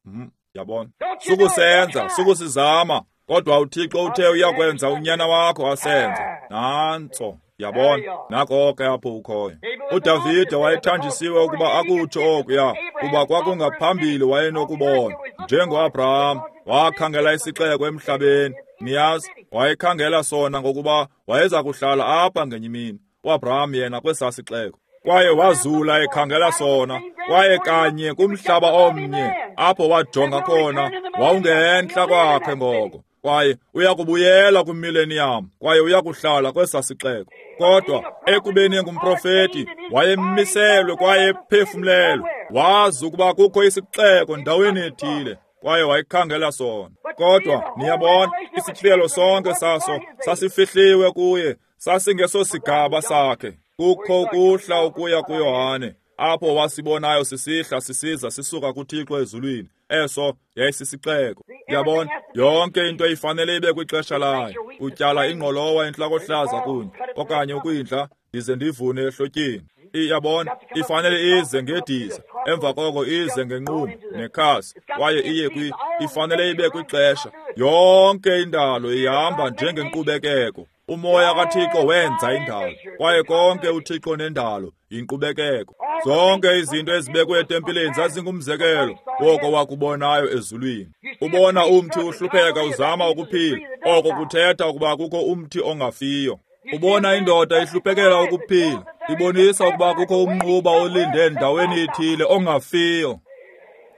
yabona. Sukusenza, sukusizama, kodwa uThixo uthe uyakwenza unyana wakho asenze. Nantso, yabona, nako ke apho ukhoyo. uDavide wayethanjisiwe ukuba akutsho okuya, kuba kwakungaphambili wayenokubona. NjengoAbraham wakhangela isixeko emhlabeni, niyazi, wayekhangela sona ngokuba wayeza kuhlala apha ngenye imini. uAbraham yena kwesaa sixeko. Kwaye wazula ekhangela sona, kwaye kanye kumhlaba omnye apho wajonga khona wawungentla kwakhe ngoko. Kwaye uyakubuyela kwimileniyam, kwaye uyakuhlala kwesaa sixeko. Kodwa ekubeni engumprofeti, wayemiselwe kwaye ephefumlelwe, wazi ukuba kukho isixeko ndaweni ethile, kwaye wayekhangela sona. Kodwa niyabona, isityhilelo sonke saso sasifihliwe kuye, sasingesosigaba sakhe. Kukho ukuhla ukuya kuYohane, apho wasibonayo sisihla sisiza sisuka kuThixo ezulwini. Eso yayisisixeko. Yabona, yonke into ifanele ibe kwixesha layo. Utyala ingqolowa entlakohlaza kunye, okanye ukwindla, ndize ndivune ehlotyeni. Iyabona, ifanele ize ngediza, emva koko ize ngenqumbi nekhasi, kwaye iye ifanele ibe kwixesha. Yonke indalo ihamba njengenkqubekeko. Umoya kaThixo wenza indalo, kwaye konke uThixo nendalo yinkqubekeko. Zonke izinto ezibekwe etempileni zazingumzekelo woko wakubonayo ezulwini. Ubona umthi uhlupheka uzama ukuphila, oko kuthetha ukuba kukho umthi ongafiyo. Ubona indoda ihluphekela ukuphila, ibonisa ukuba kukho umnquba olinde endaweni ethile ongafiyo.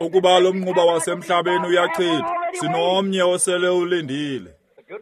Ukuba lo mnquba wasemhlabeni uyachithwa, sinomnye osele ulindile.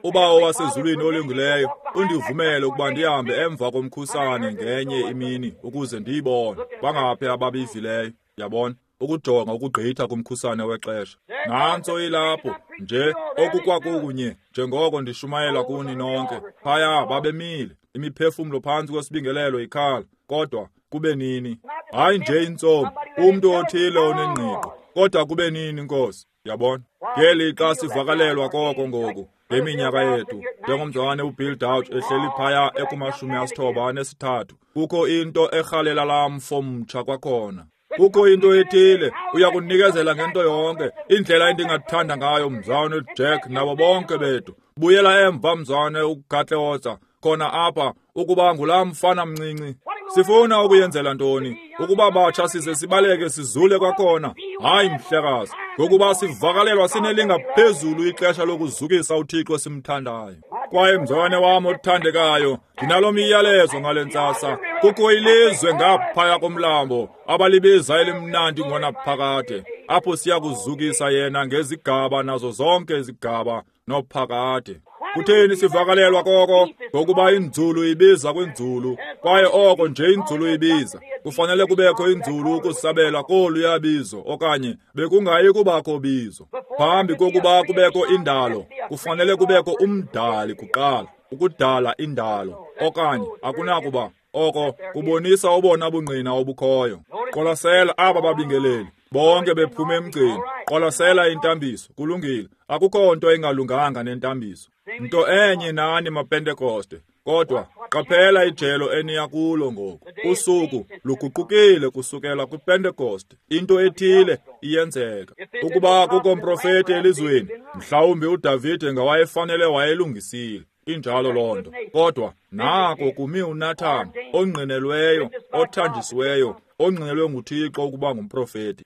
Ubawo wasezulwini olungileyo undivumele ukuba ndihambe emva komkhusane ngenye imini ukuze ndiyibone. Bangaphi ababivileyo, yabona, ukujonga ukugqitha kumkhusane wexesha. Nantso ilapho nje okukwakunye njengoko ndishumayela kuni nonke. Phaya babemile, imiphefumlo phantsi kwesibingelelo ikhala, kodwa kube nini? Hayi nje intsomi, umntu othile onengqiqo, kodwa kube nini, Nkosi? Yabona, ngelixa sivakalelwa koko ngoku ngeminyaka yethu, njengomzalwane uBill Dauch ehleli phaya eku-93, kukho into erhalela laa mfo mtsha kwakhona. Kukho into ethile, uyakunikezela ngento yonke. Indlela endingathanda ngayo, mzalwane Jack nabo bonke bethu. Buyela emva, mzalwane uGatleotsa, khona apha, ukuba ngulaa mfana mncinci. Sifuna ukuyenzela ntoni? Ukuba batsha size sibaleke sizule kwakhona? Hayi mhlekazi, ngokuba sivakalelwa sinelingaphezulu ixesha lokuzukisa uThixo esimthandayo. Kwaye mzalwane wam othandekayo, ndinalo myalezo ngale ntsasa. Kukho ilizwe ngaphaya komlambo abalibiza elimnandi ngonaphakade, apho siya kuzukisa yena ngezigaba nazo zonke izigaba nophakade. Kutheni sivakalelwa koko? Ngokuba inzulu ibiza kwinzulu, kwaye oko nje inzulu ibiza. Kufanele kubekho inzulu ukusabela kolu yabizo, okanye bekungayi kubakho bizo. Phambi kokuba kubekho indalo, kufanele kubekho umdali kuqala, ukudala indalo, okanye akunakuba. Oko kubonisa obona bungqina obukhoyo. Qwalasela aba babingeleli. Bonke bephuma emgceni. Qwalasela intambiso. Kulungile. Akukho nto ingalunganga nentambiso. Nto enye nani maPentekoste. Kodwa qaphela ijelo eniya kulo ngoku. Usuku luguqukile kusukela kwiPentekoste. Into ethile iyenzeka. Ukuba kukho mprofeti elizweni, mhlawumbi uDavide ngawayefanele wayelungisile. Injalo loo nto. Kodwa nako kumi uNathan, ongqinelweyo, othanjisiweyo, ongqinelwe nguThixo ukuba ngumprofeti.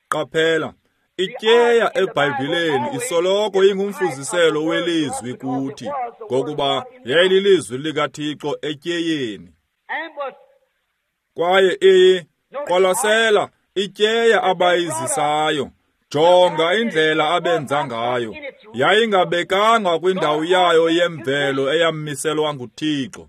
Qaphela, ityeya eBhayibhileni isoloko ingumfuziselo welizwi kuthi, ngokuba yayililizwi likaThixo etyeyeni. Kwaye qwalasela ityeya abayizisayo. Jonga indlela abenza ngayo. Yayingabekanga kwindawo yayo yemvelo eyamiselwa nguThixo.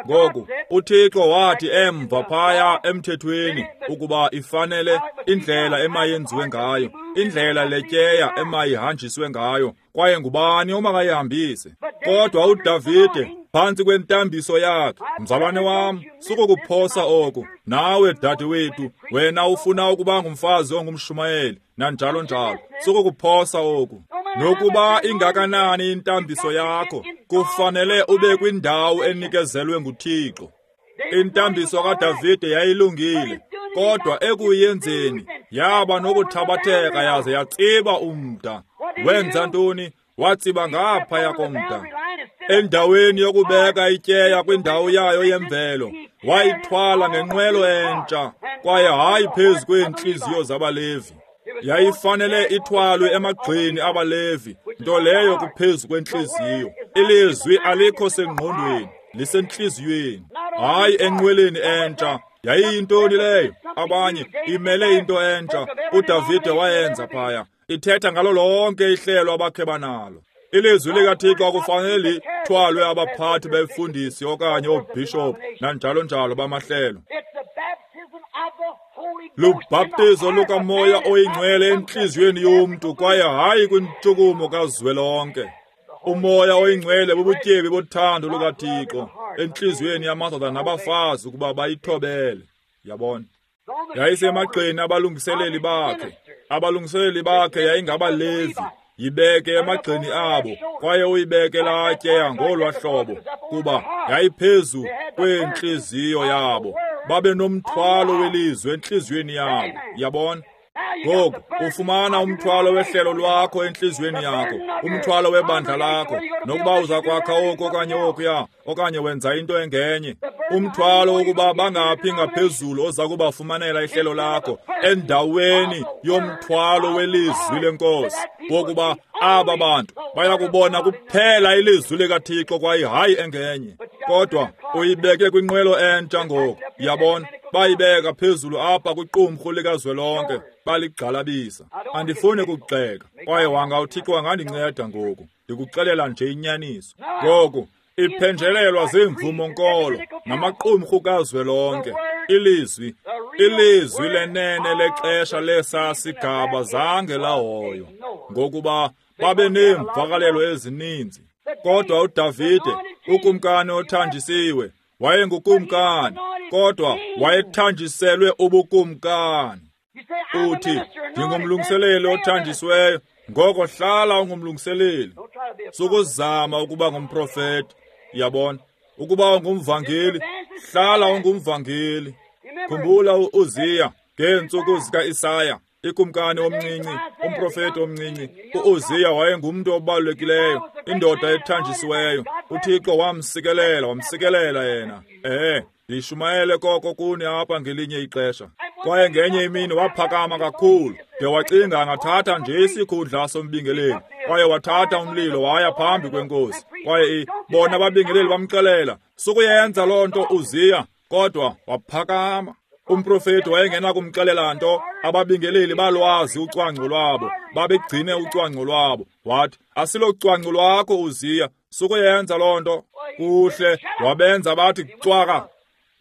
Ngoku uThixo wathi emva phaya emthethweni ukuba ifanele indlela emayenziwe ngayo, indlela letyeya emayihanjiswe ngayo, kwaye ngubani omakayihambise. Kodwa uDavide phantsi kwentambiso yakhe, mzalwane wam, sukukuphosa oku. Nawe dadewethu, wena ufuna ukuba ngumfazi ongumshumayeli nanjalo njalo, sukukuphosa oku. Nokuba ingakanani intambiso yakho, kufanele ube kwindawo enikezelwe nguThixo. Intambiso kaDavide yayilungile, kodwa ekuyenzeni yaba nokuthabatheka yaze yatsiba umda. Wenza ntoni? Watsiba ngaphaya komda. Endaweni yokubeka ityeya kwindawo yayo yemvelo, wayithwala ngenqwelo entsha, kwaye hayi phezu kweentliziyo zabaLevi. Yayifanele ithwalwe emagxeni abaLevi, nto leyo kuphezu kwentliziyo. Ilizwi alikho sengqondweni, lisentliziyweni, hayi enqweleni entsha. Yayiyintoni leyo? Abanye imele into entsha. uDavide wayenza phaya. Ithetha ngalo lonke ihlelo abakhe banalo. Ilizwi likaThixo akufanele lithwalwe abaphathi befundisi okanye oobhishophu nanjalo njalo bamahlelo. Lubhaptizo lukaMoya oyiNgcwele entliziyweni yomntu, kwaye hayi kwintshukumo kazwelonke. UMoya oyiNgcwele bubutyebi bothando lukaThixo entliziyweni yamadoda nabafazi ukuba bayithobele. Yabona? Yayisemagxeni abalungiseleli bakhe. Abalungiseleli bakhe yayingabaLevi. Yibeke emagxeni abo, kwaye uyibeke laa tyeya ngolwa hlobo, kuba yayiphezu kwentliziyo yabo. Babe nomthwalo welizwi entliziyweni yabo. Yabona? Ngoku ufumana umthwalo wehlelo lwakho entliziyweni yakho, umthwalo webandla lakho, nokuba uza kwakha oku okanye okuya, okanye wenza into engenye. Umthwalo wokuba bangaphi ngaphezulu oza kubafumanela ihlelo lakho endaweni yomthwalo welizwi lenkosi, wokuba aba bantu bayakubona kuphela ilizwi likaThixo kwaye hayi engenye. Kodwa uyibeke kwinqwelo entsha ngoku. Yabona? Bayibeka phezulu apha kwiqumrhu likazwelonke, baligxalabisa. Andifuni kugxeka, kwaye wanga uThixo angandinceda ngoku. Ndikuxelela nje inyaniso. Ngoku iphenjelelwa ziimvumo-nkolo namaqumrhu kazwelonke. Ilizwi, ilizwi lenene lexesha lesa sigaba zange lahoywa, ngokuba babe neemvakalelo ezininzi. Kodwa uDavide, ukumkani othanjisiwe, wayengukumkani, kodwa wayethanjiselwe ubukumkani. Uthi, ndingumlungiseleli othanjisiweyo, ngoko hlala ungumlungiseleli. Sukuzama ukuba ngumprofeti. Yabona? Ukuba ungumvangeli, hlala ungumvangeli. Khumbula uUziya ngeentsuku zikaIsaya, ikumkani omncinci, umprofeti omncinci. UUziya wayengumntu obalulekileyo, indoda ethanjisiweyo. uThixo wamsikelela, wamsikelela yena. Ndishumayele koko kuni apha ngelinye ixesha. Kwaye ngenye imini waphakama kakhulu de wacinga angathatha nje isikhundla sombingeleli. Kwaye wathatha umlilo waya phambi kwenkosi. Kwaye bona ababingeleli bamxelela, sukuyenza loo nto Uziya. Kodwa waphakama. Umprofeti wayengenakumxelela nto. Ababingeleli balwazi ucwangco lwabo, babegcine ucwangco lwabo. Wathi, asilocwangco lwakho Uziya, sukuyenza loo nto. Kuhle, wabenza bathi cwaka.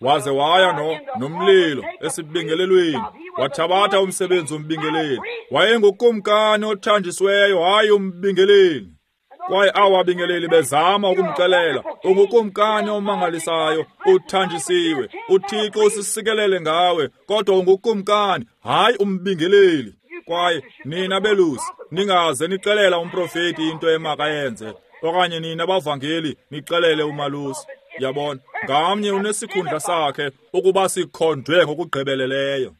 Waze waya nomlilo esibingelelweni, wathabatha umsebenzi wombingeleli. Wayengukumkani othanjisiweyo, hayi umbingeleli. Kwaye awabingeleli bezama ukumxelela, ungukumkani omangalisayo, uthanjisiwe, uThixo usisikelele ngawe, kodwa ungukumkani, hayi umbingeleli. Kwaye nina belusi, ningaze nixelela umprofeti into emakayenze, okanye nina bavangeli nixelele umalusi. Yabona, ngamnye unesikhundla sakhe ukuba sikhonjwe ngokugqibeleleyo.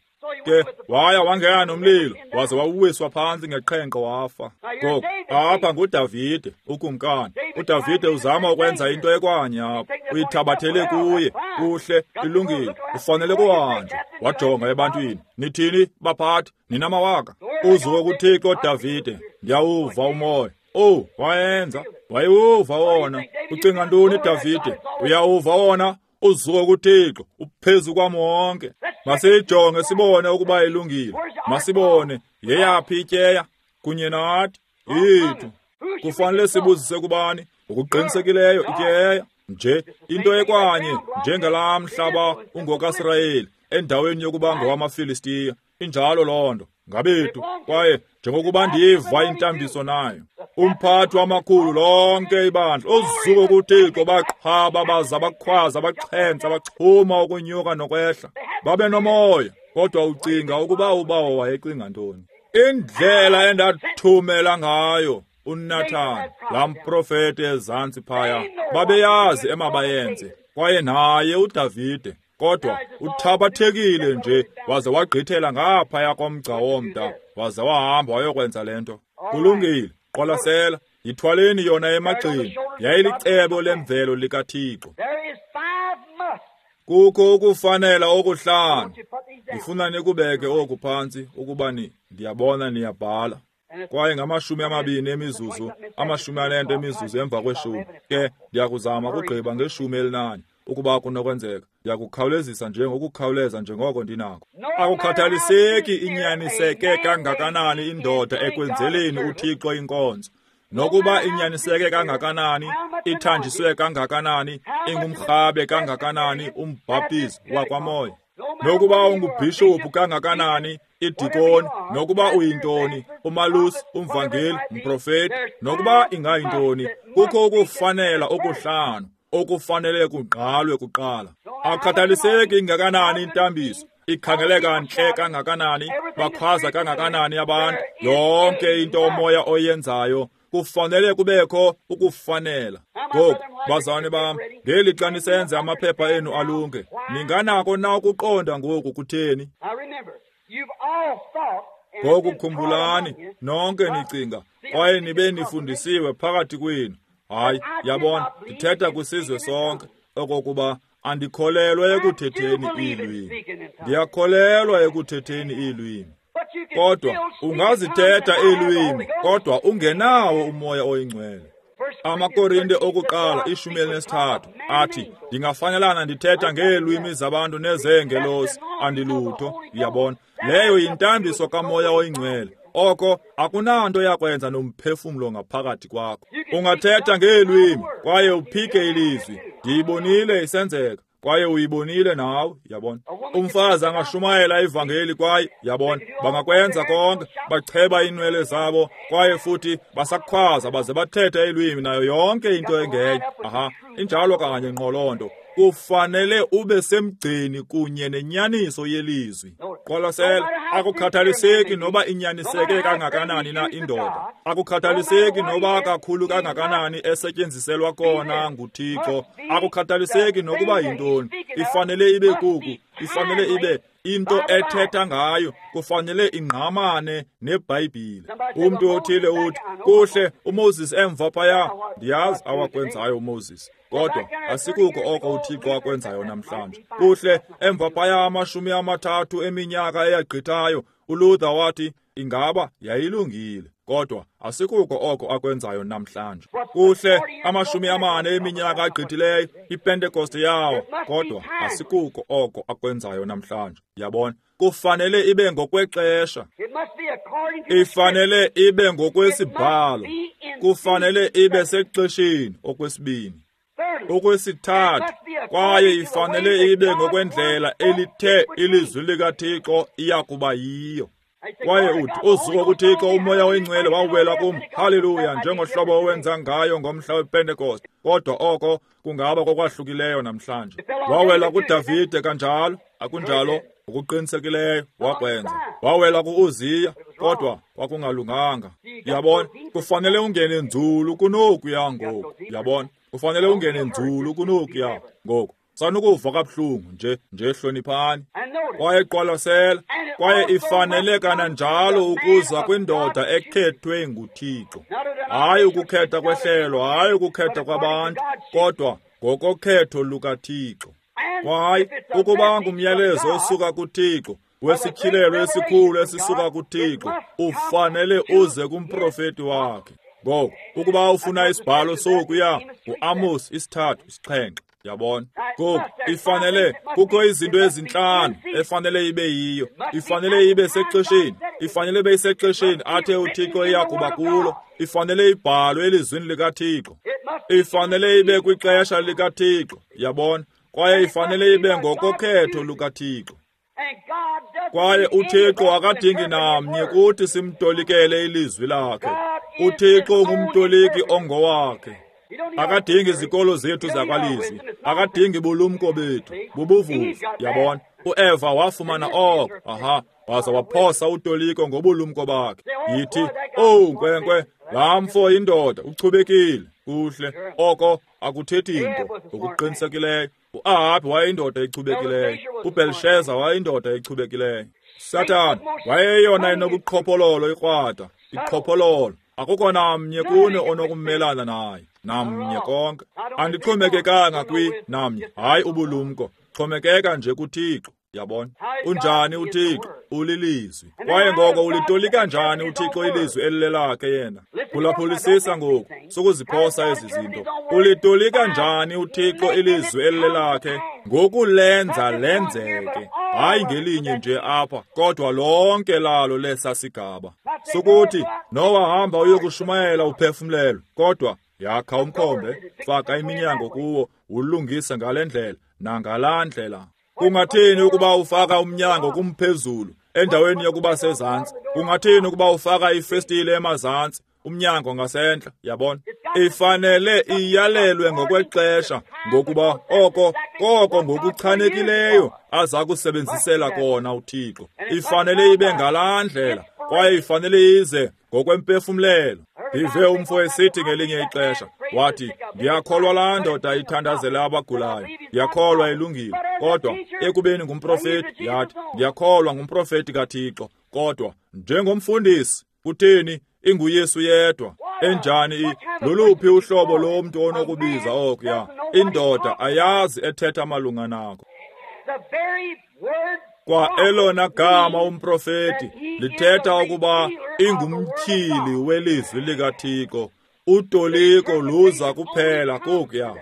Ke waya wangena nomlilo, waze wawuwiswa phantsi ngeqhenqo wafa. Ngoku apha nguDavide ukumkani. uDavide uzama ukwenza into ekwanye apha, uyithabathele kuye. Kuhle, ilungile, ufanele kuhanjwa. Wajonga ebantwini, nithini baphathi, ninamawaka? Uzuko kuThixo Davide, ndiyawuva umoya. Oh, wayenza, wayewuva wona. Ucinga ntoni Davide? Uyawuva wona? Uzuko kuThixo, uphezu kwam wonke. Masiyijonge sibone ukuba ilungile. Masibone yeyaphi ityeya kunye nathi yethu. Kufanele sibuzise kubani? Ngokuqinisekileyo ityeya nje into ekwanye njengalaa mhlaba ungokaSirayeli endaweni yokuba ngowamaFilistiya. Injalo loo nto ngabethu. Kwaye njengokuba ndiyiva intambiso nayo, umphathi wamakhulu lonke ibandla, uzuko kuThixo, baqhaba baza bakhwaza, baxhentsa, baxhuma ukunyuka nokwehla, babe nomoya. Kodwa ucinga ukuba ubawo wayecinga ntoni? Indlela endathumela ngayo uNathan, laa mprofeti ezantsi phaya, babeyazi emabayenze, kwaye naye uDavide. Kodwa uthabathekile nje, waze wagqithela ngaphaya komgca womda, waze wahamba wayokwenza le nto. Kulungile, qwalasela, yithwaleni yona emagxeni. Yayilicebo lemvelo likaThixo. Kukho ukufanela okuhlanu. Ndifuna nikubeke oku phantsi ukuba ndiyabona niyabhala. Kwaye ngama-20 emizuzu, 40 emizuzu emva kweshumi. Ke ndiyakuzama ukugqiba ngeshumi elinanye. Ukuba kunokwenzeka, ndiyakukhawulezisa nje ngokukhawuleza njengoko ndinako. Akukhathaliseki inyaniseke kangakanani indoda ekwenzeleni uThixo inkonzo, nokuba inyaniseke kangakanani, ithanjiswe kangakanani, ingumrhabe kangakanani umbhaptizi wakwamoya, nokuba ungubhishophu kangakanani, idikoni, nokuba uyintoni, umalusi, umvangeli, umprofeti, nokuba ingayintoni, kukho ukufanela okuhlanu okufanele kugqalwe kuqala. Akukhathaliseki ingakanani intambiso, ikhangeleka ntle kangakanani, bakhwaza kangakanani abantu, yonke into umoya oyenzayo, kufanele kubekho ukufanela. Ngoku, bazalwane bam, ngeli xa nisenze amaphepha enu alunge, ninganako na ukuqonda ngoku kutheni? Ngoku khumbulani, nonke nicinga, kwaye nibe nifundisiwe phakathi kwenu. Hayi, yabona, ndithetha kwisizwe sonke okokuba andikholelwa ekuthetheni iilwimi. Ndiyakholelwa ekuthetheni iilwimi. Kodwa ungazithetha iilwimi, kodwa ungenawo umoya oyingcwele. AmaKorinte okuqala 13 athi, ndingafanelana ndithetha ngeelwimi zabantu nezeengelosi, andilutho. Uyabona, leyo yintambiso kamoya oyingcwele. Oko akunanto yakwenza nomphefumlo ngaphakathi kwakho. Ungathetha ngeelwimi kwaye uphike ilizwi. Ndiyibonile isenzeka, kwaye uyibonile nawe. Yabona, umfazi angashumayela ivangeli kwaye, yabona, bangakwenza konke, bacheba iinwele zabo kwaye futhi basakhwaza baze bathethe iilwimi nayo yonke into engenye. Aha, injalo kanye ngqo loo nto. Kufanele ube semgceni kunye nenyaniso yelizwi. Qwalasela, akukhathaliseki noba inyaniseke kangakanani na indoda, akukhathaliseki noba kakhulu kangakanani esetyenziselwa kona nguThixo, akukhathaliseki nokuba yintoni, ifanele ibe kuku, ifanele ibe into ethetha ngayo, kufanele ingqamane neBhayibhile. Umntu othile uthi, kuhle, uMoses emva phaya, ndiyazi awakwenzayo uMoses, kodwa asikuko oko uThixo akwenzayo namhlanje. Kuhle, emva phaya 30 eminyaka eyagqithayo, uLuther wathi ingaba yayilungile, kodwa asikuko oko akwenzayo namhlanje. Kuhle, 40 eminyaka agqithileyo, iPentekoste yawo, kodwa asikuko oko akwenzayo namhlanje. Yabona, kufanele ibe ngokwexesha, ifanele ibe ngokwesibhalo, kufanele ibe sexesheni okwesibini, okwesithathu, kwaye ifanele ibe ngokwendlela elithe ilizwi likaThixo iyakuba yiyo. Kwaye uthi, uzuko kuThixo, uMoya oyiNgcwele wawela kum. Haleluya, njengohlobo owenza ngayo ngomhla wePentekoste. Kodwa oko kungaba kokwahlukileyo namhlanje. Wawela kuDavide kanjalo, akunjalo? Ngokuqinisekileyo wakwenza. Wawela ku-Uziya, kodwa kwakungalunganga. Yabona, kufanele ungene nzulu kunokuya ngoku. Yabona, kufanele ungene nzulu kunokuya ngoku. Sanukuva kabuhlungu nje hloniphani. Kwaye qwalasela, kwaye ifanele kananjalo ukuza kwindoda ekhethwe nguThixo. Hayi ukukhetha kwehlelo, hayi ukukhetha kwabantu, kodwa ngokokhetho lukaThixo. Kwaye ukuba ngumyalezo osuka kuThixo, wesityhilelo esikhulu esisuka kuThixo, ufanele uze kumprofeti wakhe. Ngoku, ukuba ufuna isibhalo sokuya, nguAmos 3:7. Yabona? Ngoku ifanele kukho izinto ezintlanu efanele ibe yiyo. Ifanele ibe sexesheni, ifanele ibe sexesheni athe uThixo iyakuba kulo. Ifanele ibhalwe elizwini likaThixo. Ifanele ibe kwixesha likaThixo. Yabona? Kwaye ifanele ibe ngokokhetho lukaThixo. Kwaye uThixo akadingi namnye kuthi simtolikele ilizwi lakhe. uThixo ngumtoliki ongowakhe. Akadingi izikolo zethu zakwalizwi, akadingi bulumko bethu, bubuvuvu. Yabona, uEva wafumana oko, aha, waza waphosa utoliko ngobulumko bakhe. Yithi, owu nkwenkwe, laa mfo indoda uchubekile, kuhle, oko akuthethi nto. Ngokuqinisekileyo, uAhabi wayeyindoda echubekileyo, uBelsheza wayeyindoda echubekileyo. Sathana wayeyona inobuqhophololo ikrwada, iqhophololo. Akukho namnye kuni onokumelana naye, namnye konke. Andixhomekekanga kwi namnye, hayi ubulumko, xhomekeka nje kuThixo. Yabona, unjani uThixo? Ulilizwi. Kwaye ngoko ulitolika njani uThixo ilizwi elilelakhe yena? Phulaphulisisa ngoku, sukuziphosa ezi zinto. Ulitolika njani uThixo ilizwi elilelakhe? Ngokulenza lenzeke, hayi ngelinye nje apha, kodwa lonke lalo lesa sigaba. Sukuthi Nowa hamba uyokushumayela uphefumlelo, kodwa yakha umkhombe, faka iminyango kuwo, ulungise ngale ndlela nangalaa ndlela. Kungathini ukuba ufaka umnyango kumphezulu endaweni yokuba sezantsi? Kungathini ukuba ufaka ifestile emazantsi, umnyango ngasentla? Yabona, ifanele iyalelwe ngokwexesha, ngokuba oko koko ngokuchanekileyo aza kusebenzisela kona uThixo. Ifanele ibe ngalaa ndlela, kwaye ifanele ize ngokwempefumlelo. Ndive umfo esithi ngelinye ixesha, wathi, ndiyakholwa laa ndoda ithandazela abagulayo, ndiyakholwa ilungile, kodwa ekubeni ngumprofeti, yathi, ndiyakholwa ngumprofeti kaThixo, kodwa njengomfundisi, kutheni inguYesu yedwa? Enjani loluphi uhlobo lomntu onokubiza okuya? Indoda ayazi ethetha malunga nako. Kwa elona gama umprofeti lithetha ukuba ingumtyhili welizwi likaThixo. Utoliko luza kuphela kokuya.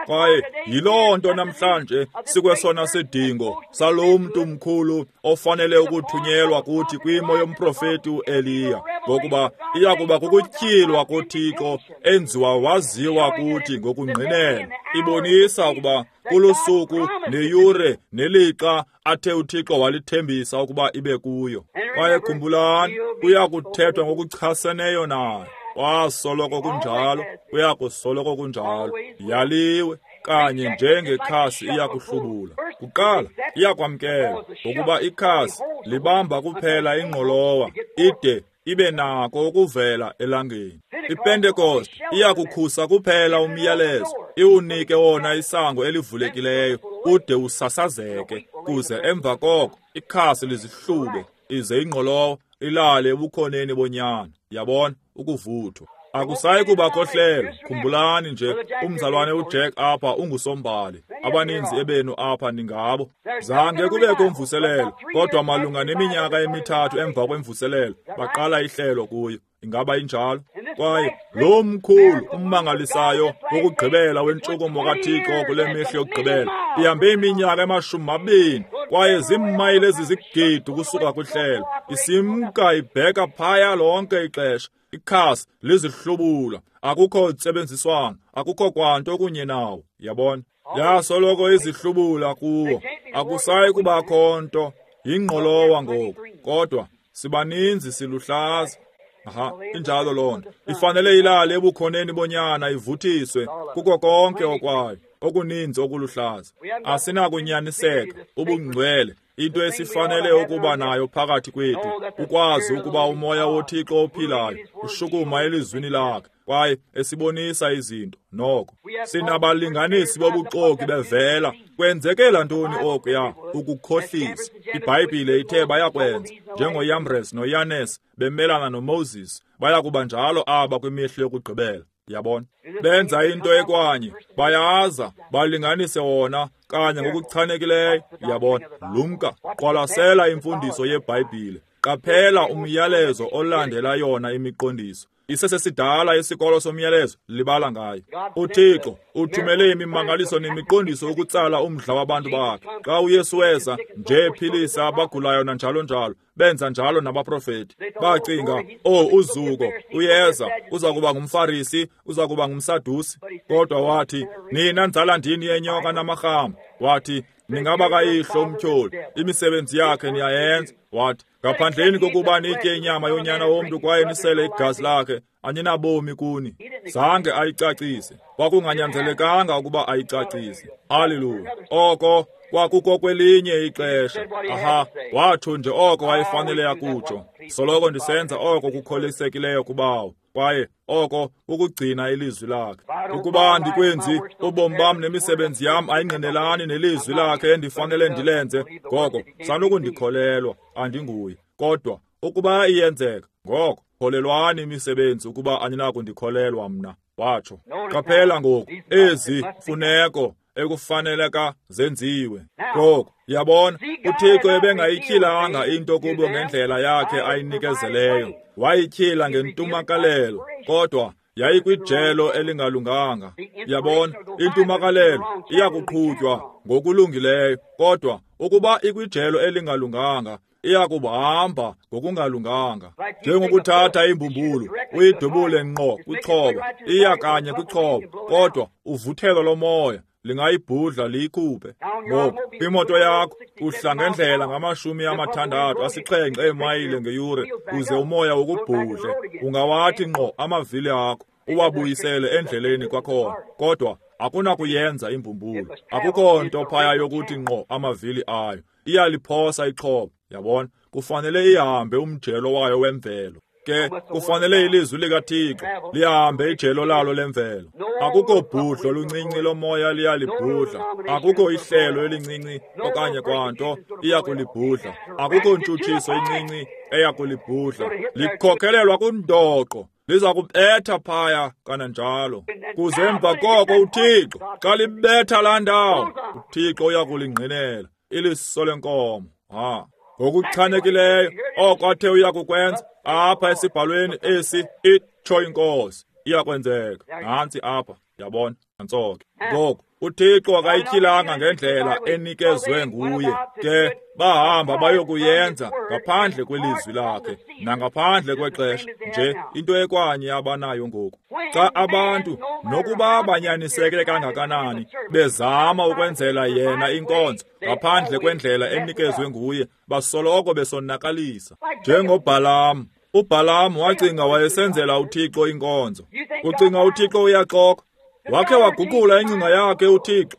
Kwaye yiloo nto namhlanje sikwesona sidingo salo mntu mkhulu ofanele ukuthunyelwa kuthi kwimo yomprofeti uEliya, ngokuba iyakuba kukutyhilwa koThixo enziwa waziwa kuthi ngokungqinela, ibonisa ukuba kulusuku neyure nelixa athe uThixo walithembisa ukuba ibe kuyo. Kwaye khumbulani, kuya kuthethwa ngokuchaseneyo naye. Kwasoloko kunjalo, kuya kusoloko kunjalo. Yaliwe kanye njengekhasi iyakuhlubula. Kuqala iyakwamkela, ngokuba ikhasi libamba kuphela ingqolowa ide ibe nako ukuvela elangeni. IPentekoste iyakukhusa kuphela umyalezo, iwunike wona isango elivulekileyo ude usasazeke, kuze emva koko ikhasi lizihlube, ize ingqolowa ilale ebukhoneni bonyana. Yabona, ukuvuthwa. Akusayi kubakho hlelo. Khumbulani nje, umzalwane uJack apha ungusombali. Abaninzi ebenu apha ningabo. Zange kubekho mvuselelo, kodwa malunga neminyaka emithathu emva kwemvuselelo baqala ihlelo kuyo. Ingaba injalo? Kwaye lo mkhulu ummangalisayo wokugqibela wentshukumo kaThixo kule mihla yokugqibela ihambe iminyaka ema-20 kwaye ziimayile ezizigidi ukusuka kwihlelo, isimka ibheka phaya lonke ixesha. Ikhasi lizihlubula, akukho ntsebenziswano, akukho kwanto kunye nawo. Yabona, yasoloko izihlubula kuwo, akusayi kubakho nto, yingqolowa ngoku, kodwa Sibaninzi siluhlaza. Aha, injalo loo nto. Ifanele ilale ebukhoneni bonyana ivuthiswe kuko konke okwayo, okuninzi okuluhlaza. Asinakunyaniseka, ubungcwele, into esifanele ukuba nayo phakathi kwethu, ukwazi ukuba umoya woThixo ophilayo ushukuma elizwini lakhe kwaye esibonisa izinto. Noko sinabalinganisi bobuxoki bevela. Kwenzekela ntoni okuya? Ukukhohlisa. IBhayibhile ithe bayakwenza, njengoYambres noYanes bemelana noMoses, bayakuba njalo aba kwimihla yokugqibela. Yabona, benza into ekwanye, bayaza balinganise wona kanye ngokuchanekileyo. Yabona, lumka, qwalasela imfundiso yeBhayibhile, qaphela umyalezo olandela yona imiqondiso. Isesesidala isikolo somyalezo, libala ngayo. UThixo uthumele imimangaliso nemiqondiso ukutsala umdla wabantu bakhe. Xa uYesu weza nje ephilisa abagulayo nanjalo njalo, benza njalo nabaprofeti. Bacinga, oh, uzuko uyeza, uza kuba ngumFarisi, uza kuba ngumSadusi. Kodwa wathi, nina nzalandini yenyoka namarhama. Wathi, ningaba kayihlo umtyholi, imisebenzi yakhe niyayenza. Wathi, ngaphandleni kokuba nitye inyama yonyana womntu kwaye nisele igazi lakhe, aninabomi kuni. Zange ayicacise. Kwakunganyanzelekanga ukuba ayicacise. Haleluya. Oko kwakuko kwelinye ixesha. Aha, watsho nje oko wayefanele akutsho. Soloko ndisenza oko kukholisekileyo kubawo, kwaye oko kukugcina ilizwi lakhe. Ukuba andikwenzi, ubomi bam nemisebenzi yam ayingqinelani nelizwi lakhe endifanele ndilenze, ngoko sanukundikholelwa, andinguye. Kodwa ukuba iyenzeka, ngoko kholelwani imisebenzi ukuba aninakundikholelwa mna, watsho. Qaphela ngoku ezi mfuneko ekufaneleka zenziwe. Ngoku yabona, uThixo ebengayityhilanga into kubo ngendlela yakhe ayinikezeleyo. Wayityhila ngentumakalelo, kodwa yayikwijelo elingalunganga. Yabona, intumakalelo iyakuqhutywa ngokulungileyo, kodwa ukuba ikwijelo elingalunganga, iyakuhamba ngokungalunganga. Njengokuthatha imbumbulu uyidubule ngqo kwixhoba, iya kanye kwixhoba, kodwa uvuthelo lomoya lingayibhudla liyikhuphe. Ngoku imoto yakho uhla ngendlela nga-67 eemayile ngeyure, uze umoya ukubhudle, ungawathi ngqo amavili akho uwabuyisele endleleni kwakhona, kodwa akunakuyenza imbumbulu. Akukho nto phaya yokuthi ngqo amavili ayo, iyaliphosa ixhoba. Yabona, kufanele ihambe umjelo wayo wemvelo. Ke kufanele ilizwi likaThixo lihambe ijelo lalo lemvelo. Akukho bhudlo luncinci lomoya liyalibhudla, akukho ihlelo elincinci okanye kwanto iyakulibhudla, akukho ntshutshiso incinci eyakulibhudla. Likhokhelelwa kundoqo, liza kubetha phaya kananjalo. Kuze emva koko uThixo xa libetha laa ndawo, uThixo uyakulingqinela iliso lenkomo. Ha, ngokuchanekileyo oko athe uyakukwenza apha esibhalweni esi, itsho iNkosi, iyakwenzeka. Nantsi apha, yabona, nantso ke. Ngoku uThixo akayityhilanga ngendlela enikezwe nguye, ke bahamba bayokuyenza ngaphandle kwelizwi lakhe nangaphandle kwexesha nje, into ekwanye abanayo ngoku. Xa abantu nokuba banyaniseke kangakanani bezama ukwenzela yena inkonzo ngaphandle kwendlela enikezwe nguye, basoloko besonakalisa. NjengoBhalam, uBhalam wacinga wayesenzela uThixo inkonzo. Ucinga uThixo uyaxoka? Wakhe waguqula ingcinga yakhe uThixo.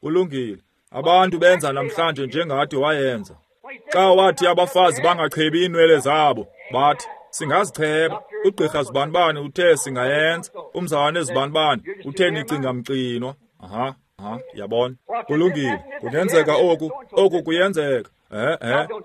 Kulungile, abantu benza namhlanje njengathi wayenza. Xa wathi abafazi bangachebi iinwele zabo, bathi singazicheba. Ugqirha zibanibani uthe singayenza, umzalwane zibanibani uthe nicinga mxinwa. Aha, aha, yabona. Kulungile, kungenzeka oku, oku kuyenzeka.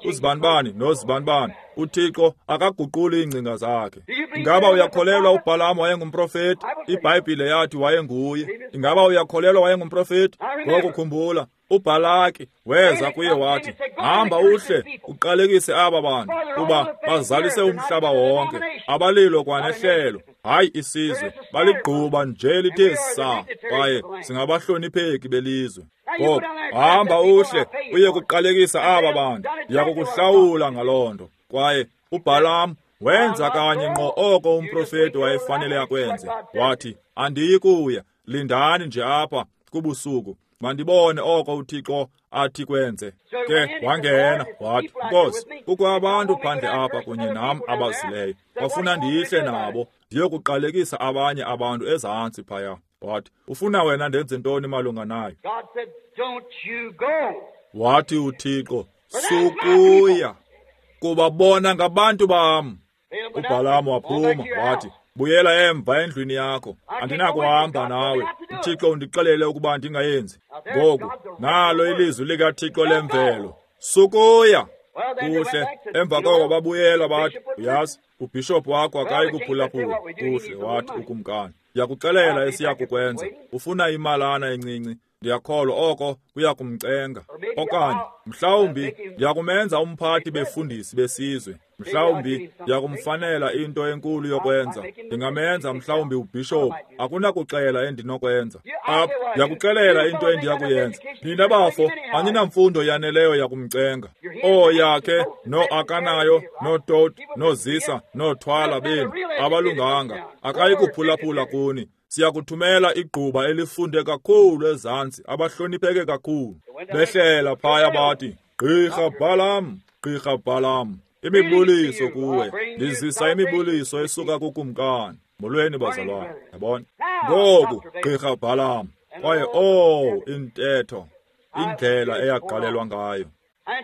Uzibanibani nozibanibani. uThixo akaguquli iingcinga zakhe. Ingaba uyakholelwa uBhalamu wayengumprofeti? IBhayibhile yathi wayenguye. Ingaba uyakholelwa wayengumprofeti? Ngoku khumbula, uBhalaki weza kuye wathi, hamba uhle uqalekise aba bantu, kuba bazalise umhlaba wonke. Abalilo kwanehlelo, hayi isizwe, baligquba nje lithe saa, kwaye singabahlonipheki belizwe. Ngoku hamba uhle uye kuqalekisa aba bantu, ndiyakukuhlawula ngaloo nto. Kwaye uBhalamu wenza kanye ngqo oko umprofeti wayefanele akwenze. Wathi, andiyi kuya, lindani nje apha kubusuku, Mandibone oko uThixo athi kwenze. Ke wangena wathi, Nkosi, kukho abantu phandle apha kunye nam abazileyo. Bafuna ndihle nabo, ndiyokuqalekisa abanye abantu ezantsi phaya. Wathi, ufuna wena ndenze ntoni malunga nayo? Wathi uThixo, sukuya, kuba bona ngabantu bam. uBhalamu waphuma wathi, buyela emva endlwini yakho, andinakuhamba nawe. uThixo undixelele ukuba ndingayenzi. Ngoku nalo ilizwi likaThixo lemvelo, sukuya. Kuhle, emva koko babuyela bathi, uyazi, ubhishophu wakho akayi kuphulaphula. Kuhle, wathi ukumkani, ndiyakuxelela esiyakukwenza. Ufuna imalana encinci, ndiyakholwa oko kuya kumcenga. Okanye mhlawumbi ndiyakumenza umphathi befundisi besizwe. Mhlawumbi ndiyakumfanela into enkulu yokwenza. Ndingamenza mhlawumbi ubhishophu. Akunakuxela endinokwenza. Apha ndiyakuxelela into endiyakuyenza. Nina bafo, aninamfundo yaneleyo yakumcenga. Ooyakhe no-akanayo nootot noozisa noothwala benu abalunganga. Akayi kuphulaphula kuni. Siyakuthumela igquba elifunde kakhulu ezantsi, abahlonipheke kakhulu. Behlela phaya bathi, Gqirha Balaam, Gqirha Balaam, imibuliso kuwe. Ndizisa imibuliso esuka kukumkani. Molweni bazalwane, yabona. Ngoku, Gqirha Balaam, kwaye intetho, indlela eyaqalelwa ngayo.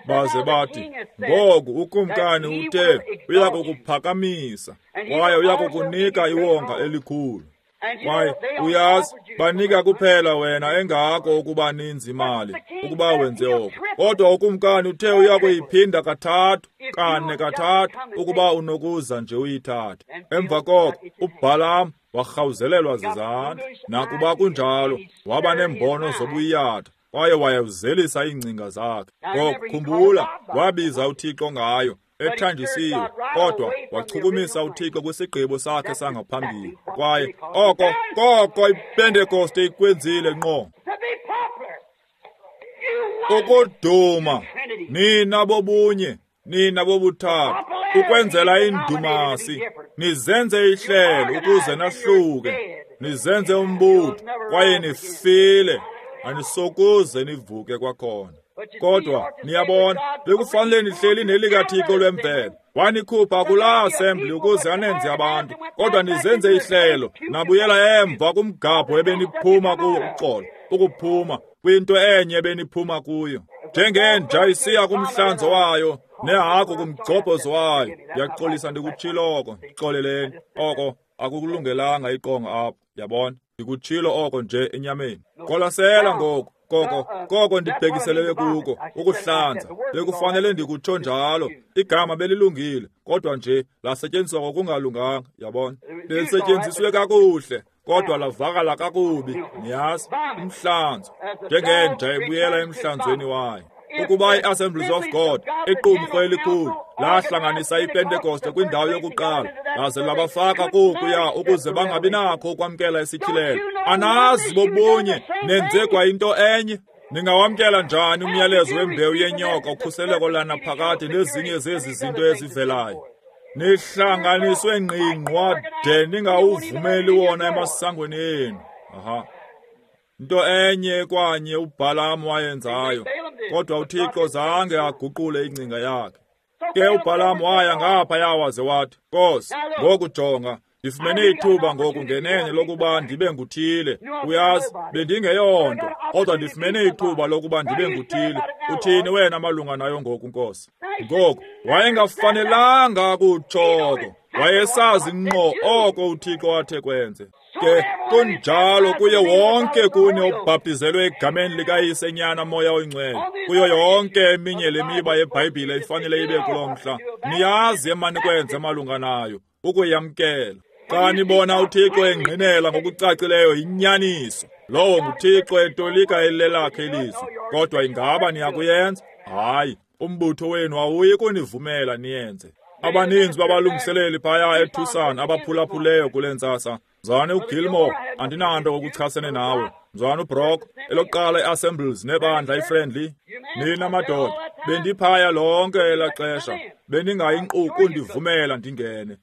Baze bathi, ngoku ukumkani uthe uya kukuphakamisa kwaye uya kukunika iwonga elikhulu. Kwaye uyazi, banika kuphela wena engako ukuba ninzi imali ukuba wenze oko. Kodwa ukumkani uthe uya kuyiphinda kathathu, kane kathathu, ukuba unokuza nje uyithathe. Emva koko uBhalaam warhawuzelelwa zizandla. Nakuba kunjalo, waba neembono zobuyatha kwaye wayewuzelisa iingcinga zakhe. Ngoku khumbula, wabiza uThixo ngayo, ethanjisiwe, kodwa wachukumisa uThixo kwisigqibo sakhe sangaphambili. Kwaye oko koko iPentekoste ikwenzile ngqo. Ukuduma, nina bobunye, nina bobuthathu, ukwenzela indumasi, nizenze ihlelo ukuze nahluke, nizenze umbutho, kwaye nifile, anisokuze nivuke kwakhona. Kodwa niyabona, bekufanele nihleli nelikaThixo lwemvelo. Wanikhupha kulaa assembly ukuze anenze abantu, kodwa nizenze ihlelo, nabuyela emva kumgabho ebeniphuma kuwo, uxolo, ukuphuma kwinto enye ebeniphuma kuyo. Njengenja isiya kumhlanzo wayo, nehagu kumgcobhozo wayo. Ndiyaxolisa ndikutshilo oko, ndixoleleni. Oko akukulungelanga iqonga apho, yabona. Ndikutshilo oko nje enyameni. Qwalasela ngoku. Koko ndibhekiselele kuko ukuhlanza. Bekufanele ndikutsho njalo. Igama belilungile, kodwa nje lasetyenziswa ngokungalunganga, yabona. Belisetyenziswe kakuhle, kodwa lavakala kakubi, niyazi. Umhlanzo, njengenja ebuyela emhlanzweni wayo. Ukuba i-Assemblies of God, iqumrhu elikhulu, lahlanganisa iPentekoste kwindawo yokuqala, laze labafaka kokuya ukuze bangabi nakho ukwamkela isityhilelo. Anazi bobunye, nenze kwa into enye. Ningawamkela njani umyalezo wembewu yenyoka, ukhuseleko lanaphakade nezinye zezi zinto ezivelayo? Nihlanganiswe ngqingqwa de ningawuvumeli wona emasangweni enu. Aha. Into enye kwanye uBhalaam wayenzayo, kodwa uThixo zange aguqule ingcinga yakhe. Ke uBhalaam waya ngaphaya waze wathi, Nkosi, ngoku jonga, ndifumene ithuba ngoku ngenene lokuba ndibe nguthile. Uyazi, bendingeyonto, kodwa ndifumene ithuba lokuba ndibe nguthile. Uthini wena malunga nayo ngoku, Nkosi? Ngoku wayengafanelanga kutshoko, wayesazi ngqo oko uThixo athe kwenze. Ke kunjalo kuye wonke kuni obhaptizelwe egameni likaYise, Nyana, Moya oyiNgcwele. Kuyo yonke eminye le miba yeBhayibhile ifanele ibe kulo mhla. Niyazi emanikwenze malunga nayo, ukuyamkela. Xa nibona uThixo engqinela ngokucacileyo inyaniso, lowo nguThixo etolika elelakhe ilizwi. Kodwa ingaba niyakuyenza? Hayi, umbutho wenu awuyi kunivumela niyenze. Abaninzi babalungiseleli phaya eTucson abaphulaphuleyo kule ntsasa. Mzalwane uGilmore, andinanto ngokuchasene nawe. Mzalwane uBrock, elokuqala iAssemblies nebandla iFriendly. Nina madoda, bendiphaya lonke elaa xesha. Beningayinqu kundivumela ndingene.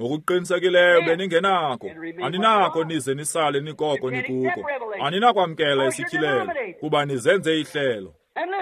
Ngokuqinisekileyo beningenako. Aninako nize nisale nikoko nikuko. Aninakwamkela isityhilelo, kuba nizenze ihlelo.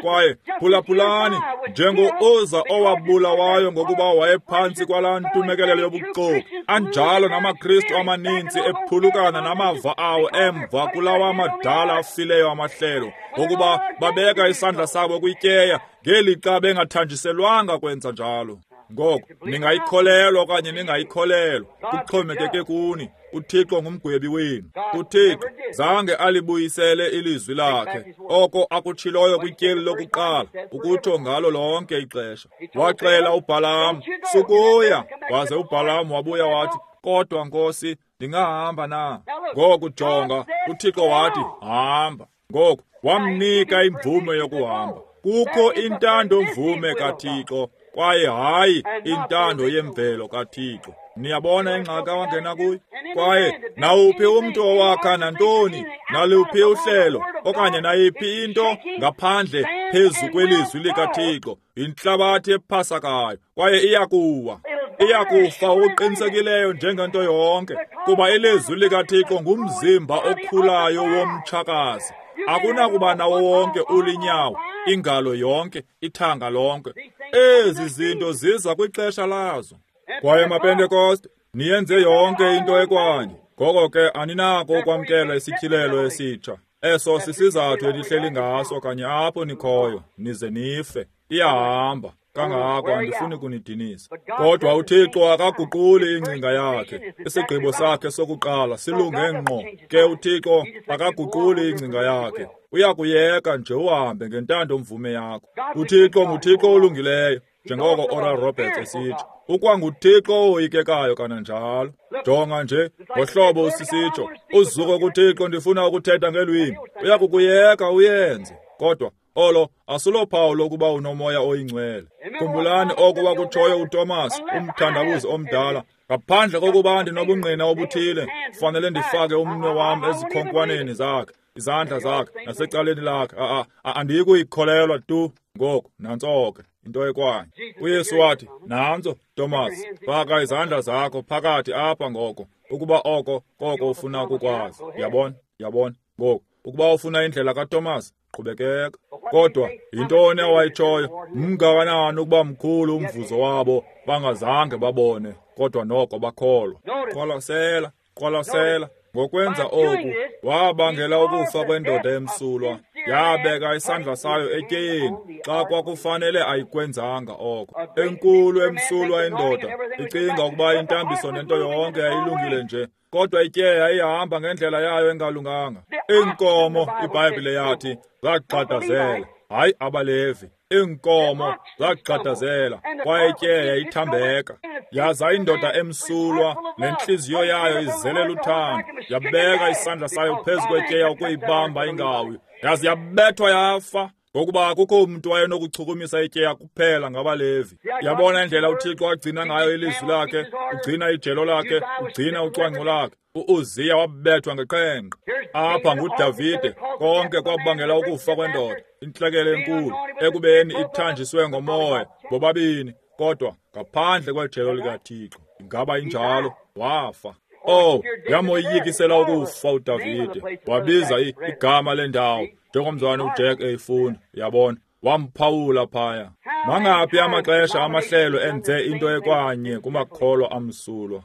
Kwaye phulaphulani, njengo-Uza owabulawayo ngokuba wayephantsi kwalaa ntumekelelo yobuxoki, anjalo namaKristu amaninzi ephulukana namava awo emva kulawa madala afileyo amahlelo, ngokuba babeka isandla sabo kwityeya ngelixa bengathanjiselwanga kwenza njalo. Ngoko ningayikholelwa okanye ningayikholelwa, kuxhomekeke kuni. UThixo ngumgwebi wenu. UThixo zange alibuyisele ilizwi lakhe, oko akutshiloyo kwityeli lokuqala, ukutsho ngalo lonke ixesha. Waxela uBhalamu, sukuya, waze uBhalamu wabuya wathi, kodwa Nkosi, ndingahamba na? Ngoku jonga, uThixo wathi, hamba. Ngoku wamnika imvume yokuhamba. Kukho intando mvume kaThixo, kwaye hayi intando yemvelo kaThixo. Niyabona ingxaki awangena kuyo? Kwaye nawuphi umntu owakha nantoni, naluphi uhlelo, okanye nayiphi into ngaphandle phezu kwelizwi likaThixo, yintlabathi ephasakayo, kwaye iyakuwa. Iyakufa okuqinisekileyo njengento yonke, kuba ilizwi likaThixo ngumzimba okhulayo womtshakazi. Akunakuba nawo wonke ulinyawo, ingalo yonke, ithanga lonke. Ezi zinto ziza kwixesha lazo. Kwaye maPentekoste, niyenze yonke into ekwanye. Ngoko ke aninako ukwamkela isityhilelo esitsha. Eso sisizathu enihleli ngaso kanye apho nikhoyo, nize nife. Iyahamba. Kangako andifuni kunidinisa. Kodwa uThixo akaguquli ingcinga yakhe. Isigqibo sakhe sokuqala silunge ngqo. Ke uThixo akaguquli ingcinga yakhe. Uyakuyeka nje uhambe ngentando mvume yakho. UThixo nguThixo olungileyo, njengoko Oral Roberts esitsho. UkwanguThixo owoyikekayo kananjalo. Jonga nje ngohlobo usisitsho, uzuko kuThixo, ndifuna ukuthetha ngelwimi. Uyakukuyeka uyenze. Kodwa olo asulophawu lokuba unomoya oyingcwele. Khumbulani oko wakutshoyo uThomas, umthandabuzi omdala. Ngaphandle kokuba ndinobungqina obuthile, fanele ndifake umnwe wam ezikhonkwaneni zakhe, izandla zakhe, nasecaleni lakhe. Andiyikuyikholelwa tu. Ngoku nantso ke into ekwanye. uYesu wathi, nantso Thomas, faka izandla zakho phakathi apha ngoko, ukuba oko koko ufuna ukukwazi. Yabona, yabona. Ngoku ukuba ufuna indlela kaThomas, qhubekeka. Kodwa yintoni awayitshoyo? Mngakanani ukuba mkhulu umvuzo wabo bangazange babone, kodwa noko bakholwa. Qwalasela, qwalasela. Ngokwenza oku wabangela ukufa kwendoda emsulwa, yabeka isandla sayo etyeyeni xa kwakufanele ayikwenzanga oko. Enkulu emsulwa indoda icinga ukuba intambiso nento yonke yayilungile nje, kodwa ityeya ihamba ngendlela yayo engalunganga. Iinkomo, iBhayibhile yathi, zagxadazela, hayi abaLevi. Iinkomo zagxadazela, kwaye ityeya ithambeka. Yaza indoda emsulwa nentliziyo yayo izele luthando, yabeka isandla sayo phezu kwetyeya ukuyibamba ingawi, yaze yabethwa yafa, ngokuba akukho mntu wayenokuchukumisa ityeya kuphela ngabaLevi. Yabona indlela uThixo agcina ngayo ilizwi lakhe, ugcina ijelo lakhe, ugcina ucwangco lakhe. UUziya wabethwa ngeqhenqe. Apha nguDavide, konke kwabangela ukufa kwendoda, intlekele enkulu, ekubeni ithanjiswe ngomoya bobabini, kodwa ngaphandle kwejelo likaThixo. Ingaba injalo? Wafa. Oh, yamoyikisela ukufa uDavide. Wabiza igama lendawo, njengomzwana uJack eyifunda, yabona. Wamphawula phaya. Mangaphi amaxesha amahlelo enze into ekwanye kumakholwa amsulwa.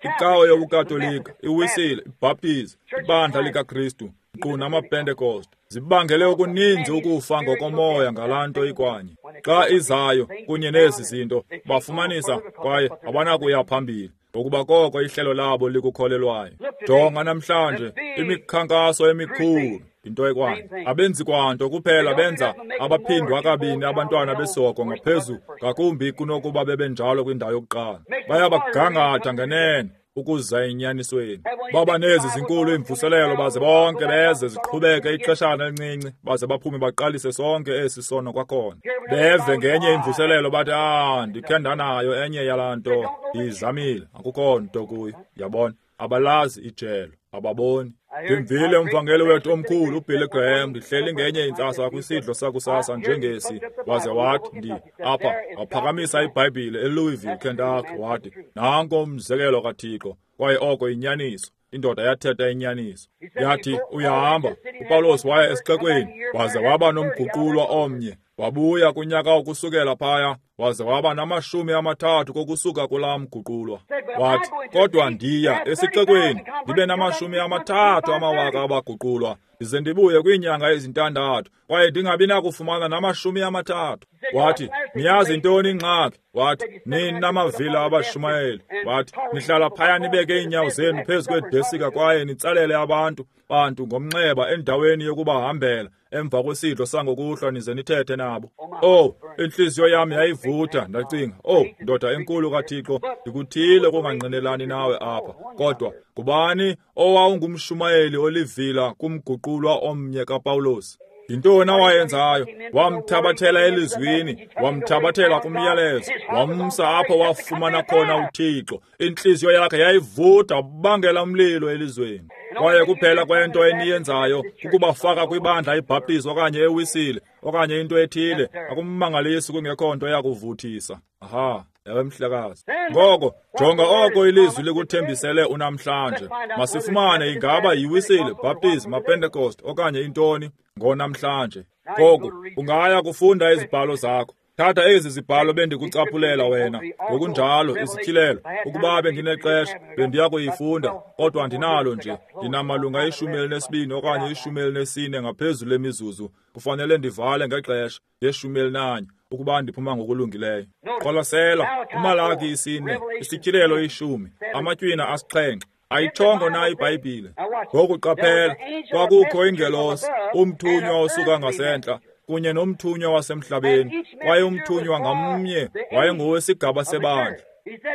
Icawa yobuKatolika, iWisile, iBhaptizi, ibandla likaKristu, nkqu namaPentekoste, zibangele okuninzi ukufa ngokomoya ngalaa nto ikwanye. Xa izayo kunye nezi zinto, bafumanisa kwaye abanakuya phambili, ngokuba koko ihlelo labo likukholelwayo. Jonga namhlanje imikhankaso emikhulu, into ekwanye. Abenzi kwanto kuphela benza abaphindwa kabini abantwana besihoko ngaphezu ngakumbi kunokuba bebenjalo kwindawo yokuqala. Bayabagangatha ngenene ukuza enyanisweni. Baba nezi zinkulu iimvuselelo, baze bonke beze ziqhubeke ixeshana elincinci, baze baphume baqalise sonke esi sono kwakhona. Beve ngenye imvuselelo bathi, ndikhe ndanayo enye yalaa nto, ndiyizamile, akukho nto kuyo. Yabona, abalazi ijelo, ababoni. Ndimvile umvangeli wethu omkhulu uBilly Graham ndihleli ngenye intsasa kwisidlo sakusasa njengesi, waze wathi apha waphakamisa iBhayibhile eLouisville, Kentucky, wathi nanko umzekelo kaThixo, kwaye oko inyaniso. Indoda yathetha inyaniso. Yathi uyahamba. uPawulos waya esixekweni waze waba nomguqulwa omnye, wabuya kunyaka ukusukela phaya, waze waba nama-30 kokusuka kulaa mguqulwa. Wathi, kodwa ndiya esixekweni ndibe nama-30,000 abaguqulwa, ndize ndibuye kwiinyanga ezi-6 kwaye ndingabi nakufumana nama-30. Wathi, niyazi intoni ingxaki? Wathi, nini namavila abashumayeli. Wathi, nihlala phaya nibeke iinyawo zenu phezu kwedesika kwaye nitsalele abantu ngomnxeba endaweni yokubahambela emva kwesidlo sangokuhlwa nize nithethe nabo. Oh, intliziyo yam yayivutha. Ndacinga, oh, ndoda enkulu kaThixo, ndikuthile kungangqinelani nawe apha. Kodwa ngubani owawungumshumayeli olivila kumguqulwa omnye kaPawulos? Yintoni awayenzayo? Wamthabathela elizwini, wamthabathela kumyalezo, wamsa apho wafumana khona uThixo. Intliziyo yakhe yayivutha, bangela umlilo elizweni. Kwaye kuphela kwento eniyenzayo kukubafaka kwibandla iBhaptizi okanye eWisile okanye into ethile. Akummangalisi kungekho nto yakuvuthisa. Aha, ewe mhlekazi. Ngoko jonga oko ilizwi likuthembisele unamhlanje. Masifumane ingaba yiWisile, Baptist, maPentecost okanye intoni ngonamhlanje. Ngoku ungaya kufunda izibhalo zakho. Thatha ezi zibhalo bendikucaphulela wena, ngokunjalo isityhilelo. Ukuba bendinexesha bendiya kuyifunda, kodwa andinalo nje. Ndinamalunga 12 okanye 14 ngaphezulu emizuzu. Kufanele ndivale ngexesha nge-11 ukuba ndiphuma ngokulungileyo. Qwalasela uMalaki 4, isityhilelo 10, amatywina 7. Ayitshongo na iBhayibhile? Ngoku qaphela, kwakukho ingelosi, umthunywa osuka ngasentla kunye nomthunywa wasemhlabeni, kwaye umthunywa ngamnye wayengowesigaba sebandla.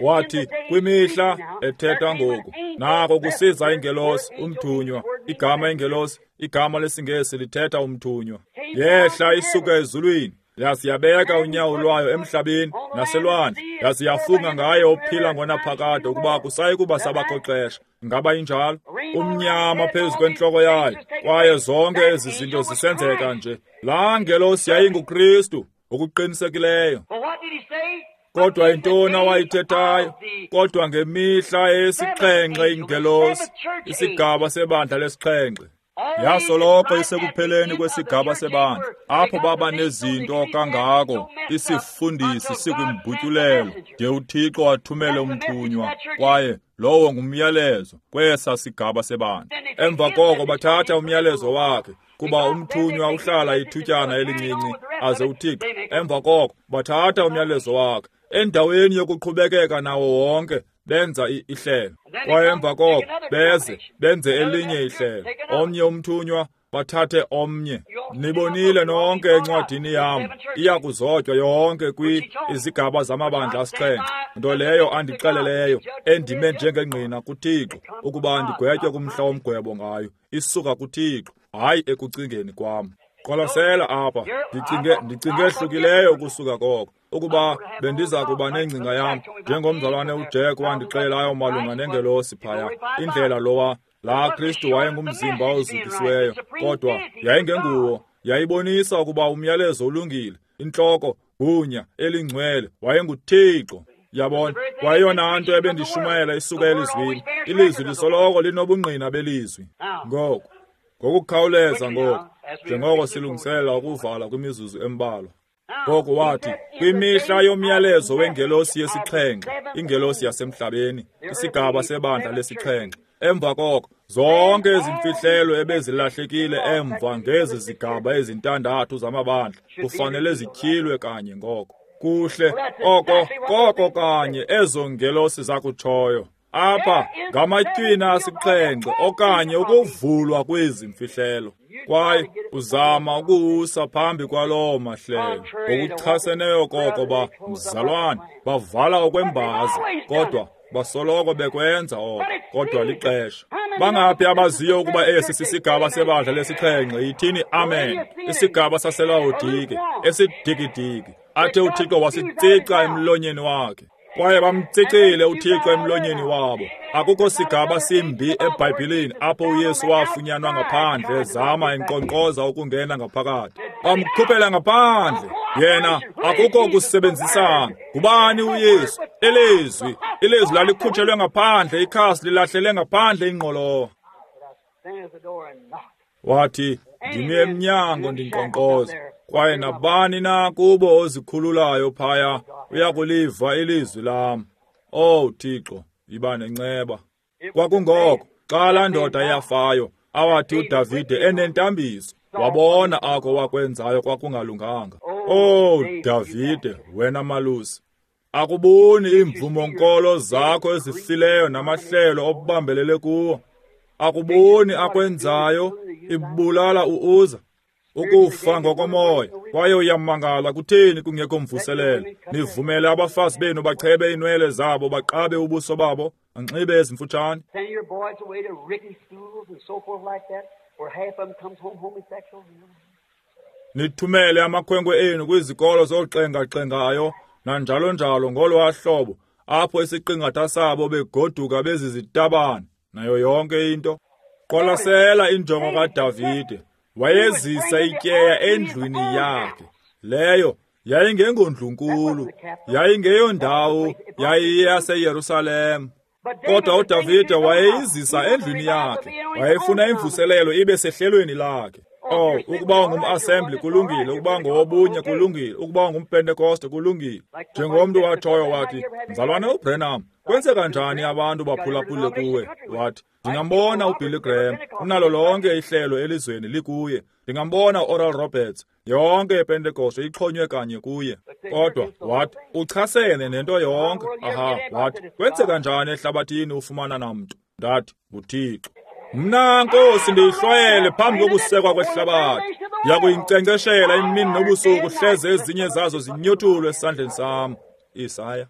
Wathi kwimihla ethetha ngoku, nako kusiza ingelosi, umthunywa. Igama ingelosi, igama lesiNgesi lithetha umthunywa. Yehla isuka ezulwini, yaze yabeka unyawo lwayo emhlabeni naselwandle, yaze yafunga ngaye ophila ngonaphakade ukuba kusayi kuba sabakho xesha. Ngaba injalo? Umnyama phezu kwentloko yayo, kwaye zonke ezi zinto zisenzeka nje. Laa ngelosi yayinguKristu ngokuqinisekileyo. Kodwa yintoni awayithethayo? Kodwa ngemihla yesixhenxe ingelosi, isigaba sebandla lesixhenxe, yasoloko isekupheleni kwesigaba sebandla, apho baba nezinto kangako, isifundisi sikwimbutyulelo de uThixo athumele umthunywa, kwaye lowo ngumyalezo kwesa sigaba sebandla. Emva koko bathatha umyalezo wakhe, kuba umthunywa uhlala ithutyana elincinci aze uThixo. Emva koko bathatha umyalezo wakhe, endaweni yokuqhubekeka nawo wonke, benza ihlelo. Kwaye emva koko beze benze elinye ihlelo, omnye umthunywa, bathathe omnye. Nibonile nonke encwadini yam, iya kuzotywa yonke izigaba zamabandla 7, nto leyo andixeleleyo, endime njengengqina kuThixo ukuba ndigwetywe kumhla womgwebo ngayo. Isuka kuThixo, hayi ekucingeni kwam. Qwalasela apha, ndicinge ehlukileyo ukusuka koko. Ukuba bendiza kuba nengcinga yam, njengomzalwane uJack wandixelelayo malunga nengelosi phaya, indlela lowa laa Kristu wayengumzimba ozukisiweyo, kodwa yayingenguwo. Yayibonisa ukuba umyalezo ulungile, intloko, gunya elingcwele, wayenguThixo. Yabona, kwayeyona nto ebendishumayela isuka elizwini. Ilizwi lisoloko linobungqina belizwi. Ngoku, ngokukhawuleza ngoku, njengoko silungiselela ukuvala kwimizuzu embalwa. Ngoku wathi, kwimihla yomyalezo wengelosi yesixhenxe, ingelosi yasemhlabeni, isigaba sebandla lesixhenxe. Emva koko, zonke ezimfihlelo ebezilahlekile emva ngezi zigaba ezintandathu zamabandla kufanele zityhilwe kanye ngoko. Kuhle, oko koko kanye ezo ngelosi zakutshoyo. Apha ngamatywina 7 okanye ukuvulwa kwezi mfihlelo. Kwaye uzama ukuwusa phambi kwaloo mahlelo ngokuchaseneyo koko ba mzalwane bavala okwembaza, kodwa basoloko bekwenza oko, kodwa lixesha. Bangaphi abaziyo ukuba esi sisigaba sebandla lesixhenxe? Yithini amen. Isigaba saseLawodike esidikidiki, athe uThixo wasitsica emlonyeni wakhe. Kwaye bamtsicile uThixo emlonyeni wabo. Akukho sigaba simbi eBhayibhileni apho uYesu wafunyanwa ngaphandle zama enkqonkqoza ukungena ngaphakathi. Bamkhuphela ngaphandle. Yena akukho kusebenzisana. Ngubani uYesu? Ilizwi. Ilizwi lalikhutshelwe ngaphandle, ikhasi lilahlele ngaphandle ingqolowa. Wathi, ndimi emnyango ndinkqonkqoza, kwaye nabani na kubo ozikhululayo phaya uyakuliva ilizwi lam. Oh Thixo, yiba nenceba. Kwakungoko xa laa ndoda yafayo awathi uDavide enentambiso wabona ako wakwenzayo kwakungalunganga. Oh Davide, wena malusi, akuboni iimvumo-nkolo zakho ezifileyo namahlelo obambelele kuwo. Akuboni akwenzayo ibulala uuza ukufa ngokomoya. Kwaye uyamangala kutheni kungekho mvuselelo. Nivumele abafazi benu bachebe iinwele zabo, baqabe ubuso babo, banxibe ezimfutshane. Nithumele amakhwenkwe enu kwizikolo zoxengaxengayo nanjalo njalo ngolwa hlobo, apho isiqingatha sabo begoduka bezizitabane nayo yonke into. Qwalasela injongo kaDavide. Wayezisa ityeya endlwini yakhe. Leyo yayingengondlunkulu, yayingeyondawo, yayiyaseYerusalem. Kodwa uDavide wayeyizisa endlwini yakhe. Wayefuna imvuselelo ibe sehlelweni lakhe. Oh, ukuba ungum-assembly kulungile, ukuba ngowobunye kulungile, ukuba ungumpentekoste kulungile. Njengomntu watshoyo wathi, mzalwane uBrenham, kwenzeka njani abantu baphulaphule kuwe? Wathi, ndingambona uBilly Graham, unalo lonke ihlelo elizweni likuye. Ndingambona uOral Roberts, yonke iPentekoste ixhonywe kanye kuye. Kodwa wathi, uchasene nento yonke. Aha, wathi, kwenzeka njani ehlabathini ufumana namntu? Ndathi, nguThixo. Mna Nkosi ndiyihlwayele phambi kokusekwa kwehlabathi. Ndiyakuyinkcenkceshela imini nobusuku, hleze ezinye zazo zinyothulwe esandleni sam. Isaya.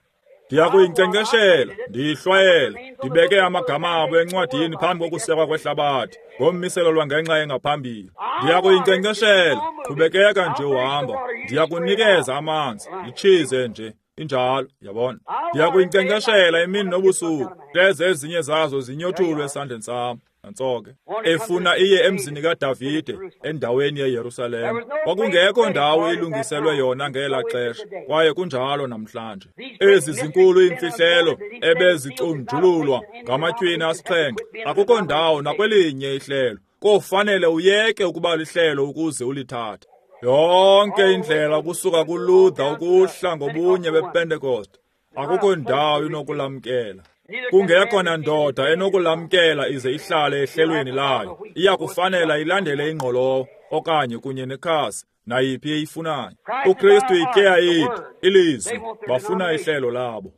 Ndiyakuyinkcenkceshela, ndiyihlwayele, ndibeke amagama abo encwadini phambi kokusekwa kwehlabathi, ngommiselo lwangenxa engaphambili. Ndiyakuyinkcenkceshela, qhubekeka nje uhamba. Ndiyakunikeza amanzi, litshize nje. Injalo, yabona. Ndiyakuyinkcenkceshela imini nobusuku, hleze ezinye zazo zinyothulwe esandleni sam. Nantso ke. Efuna iye emzini kaDavide endaweni yeYerusalem. Kwakungekho ndawo ilungiselwe yona ngela xesha, kwaye kunjalo namhlanje. Ezi zinkulu iimfihlelo ebeziconjululwa ngamatywina asixhenxe, akukho ndawo nakwelinye ihlelo. Kofanele uyeke ukuba lihlelo ukuze ulithathe. Yonke indlela kusuka kuLuther ukuhla ngobunye bePentecost, akukho ndawo inokulamkela. Kungekho nandoda enokulamkela ize ihlale ehlelweni layo. Iyakufanela ilandele ingqolowa okanye kunye nekhasi nayiphi eyifunayo. uKristu ityeya yethu, ilizwi, bafuna ihlelo labo.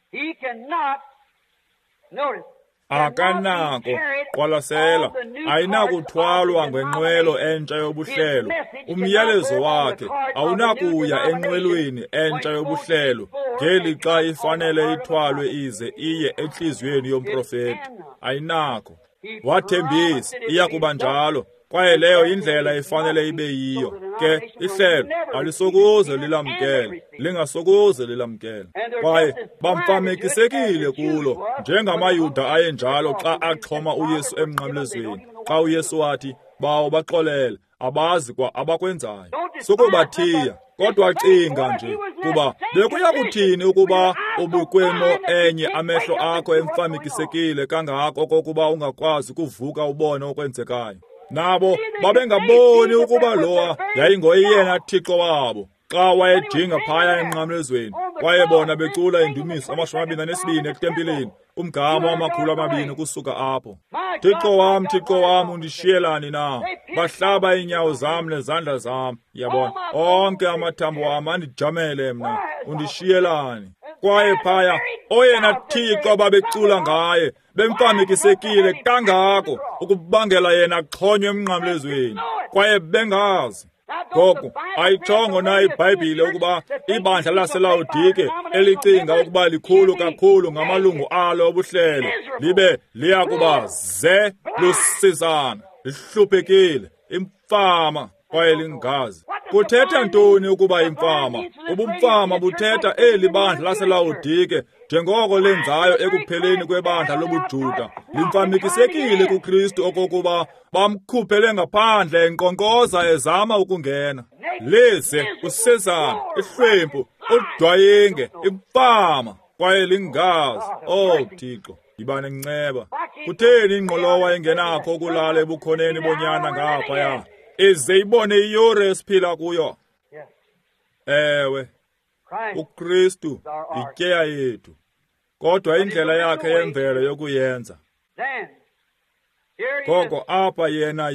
Akanako, qwalasela, ayinakuthwalwa ngenqwelo entsha yobuhlelo. Umyalezo wakhe awunakuya enqwelweni entsha yobuhlelo ngelixa ifanele ithwalwe ize iye entliziyweni yomprofeti. Ayinako. Wathembisa iyakuba njalo, kwaye leyo indlela ifanele ibe yiyo. Ke ihlelo alisokuze lilamkele, lingasokuze lilamkele. Kwaye bamfamekisekile kulo, njengamaYuda ayenjalo xa axhoma uYesu emnqamlezweni. Xa uYesu wathi, bawo baxolele, abazi kwa abakwenzayo. Sukubathiya, kodwa cinga nje, kuba bekuya kuthini ukuba ubukwemo enye amehlo akho emfamekisekile kangako okokuba ungakwazi kuvuka ubone okwenzekayo. Nabo babengaboni ukuba lowa yayingoyena Thixo wabo xa wayejinga phaya emnqamlezweni. Kwaye bona becula indumiso 22 etempileni, umgama wama-200 kusuka apho. Thixo wam, Thixo wam, undishiyelani na? Bahlaba iinyawo zam nezandla zam. Yabona, onke amathambo wam andijamele mna, undishiyelani? Kwaye phaya oyena Thixo ababecula ngaye bemfamekisekile kangako ukubangela yena axhonywe emnqamlezweni, kwaye bengazi. Ngoku ayitshongo na iBhayibhile ukuba ibandla laseLawodike elicinga ukuba likhulu kakhulu ngamalungu alo obuhlelo libe liya kuba ze lusizana, lihluphekile, imfama, kwaye lingazi. Kuthetha ntoni ukuba imfama? Ubumfama buthetha eli bandla laseLawodike njengoko lenzayo ekupheleni kwebandla lobuJuda. Limfamikisekile kuKristu okokuba bamkhuphele ngaphandle enkqonkqoza ezama ukungena. Lize usezana, ihlwempu, udwayinge, imfama, kwaye lingazi. Oh Thixo, yiba nenceba. Kutheni ingqolowa ingenakho ukulala ebukhoneni bonyana ngaphaya? Ize ibone iyure esiphila kuyo. Ewe, uKristu ityeya yethu, kodwa indlela yakhe yemvelo yokuyenza. Koko apha yena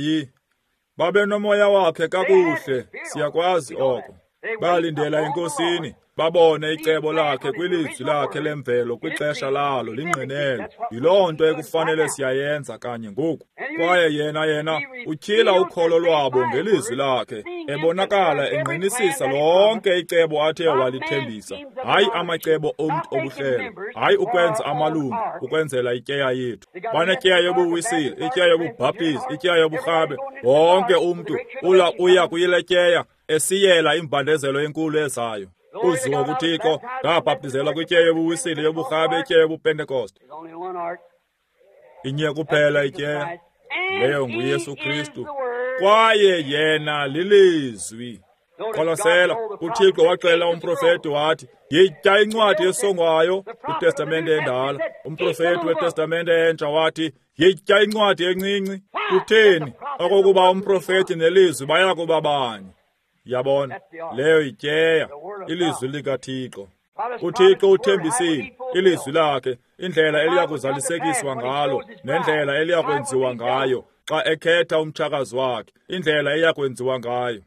babenomoya wakhe kakuhle, siyakwazi oko. Balindela eNkosini, babone icebo lakhe kwilizwi lakhe lemvelo kwixesha lalo lingqinelo. Yiloo nto ekufanele siyayenza kanye ngoku. Kwaye yena utyhila ukholo lwabo ngelizwi lakhe, ebonakala engqinisisa lonke icebo athe walithembisa. Hayi amacebo omntu obuhlelo, hayi ukwenza amalungu ukwenzela ityeya yethu. Banetyeya yobuwisile, ityeya yobubhaptizi, ityeya yoburhabe. Wonke umntu uya kuyile tyeya esiyela imbandezelo enkulu ezayo. Uzuko kuThixo, ndabhaptizelwa kwityeya yobuwisile, yoburhabe, ityeya yobupentekoste. Inye kuphela ityeya, leyo nguYesu Kristu, kwaye yena lilizwi. Qwalasela, uThixo waxelela umprofeti wathi, yitya incwadi esongwayo kwiTestamente endala. Umprofeti weTestamente entsha wathi, yitya incwadi encinci. Kutheni? Okokuba umprofeti nelizwi baya kuba banye. Yabona, leyo ityeya, ilizwi likaThixo. uThixo uthembisile ilizwi lakhe, indlela eliyakuzalisekiswa ngalo nendlela eliyakwenziwa ngayo xa ekhetha umtshakazi wakhe, indlela eyakwenziwa ngayo.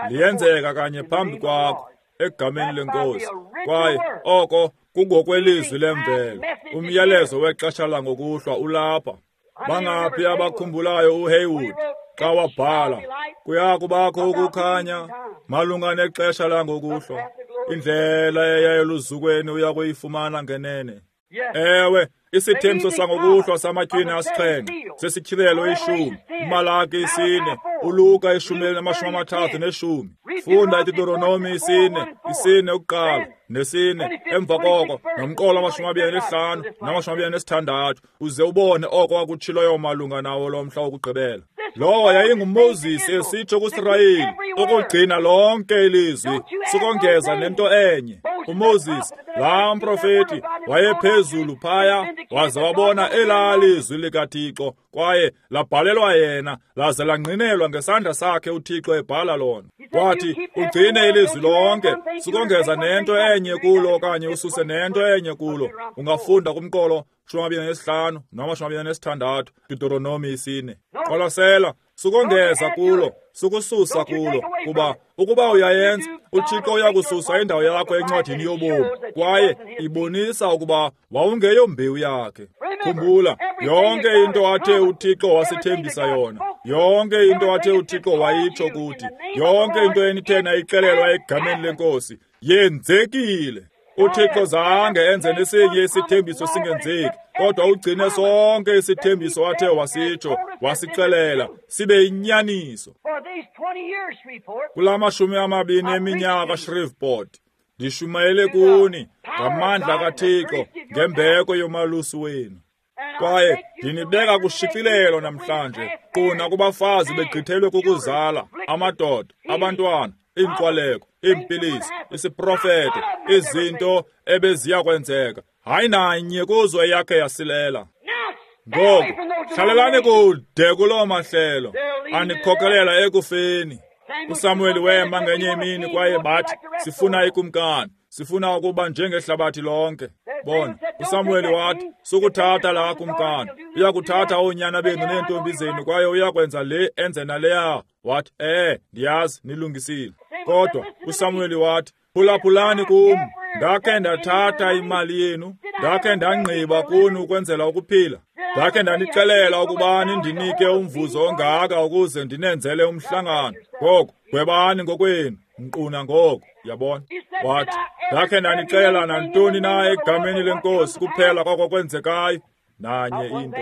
Liyenzeka kanye phambi kwakho egameni leNkosi. Kwaye oko kungokwelizwi lemvelo. Umyalezo wexesha langokuhlwa ulapha. Bangaphi abakhumbulayo uHaywood xa wabhala, kuya kubakho ukukhanya malunga nexesha langokuhlwa, indlela eya eluzukweni uya kuyifumana ngenene. Ewe, isithembiso sangokuhlwa samatywina asixhenxe sesityhilelo 10, uMalaki 4, uLuka 10:30. Funda iDeuteronomi 4, 4 ukuqala ne-4 emva koko, nomqolo 25 na-26, uze ubone oko akutshiloyo malunga nawo lo mhla wokugqibela. Lowo yayinguMoses esitsho kuSirayeli ukugcina lonke ilizwi, sukongeza nento enye. uMoses, laa mprofeti, wayephezulu phaya, waze wabona elaa lizwi likaThixo, kwaye labhalelwa yena, laze langqinelwa ngesandla sakhe uThixo ebhala lona. Wathi, ugcine ilizwi lonke, sukongeza nento enye kulo okanye ususe nento enye kulo. Ungafunda kumqolo 25 na-26, Deuteronomi 4. Qwalasela, sukongeza kulo, sukususa kulo, kuba ukuba uyayenza, uThixo uyakususa indawo yakho encwadini yobomi, kwaye ibonisa ukuba wawungeyombewu yakhe. Khumbula, yonke into athe uThixo wasithembisa yona, yonke into athe uThixo wayitsho kuthi, yonke into enithe nayixelelwa egameni leNkosi, yenzekile. uThixo zange enze nesinye isithembiso singenzeki, kodwa ugcine sonke isithembiso athe wasitsho, wasixelela, sibe yinyaniso. Kula 20 eminyaka Shreveport, ndishumayele kuni ngamandla kaThixo ngembeko yomalusi wenu. Kwaye ndinibeka kushicilelo namhlanje, quna kubafazi begqithelwe kukuzala, amadoda, abantwana, iinkwaleko, iimpilisi, isiprofeto, izinto ebeziya kwenzeka. Hayi nanye kuzo eyakhe yasilela. Ngoku hlalelani kude kuloo mahlelo anikhokelela ekufeni. uSamuel wema ngenye imini kwaye bathi, sifuna ikumkani, sifuna ukuba njengehlabathi lonke. Bona, uSamuel wathi, sukuthatha laa kumkani, uyakuthatha oonyana benu neentombi zenu kwaye uyakwenza le enze naleya. Wathi, ndiyazi nilungisile. Kodwa uSamuel wathi, phulaphulani kum, ndakhe ndathatha imali yenu, ndakhe ndangqiba kuni ukwenzela ukuphila, ndakhe ndanixelela ukuba nindinike umvuzo ongaka ukuze ndinenzele umhlangano. Ngoku gwebani ngokwenu, nkquna ngoku, yabona. Wathi, ndakhe ndanixelela nantoni na egameni leNkosi kuphela koko kwenzekayo. Nanye into.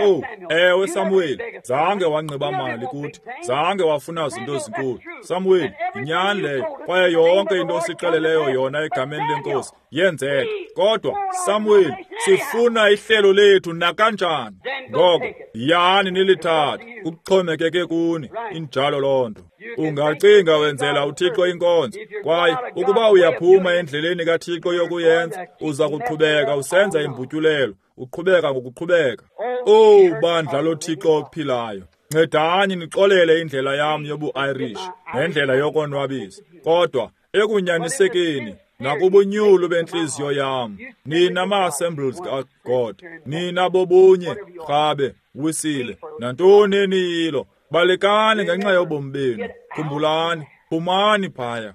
Oh, ewe Samuel, zange wanxiba mali kuthi, zange wafuna zinto ezinkulu. Samuel, yinyani leyo, kwaye yonke into osixeleleyo yona egameni leNkosi yenzeka. Kodwa Samuel, sifuna ihlelo lethu nakanjani. Ngoko yani nilithathe, kuxhomekeke kuni. Injalo loo nto. Ungacinga wenzela uThixo inkonzo, kwaye ukuba uyaphuma endleleni kaThixo yokuyenza, uza kuqhubeka usenza imbutyulelo, uqhubeka ngokuqhubeka. Oh, bandla loThixo ophilayo, ncedani nixolele indlela yam yobu-Irish nendlela yokonwabisa, kodwa ekunyanisekeni nakubunyulu bentliziyo yam, nina ma-Assemblies kaGod, nina bobunye, Rhabe, Wisile, nantoni eniyilo, balekani ngenxa yobomi benu. Khumbulani, phumani phaya.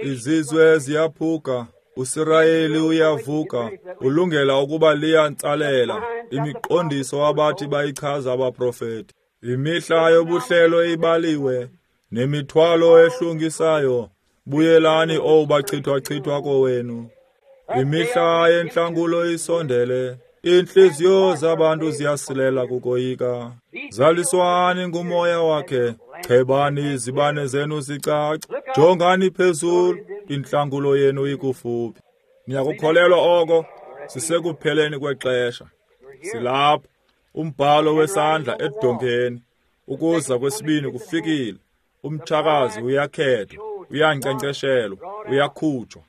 Izizwe ziyaphuka, uSirayeli uyavuka, ulungela ukuba liyantsalela imiqondiso abathi bayichaza abaprofeti. Imihla yobuhlelo ibaliwe, nemithwalo ehlungisayo. Buyelani, owu bachithwa-chithwa kowenu. Imihla yentlangulo isondele, iintliziyo zabantu ziyasilela kukoyika. Zaliswani ngumoya wakhe, chebani izibane zenu zicace, jongani phezulu, intlangulo yenu ikufuphi. Niyakukholelwa oko? Sisekupheleni kwexesha. Silapha, umbhalo wesandla edongeni. Ukuza kwesibini kufikile. Umtshakazi uyakhethwa, uyankcenkceshelwa, uyakhutshwa.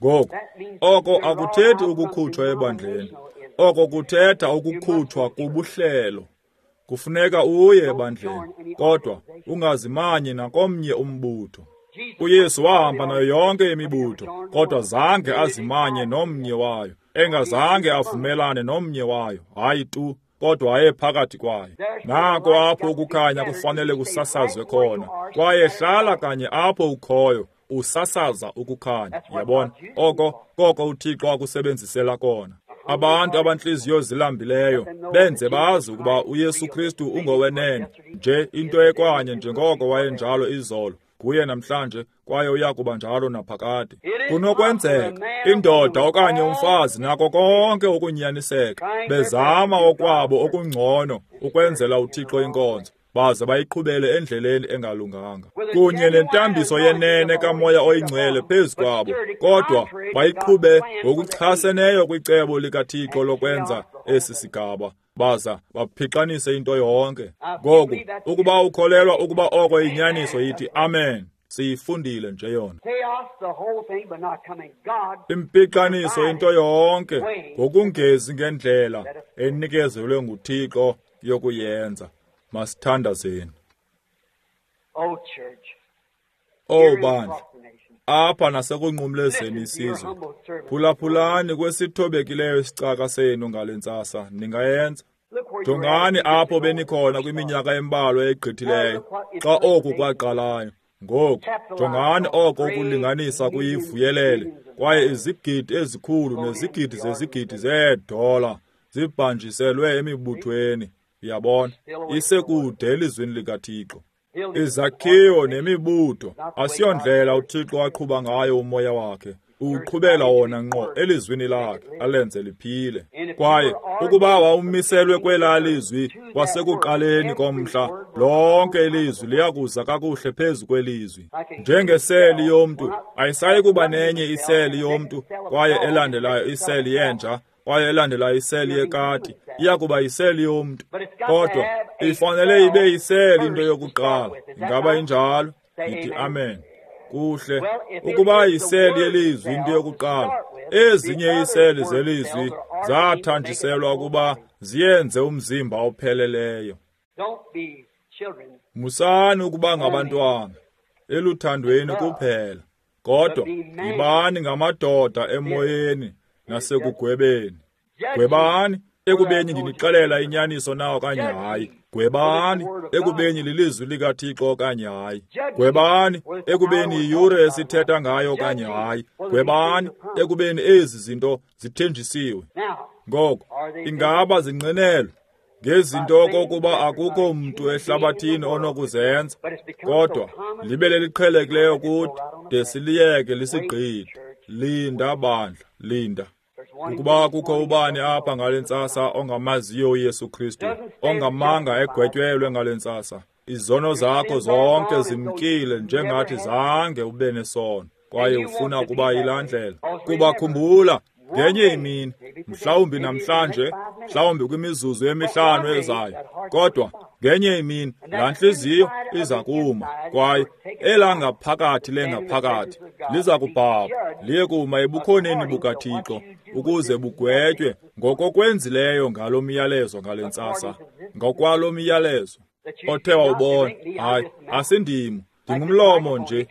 Ngoku, oko akuthethi ukukhutshwa ebandleni. Oko kuthetha ukukhutshwa kubuhlelo. Kufuneka uye ebandleni, kodwa ungazimanyi nakomnye umbutho. UYesu wahamba nayo yonke imibutho, kodwa zange azimanye nomnye wayo, engazange avumelane nomnye wayo, hayi tu, kodwa wayephakathi kwayo. Nako apho ukukhanya kufanele kusasazwe khona, kwaye hlala kanye apho ukhoyo, usasaza ukukhanya. Yabona, oko koko uThixo akusebenzisela kona. Abantu abantliziyo zilambileyo benze bazi ukuba uYesu Kristu ungowenene, nje into ekwanye njengoko wayenjalo izolo, nguye namhlanje, kwaye uya kuba njalo naphakade. Kunokwenzeka indoda okanye umfazi nako konke ukunyaniseka bezama okwabo okungcono ukwenzela uThixo inkonzo, baze bayiqhubele endleleni engalunganga, kunye nentambiso yenene kaMoya oyiNgcwele phezu kwabo, kodwa bayiqhube ngokuchaseneyo kwicebo likaThixo lokwenza esi sigaba, baza baphixanise into yonke. Ngoku, ukuba ukholelwa ukuba oko inyaniso, yithi amen. Siyifundile nje yona. Impixaniso into yonke ngokungezi ngendlela enikezelwe nguThixo yokuyenza. Masithandazeni. Oh bandla, apha nasekunqumlezeni isizwe, phulaphulani kwesithobekileyo isicaka senu ngale ntsasa. Ningayenza? Jongani apho benikhona kwiminyaka embalwa egqithileyo xa oku kwaqalayo. Ngoku jongani oko ukulinganisa kuyivuyelele, kwaye izigidi ezikhulu nezigidi zezigidi zeedola zibhanjiselwe emibuthweni. Uyabona, isekude elizwini likaThixo. Izakhiwo nemibutho asiyondlela uThixo aqhuba ngayo umoya wakhe. Uqhubela wona ngqo elizwini lakhe, alenze liphile. Kwaye ukuba wawumiselwe kwelaa lizwi kwasekuqaleni komhla, lonke ilizwi liyakuza kakuhle phezu kwelizwi. Njengeseli yomntu, ayisayi kuba nenye iseli yomntu, kwaye elandelayo iseli yenja, kwaye elandelayo iseli yekati, iyakuba yiseli yomntu. Kodwa ifanele ibe yiseli into yokuqala. Ingaba injalo? Yithi amen. Kuhle. Ukuba yiseli yelizwi into yokuqala, ezinye iiseli zelizwi zathanjiselwa ukuba ziyenze umzimba opheleleyo. Musani ukuba ngabantwana eluthandweni kuphela, kodwa yibani ngamadoda emoyeni nasekugwebeni. Gwebani ekubeni ndinixelela inyaniso na okanye hayi. Gwebani ekubeni lilizwi likaThixo okanye hayi. Gwebani ekubeni yiyure esithetha ngayo okanye hayi. Gwebani ekubeni ezi zinto zithenjisiwe. Ngoko ingaba zinqinelwe ngezinto okokuba akukho mntu ehlabathini onokuzenza, kodwa libe leliqhelekileyo kuthi de siliyeke lisigqithe. Linda bandla, linda. Ukuba kukho ubani apha ngale ntsasa ongamaziyo uYesu Kristu, ongamanga egwetyelwe ngale ntsasa, izono zakho zonke zimkile njengathi zange ube nesono, kwaye ufuna ukuba yilaa ndlela. Kuba khumbula, ngenye imini, mhlawumbi namhlanje, mhlawumbi kwimizuzu emihlanu ezayo, kodwa ngenye imini laa ntliziyo iza kuma, kwaye elangaphakathi lengaphakathi liza kubhabha liye kuma ebukhoneni bukaThixo ukuze bugwetywe ngokokwenzileyo ngalo myalezo ngale ntsasa, ngokwalo myalezo othe wawubona. Hayi, asindim, ndingumlomo nje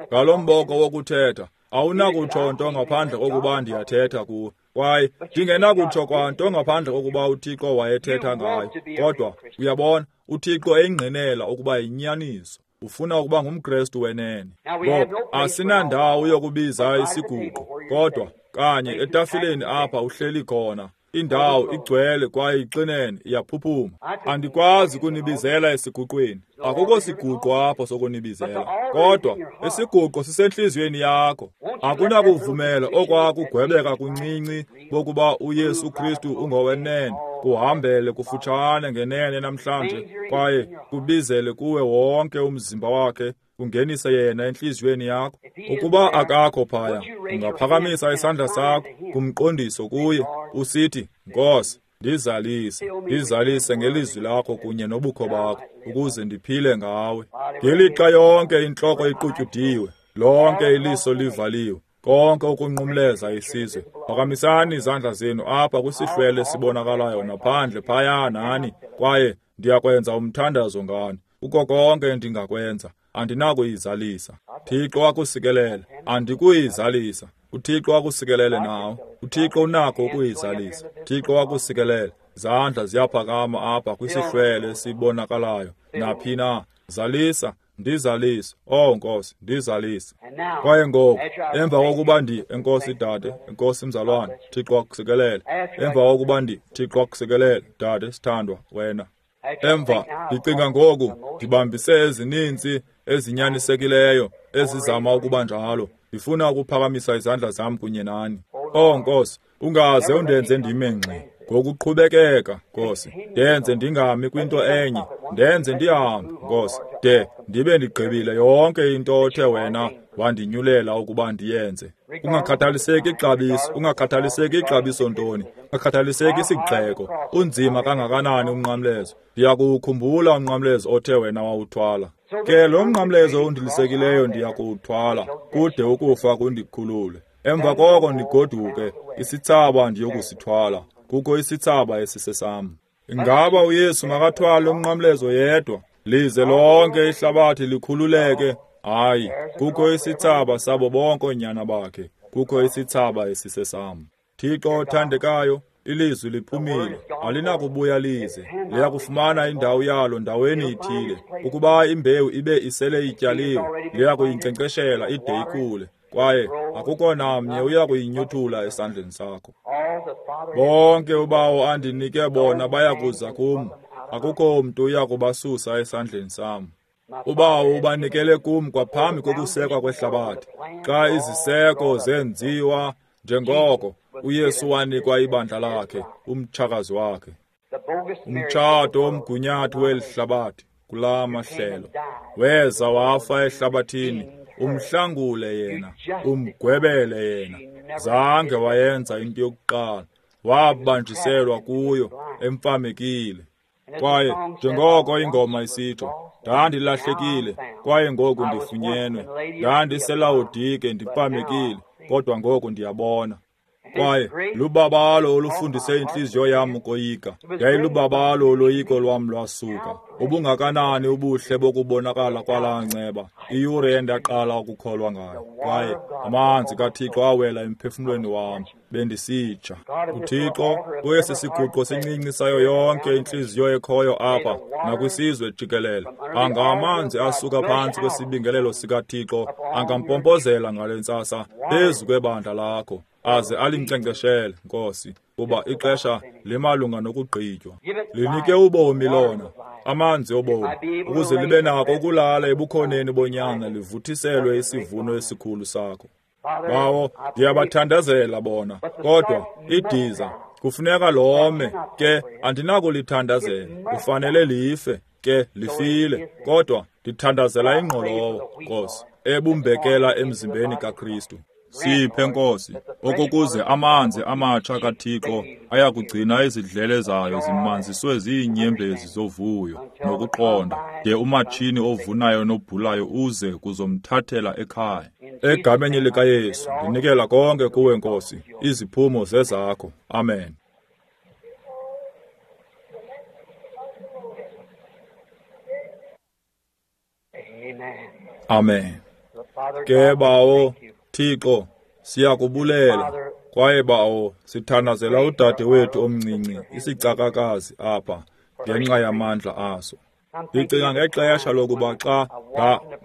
ngalo mboko wokuthetha. Awunakutsho nto ngaphandle kokuba ndiyathetha kuwe, kwaye ndingenakutsho kwanto ngaphandle kokuba uThixo wayethetha ngayo. Kodwa uyabona, uThixo eyingqinela ukuba yinyaniso. Ufuna ukuba ngumKrestu wenene. Ngoku asinandawo yokubiza isiguqo, kodwa kanye etafileni apha uhleli khona. Indawo igcwele kwaye ixinene, iyaphuphuma. Andikwazi kunibizela esiguqweni. Akukho siguqo apho sokunibizela, kodwa isiguqo sisentliziyweni yakho. Akunakuvumela okwakugwebeka kuncinci bokuba uYesu Kristu ungowenene kuhambele kufutshane ngenene namhlanje, kwaye kubizele kuwe wonke umzimba wakhe, kungenise yena entliziyweni yakho. Ukuba akakho phaya, ungaphakamisa isandla sakho kumqondiso kuye, usithi, Nkosi, ndizalise, ndizalise ngelizwi lakho kunye nobukho bakho, ukuze ndiphile ngawe. Ngelixa yonke intloko iqutyudiwe, lonke iliso livaliwe, konke ukunqumleza isizwe, phakamisani izandla zenu apha kwisihlwele esibonakalayo naphandle phaya nani, kwaye ndiyakwenza umthandazo ngani. Kuko konke endingakwenza, andinakuyizalisa. Thixo akusikelele, andikuyizalisa. uThixo akusikelele nawe. uThixo unakho ukuyizalisa. Thixo akusikelele. Zandla ziyaphakama apha kwisihlwele esibonakalayo naphi na. Zalisa, ndizalise. Oh Nkosi, ndizalise. Kwaye ngoku, emva kokuba enkosi dade, enkosi mzalwane, Thixo akusikelele. Emva kokuba Thixo akusikelele, dade sithandwa wena. Emva ndicinga ngoku, ndibambise ezininzi ezinyanisekileyo ezizama ukuba njalo. Ndifuna ukuphakamisa izandla zam kunye nani. Oh Nkosi, ungaze undenze ndime ngxi ngokuqhubekeka, Nkosi. Ndenze ndingami kwinto enye, ndenze ndihambe, Nkosi, de ndibe ndigqibile yonke into othe wena wandinyulela ukuba ndiyenze. Ungakhathaliseki ixabiso, ungakhathaliseki ixabiso ntoni, ungakhathaliseki isigxeko, unzima kangakanani umnqamlezo. Ndiyakuwukhumbula umnqamlezo othe wena wawuthwala. Ke lo mnqamlezo undilisekileyo ndiyakuwuthwala, kude ukufa kundikhulule. Emva koko ndigoduke, isithsaba ndiyokusithwala. Kukho isithsaba esisesam. Ingaba uYesu makathwale umnqamlezo yedwa, lize lonke ihlabathi likhululeke? Hayi, kukho isithsaba sabo bonke oonyana bakhe. Kukho isithsaba esisesam. Thixo othandekayo, ilizwi liphumile, alinakubuya lize. Liyakufumana indawo yalo ndaweni ithile. Ukuba imbewu ibe isele ityaliwe, liyakuyinkcenkceshela ide ikhule, kwaye akukho namnye uyakuyinyuthula esandleni sakho. Bonke uBawo andinike bona bayakuza kum, akukho mntu uyakubasusa esandleni sam. uBawo ubanikele kum kwaphambi kokusekwa kwehlabathi. Xa iziseko zenziwa, njengoko uYesu wanikwa ibandla lakhe, umtshakazi wakhe. Umtshato omgunyathi weli hlabathi kulaa mahlelo weza wafa ehlabathini, umhlangule yena, umgwebele yena. Zange wayenza into yokuqala, wabanjiselwa kuyo emfamekile. Kwaye njengoko ingoma isitsho, ndandilahlekile kwaye ngoku ndifunyenwe, ndandiseLawodike ndipamekile, kodwa ngoku ndiyabona. Kwaye lubabalo olufundise intliziyo yam ukoyika, yayilubabalo oloyiko lwam lwasuka. Ubungakanani ubuhle bokubonakala kwalaa nceba, iyure endaqala ukukholwa ngayo. Kwaye amanzi kaThixo awela emphefumlweni wam, bendisitsha. uThixo kwesi siguqo sincinci sayo yonke intliziyo ekhoyo apha nakwisizwe jikelele, angamanzi asuka phantsi kwesibingelelo sikaThixo angampompozela ngale ntsasa phezu kwebandla lakho, aze alinkcenkceshele, Nkosi, kuba ixesha limalunga nokugqitywa. Linike ubomi lona, amanzi obomi, ukuze libe nako ukulala ebukhoneni bonyana livuthiselwe isivuno esikhulu sakho. Bawo, ndiyabathandazela bona, kodwa idiza kufuneka lome, ke andinakulithandazela, kufanele life, ke lifile, kodwa ndithandazela ingqolowa, Nkosi, ebumbekela emzimbeni kaKristu. Siphe, Nkosi, okokuze amanzi amatsha kaThixo ayakugcina izidlele zayo zimanziswe ziinyembezi zovuyo nokuqonda, de umatshini ovunayo nobhulayo uze kuzomthathela ekhaya. Egameni likaYesu, ndinikela konke kuwe, Nkosi, iziphumo zezakho. Amen. Amen. Ke Bawo Thixo, siyakubulela. Kwaye Bawo, sithandazela udade wethu omncinci, isicakakazi apha, ngenxa yamandla aso. Ndicinga ngexesha lokuba xa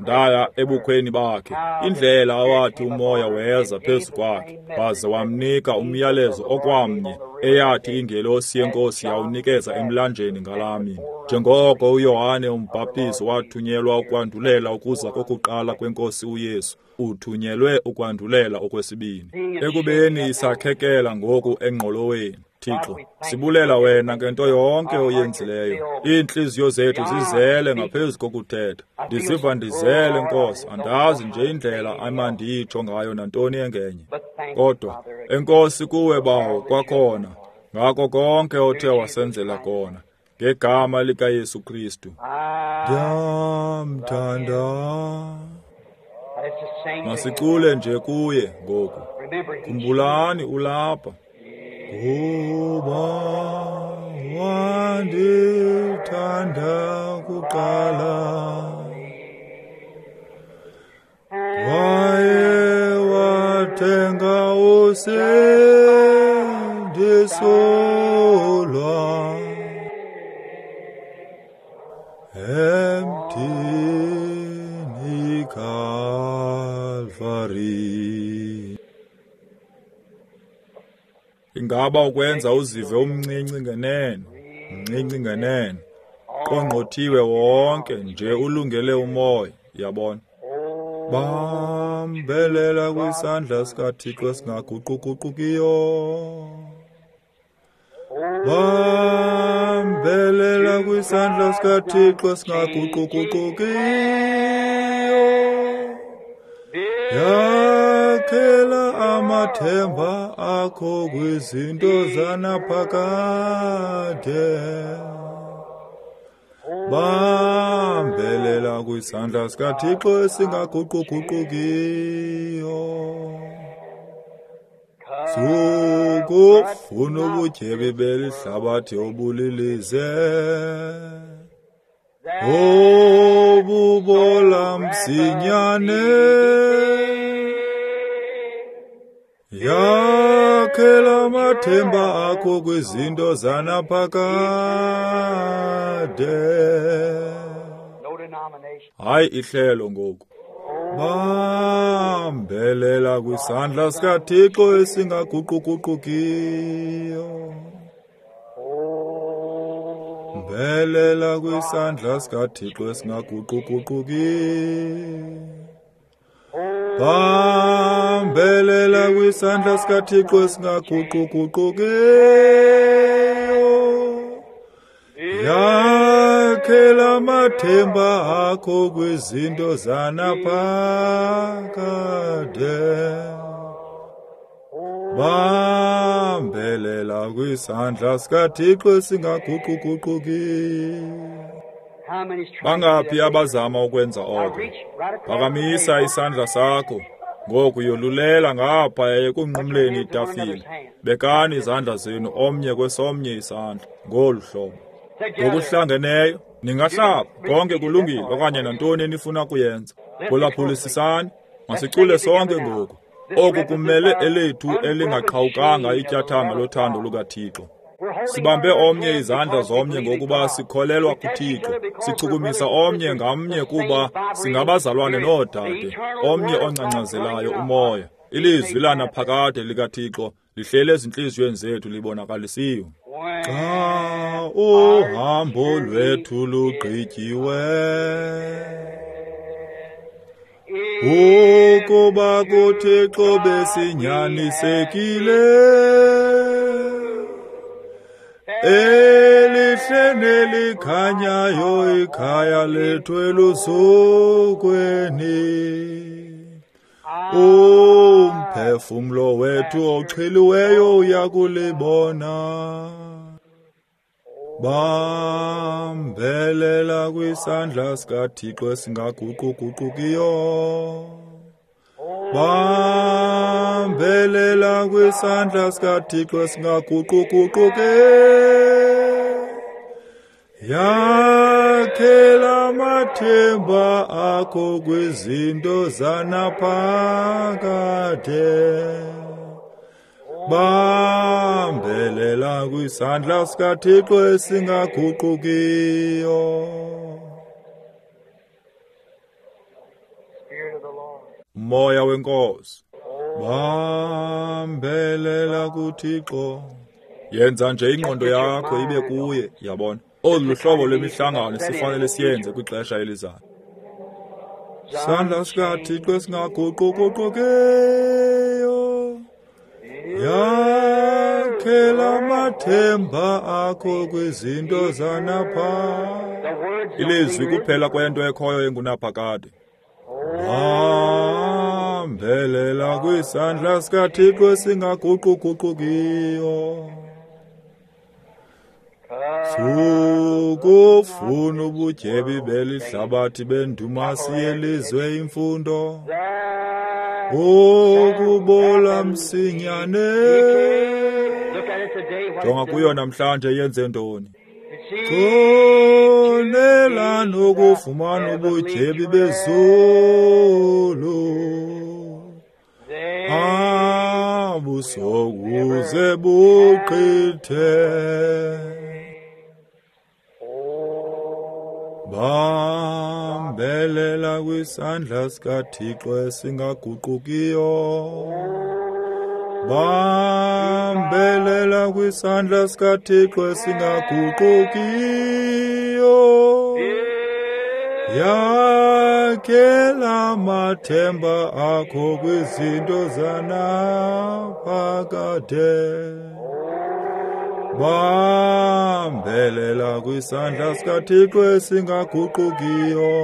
ndaya ebukhweni bakhe, indlela awathi umoya weza phezu kwakhe, waze wamnika umyalezo okwamnye eyathi ingelosi yeNkosi yawunikeza emlanjeni ngalaa mini. Njengoko uYohane uMbhaptizi wathunyelwa ukwandulela ukuza kokuqala kweNkosi uYesu, uthunyelwe ukwandulela okwesibini. Ekubeni isakhekela ngoku engqoloweni, Thixo, sibulela wena ngento yonke oyenzileyo. Iintliziyo zethu zizele ngaphezu kokuthetha. Ndiziva ndizele, Nkosi, andazi nje indlela amandiyitsho ngayo nantoni engenye. Kodwa enkosi kuwe, Bawo, kwakhona, ngako konke othe wasenzela kona, ngegama likaYesu Kristu. Ndiyamthanda. Masicule nje kuye ngoku. Khumbulani ulapha. Kuba wandithanda kuqala, waye watenga usindiso lwam emthini Kalvari. Ingaba ukwenza uzive umncinci ngenene, mncinci ngenene, qongqothiwe wonke nje ulungele umoya, yabona. Bambelela kwisandla sikaThixo esingaguquguqukiyo. Bambelela kwisandla sikaThixo esingaguquguqukiyo. Yakhela amathemba akho kwizinto zanaphakade. Bambelela kwisandla sikaThixo esingaguquguqukiyo. Sukufuna ubutyebi beli hlabathi obulilize, obubola msinyane. Yakhela amathemba akho kwizinto zanaphakade. Hayi ihlelo ngoku. Bambelela kwisandla sikaThixo esingaguquguqukiyo. Mbelela kwisandla sikaThixo esingaguquguqukiyo. Bambelela kwisandla sikaThixo esingaguquguqukiyo. Yakhela amathemba akho kwizinto zanaphakade. Bambelela kwisandla sikaThixo esingaguquguqukiyo. Bangaphi abazama ukwenza oko? Phakamisa isandla sakho ngoku, yolulela ngapha ekunqumleni itafile. Bekani izandla zenu omnye kwesomnye isandla ngolu hlobo. Ngokuhlangeneyo ningahlaba, konke kulungile, okanye nantoni enifuna kuyenza. Phulaphulisisani, masicule sonke ngoku. Oku kumele elethu elingaqhawukanga ityathanga lothando lukaThixo. Sibambe omnye izandla zomnye ngokuba sikholelwa kuThixo. Sichukumisa omnye ngamnye kuba singabazalwane noodade, omnye ongcangcazelayo umoya. Ilizwi lanaphakade likaThixo lihleli ezintliziyweni zethu libonakalisiwe. Xa uhambo lwethu lugqityiwe, Ukuba kuThixo besinyanisekile, elihle nelikhanyayo ikhaya lethu elusukweni. Umphefumlo wethu oxhiliweyo uyakulibona. Bambelela kwisandla sikaThixo esingaguquguqukiyo. Bambelela kwisandla sikaThixo esingaguquguquki. Yakhela amathemba akho kwizinto zanaphakade. Bambelela kwisandla sikaThixo esingaguqukiyo. Moya wenkosi, bambelela kuThixo. Yenza nje ingqondo yakho ibe kuye, yabona. Olu hlobo lwemihlangano sifanele siyenze kwixesha elizayo. Sandla sikaThixo esingaguquguqukiyo, yakhela amathemba akho kwizinto zanapha. Ilizwi kuphela kwento ekhoyo engunaphakade. Bambelela kwisandla sikaThixo esingaguquguqukiyo. Sukufuna ubutyebi belihlabathi bendumasi yelizwe imfundo, ukubola msinyane. Jonga kuyo namhlanje yenze ntoni? Konela nokufumana ubutyebi bezulu, abusokuze buqithe. Bambelela kwisandla sikaThixo esingaguqukiyo. Bambelela kwisandla sikaThixo esingaguqukiyo. Yakhela amathemba akho kwizinto zanaphakade. Bambelela kwisandla sikaThixo esingaguqukiyo.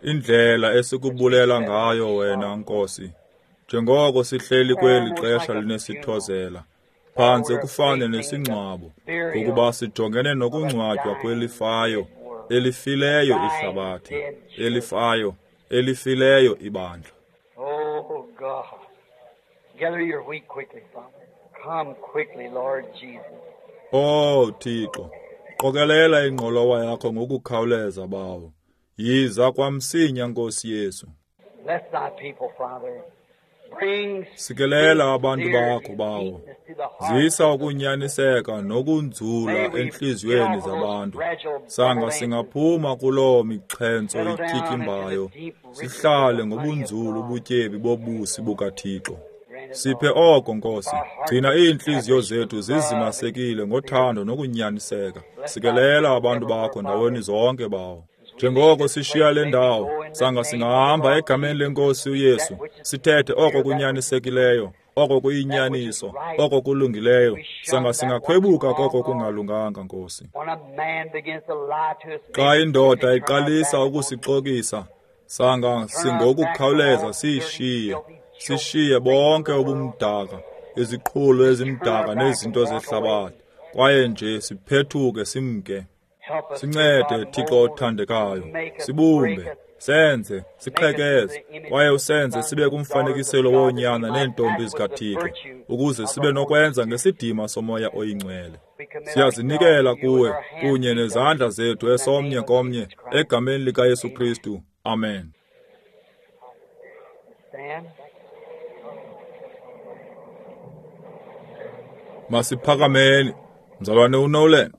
Indlela esikubulela ngayo wena Nkosi, njengoko sihleli kweli xesha linesithozela, phantse kufane nesingcwabo, ngokuba sijongene nokungcwatywa kwelifayo, elifileyo ihlabathi, elifayo, elifileyo ibandla. Oh God, gather your wheat quickly, Father. Come quickly, Lord Jesus. Oh Thixo, qokelela ingqolowa yakho ngokukhawuleza bawo. Yiza kwamsinya Nkosi Yesu. Bless thy people, Father. Bring Sikelela abantu bakho bawo. Zisa ukunyaniseka nokunzula enhliziyweni zabantu. Sanga singaphuma kuloo mixhentso ityityimbayo, sihlale ngobunzulu ubutyebi bobusi bukaThixo. Siphe oko Nkosi. Gcina iintliziyo zethu zizimasekile ngothando nokunyaniseka. Sikelela abantu bakho ndaweni zonke bawo. Njengoko sishiya le ndawo, sanga singahamba egameni lenkosi uYesu, sithethe oko kunyanisekileyo, oko kuyinyaniso, oko kulungileyo, sanga singakhwebuka koko kungalunganga Nkosi. Xa indoda iqalisa ukusixokisa, sanga singokukhawuleza siyishiye, sishiye bonke ubumdaka, iziqhulo ezimdaka nezinto zehlabathi, kwaye nje siphethuke simke. Sincede, Thixo othandekayo, sibumbe, senze, siqhekeze, kwaye usenze sibe kumfanekiselo woonyana neentombi zikaThixo, ukuze sibe nokwenza ngesidima soMoya oyiNgcwele. Siyazinikela kuwe kunye nezandla zethu esomnye komnye egameni likaYesu Kristu. Amen. Masiphakameni, mzalwane uNolan.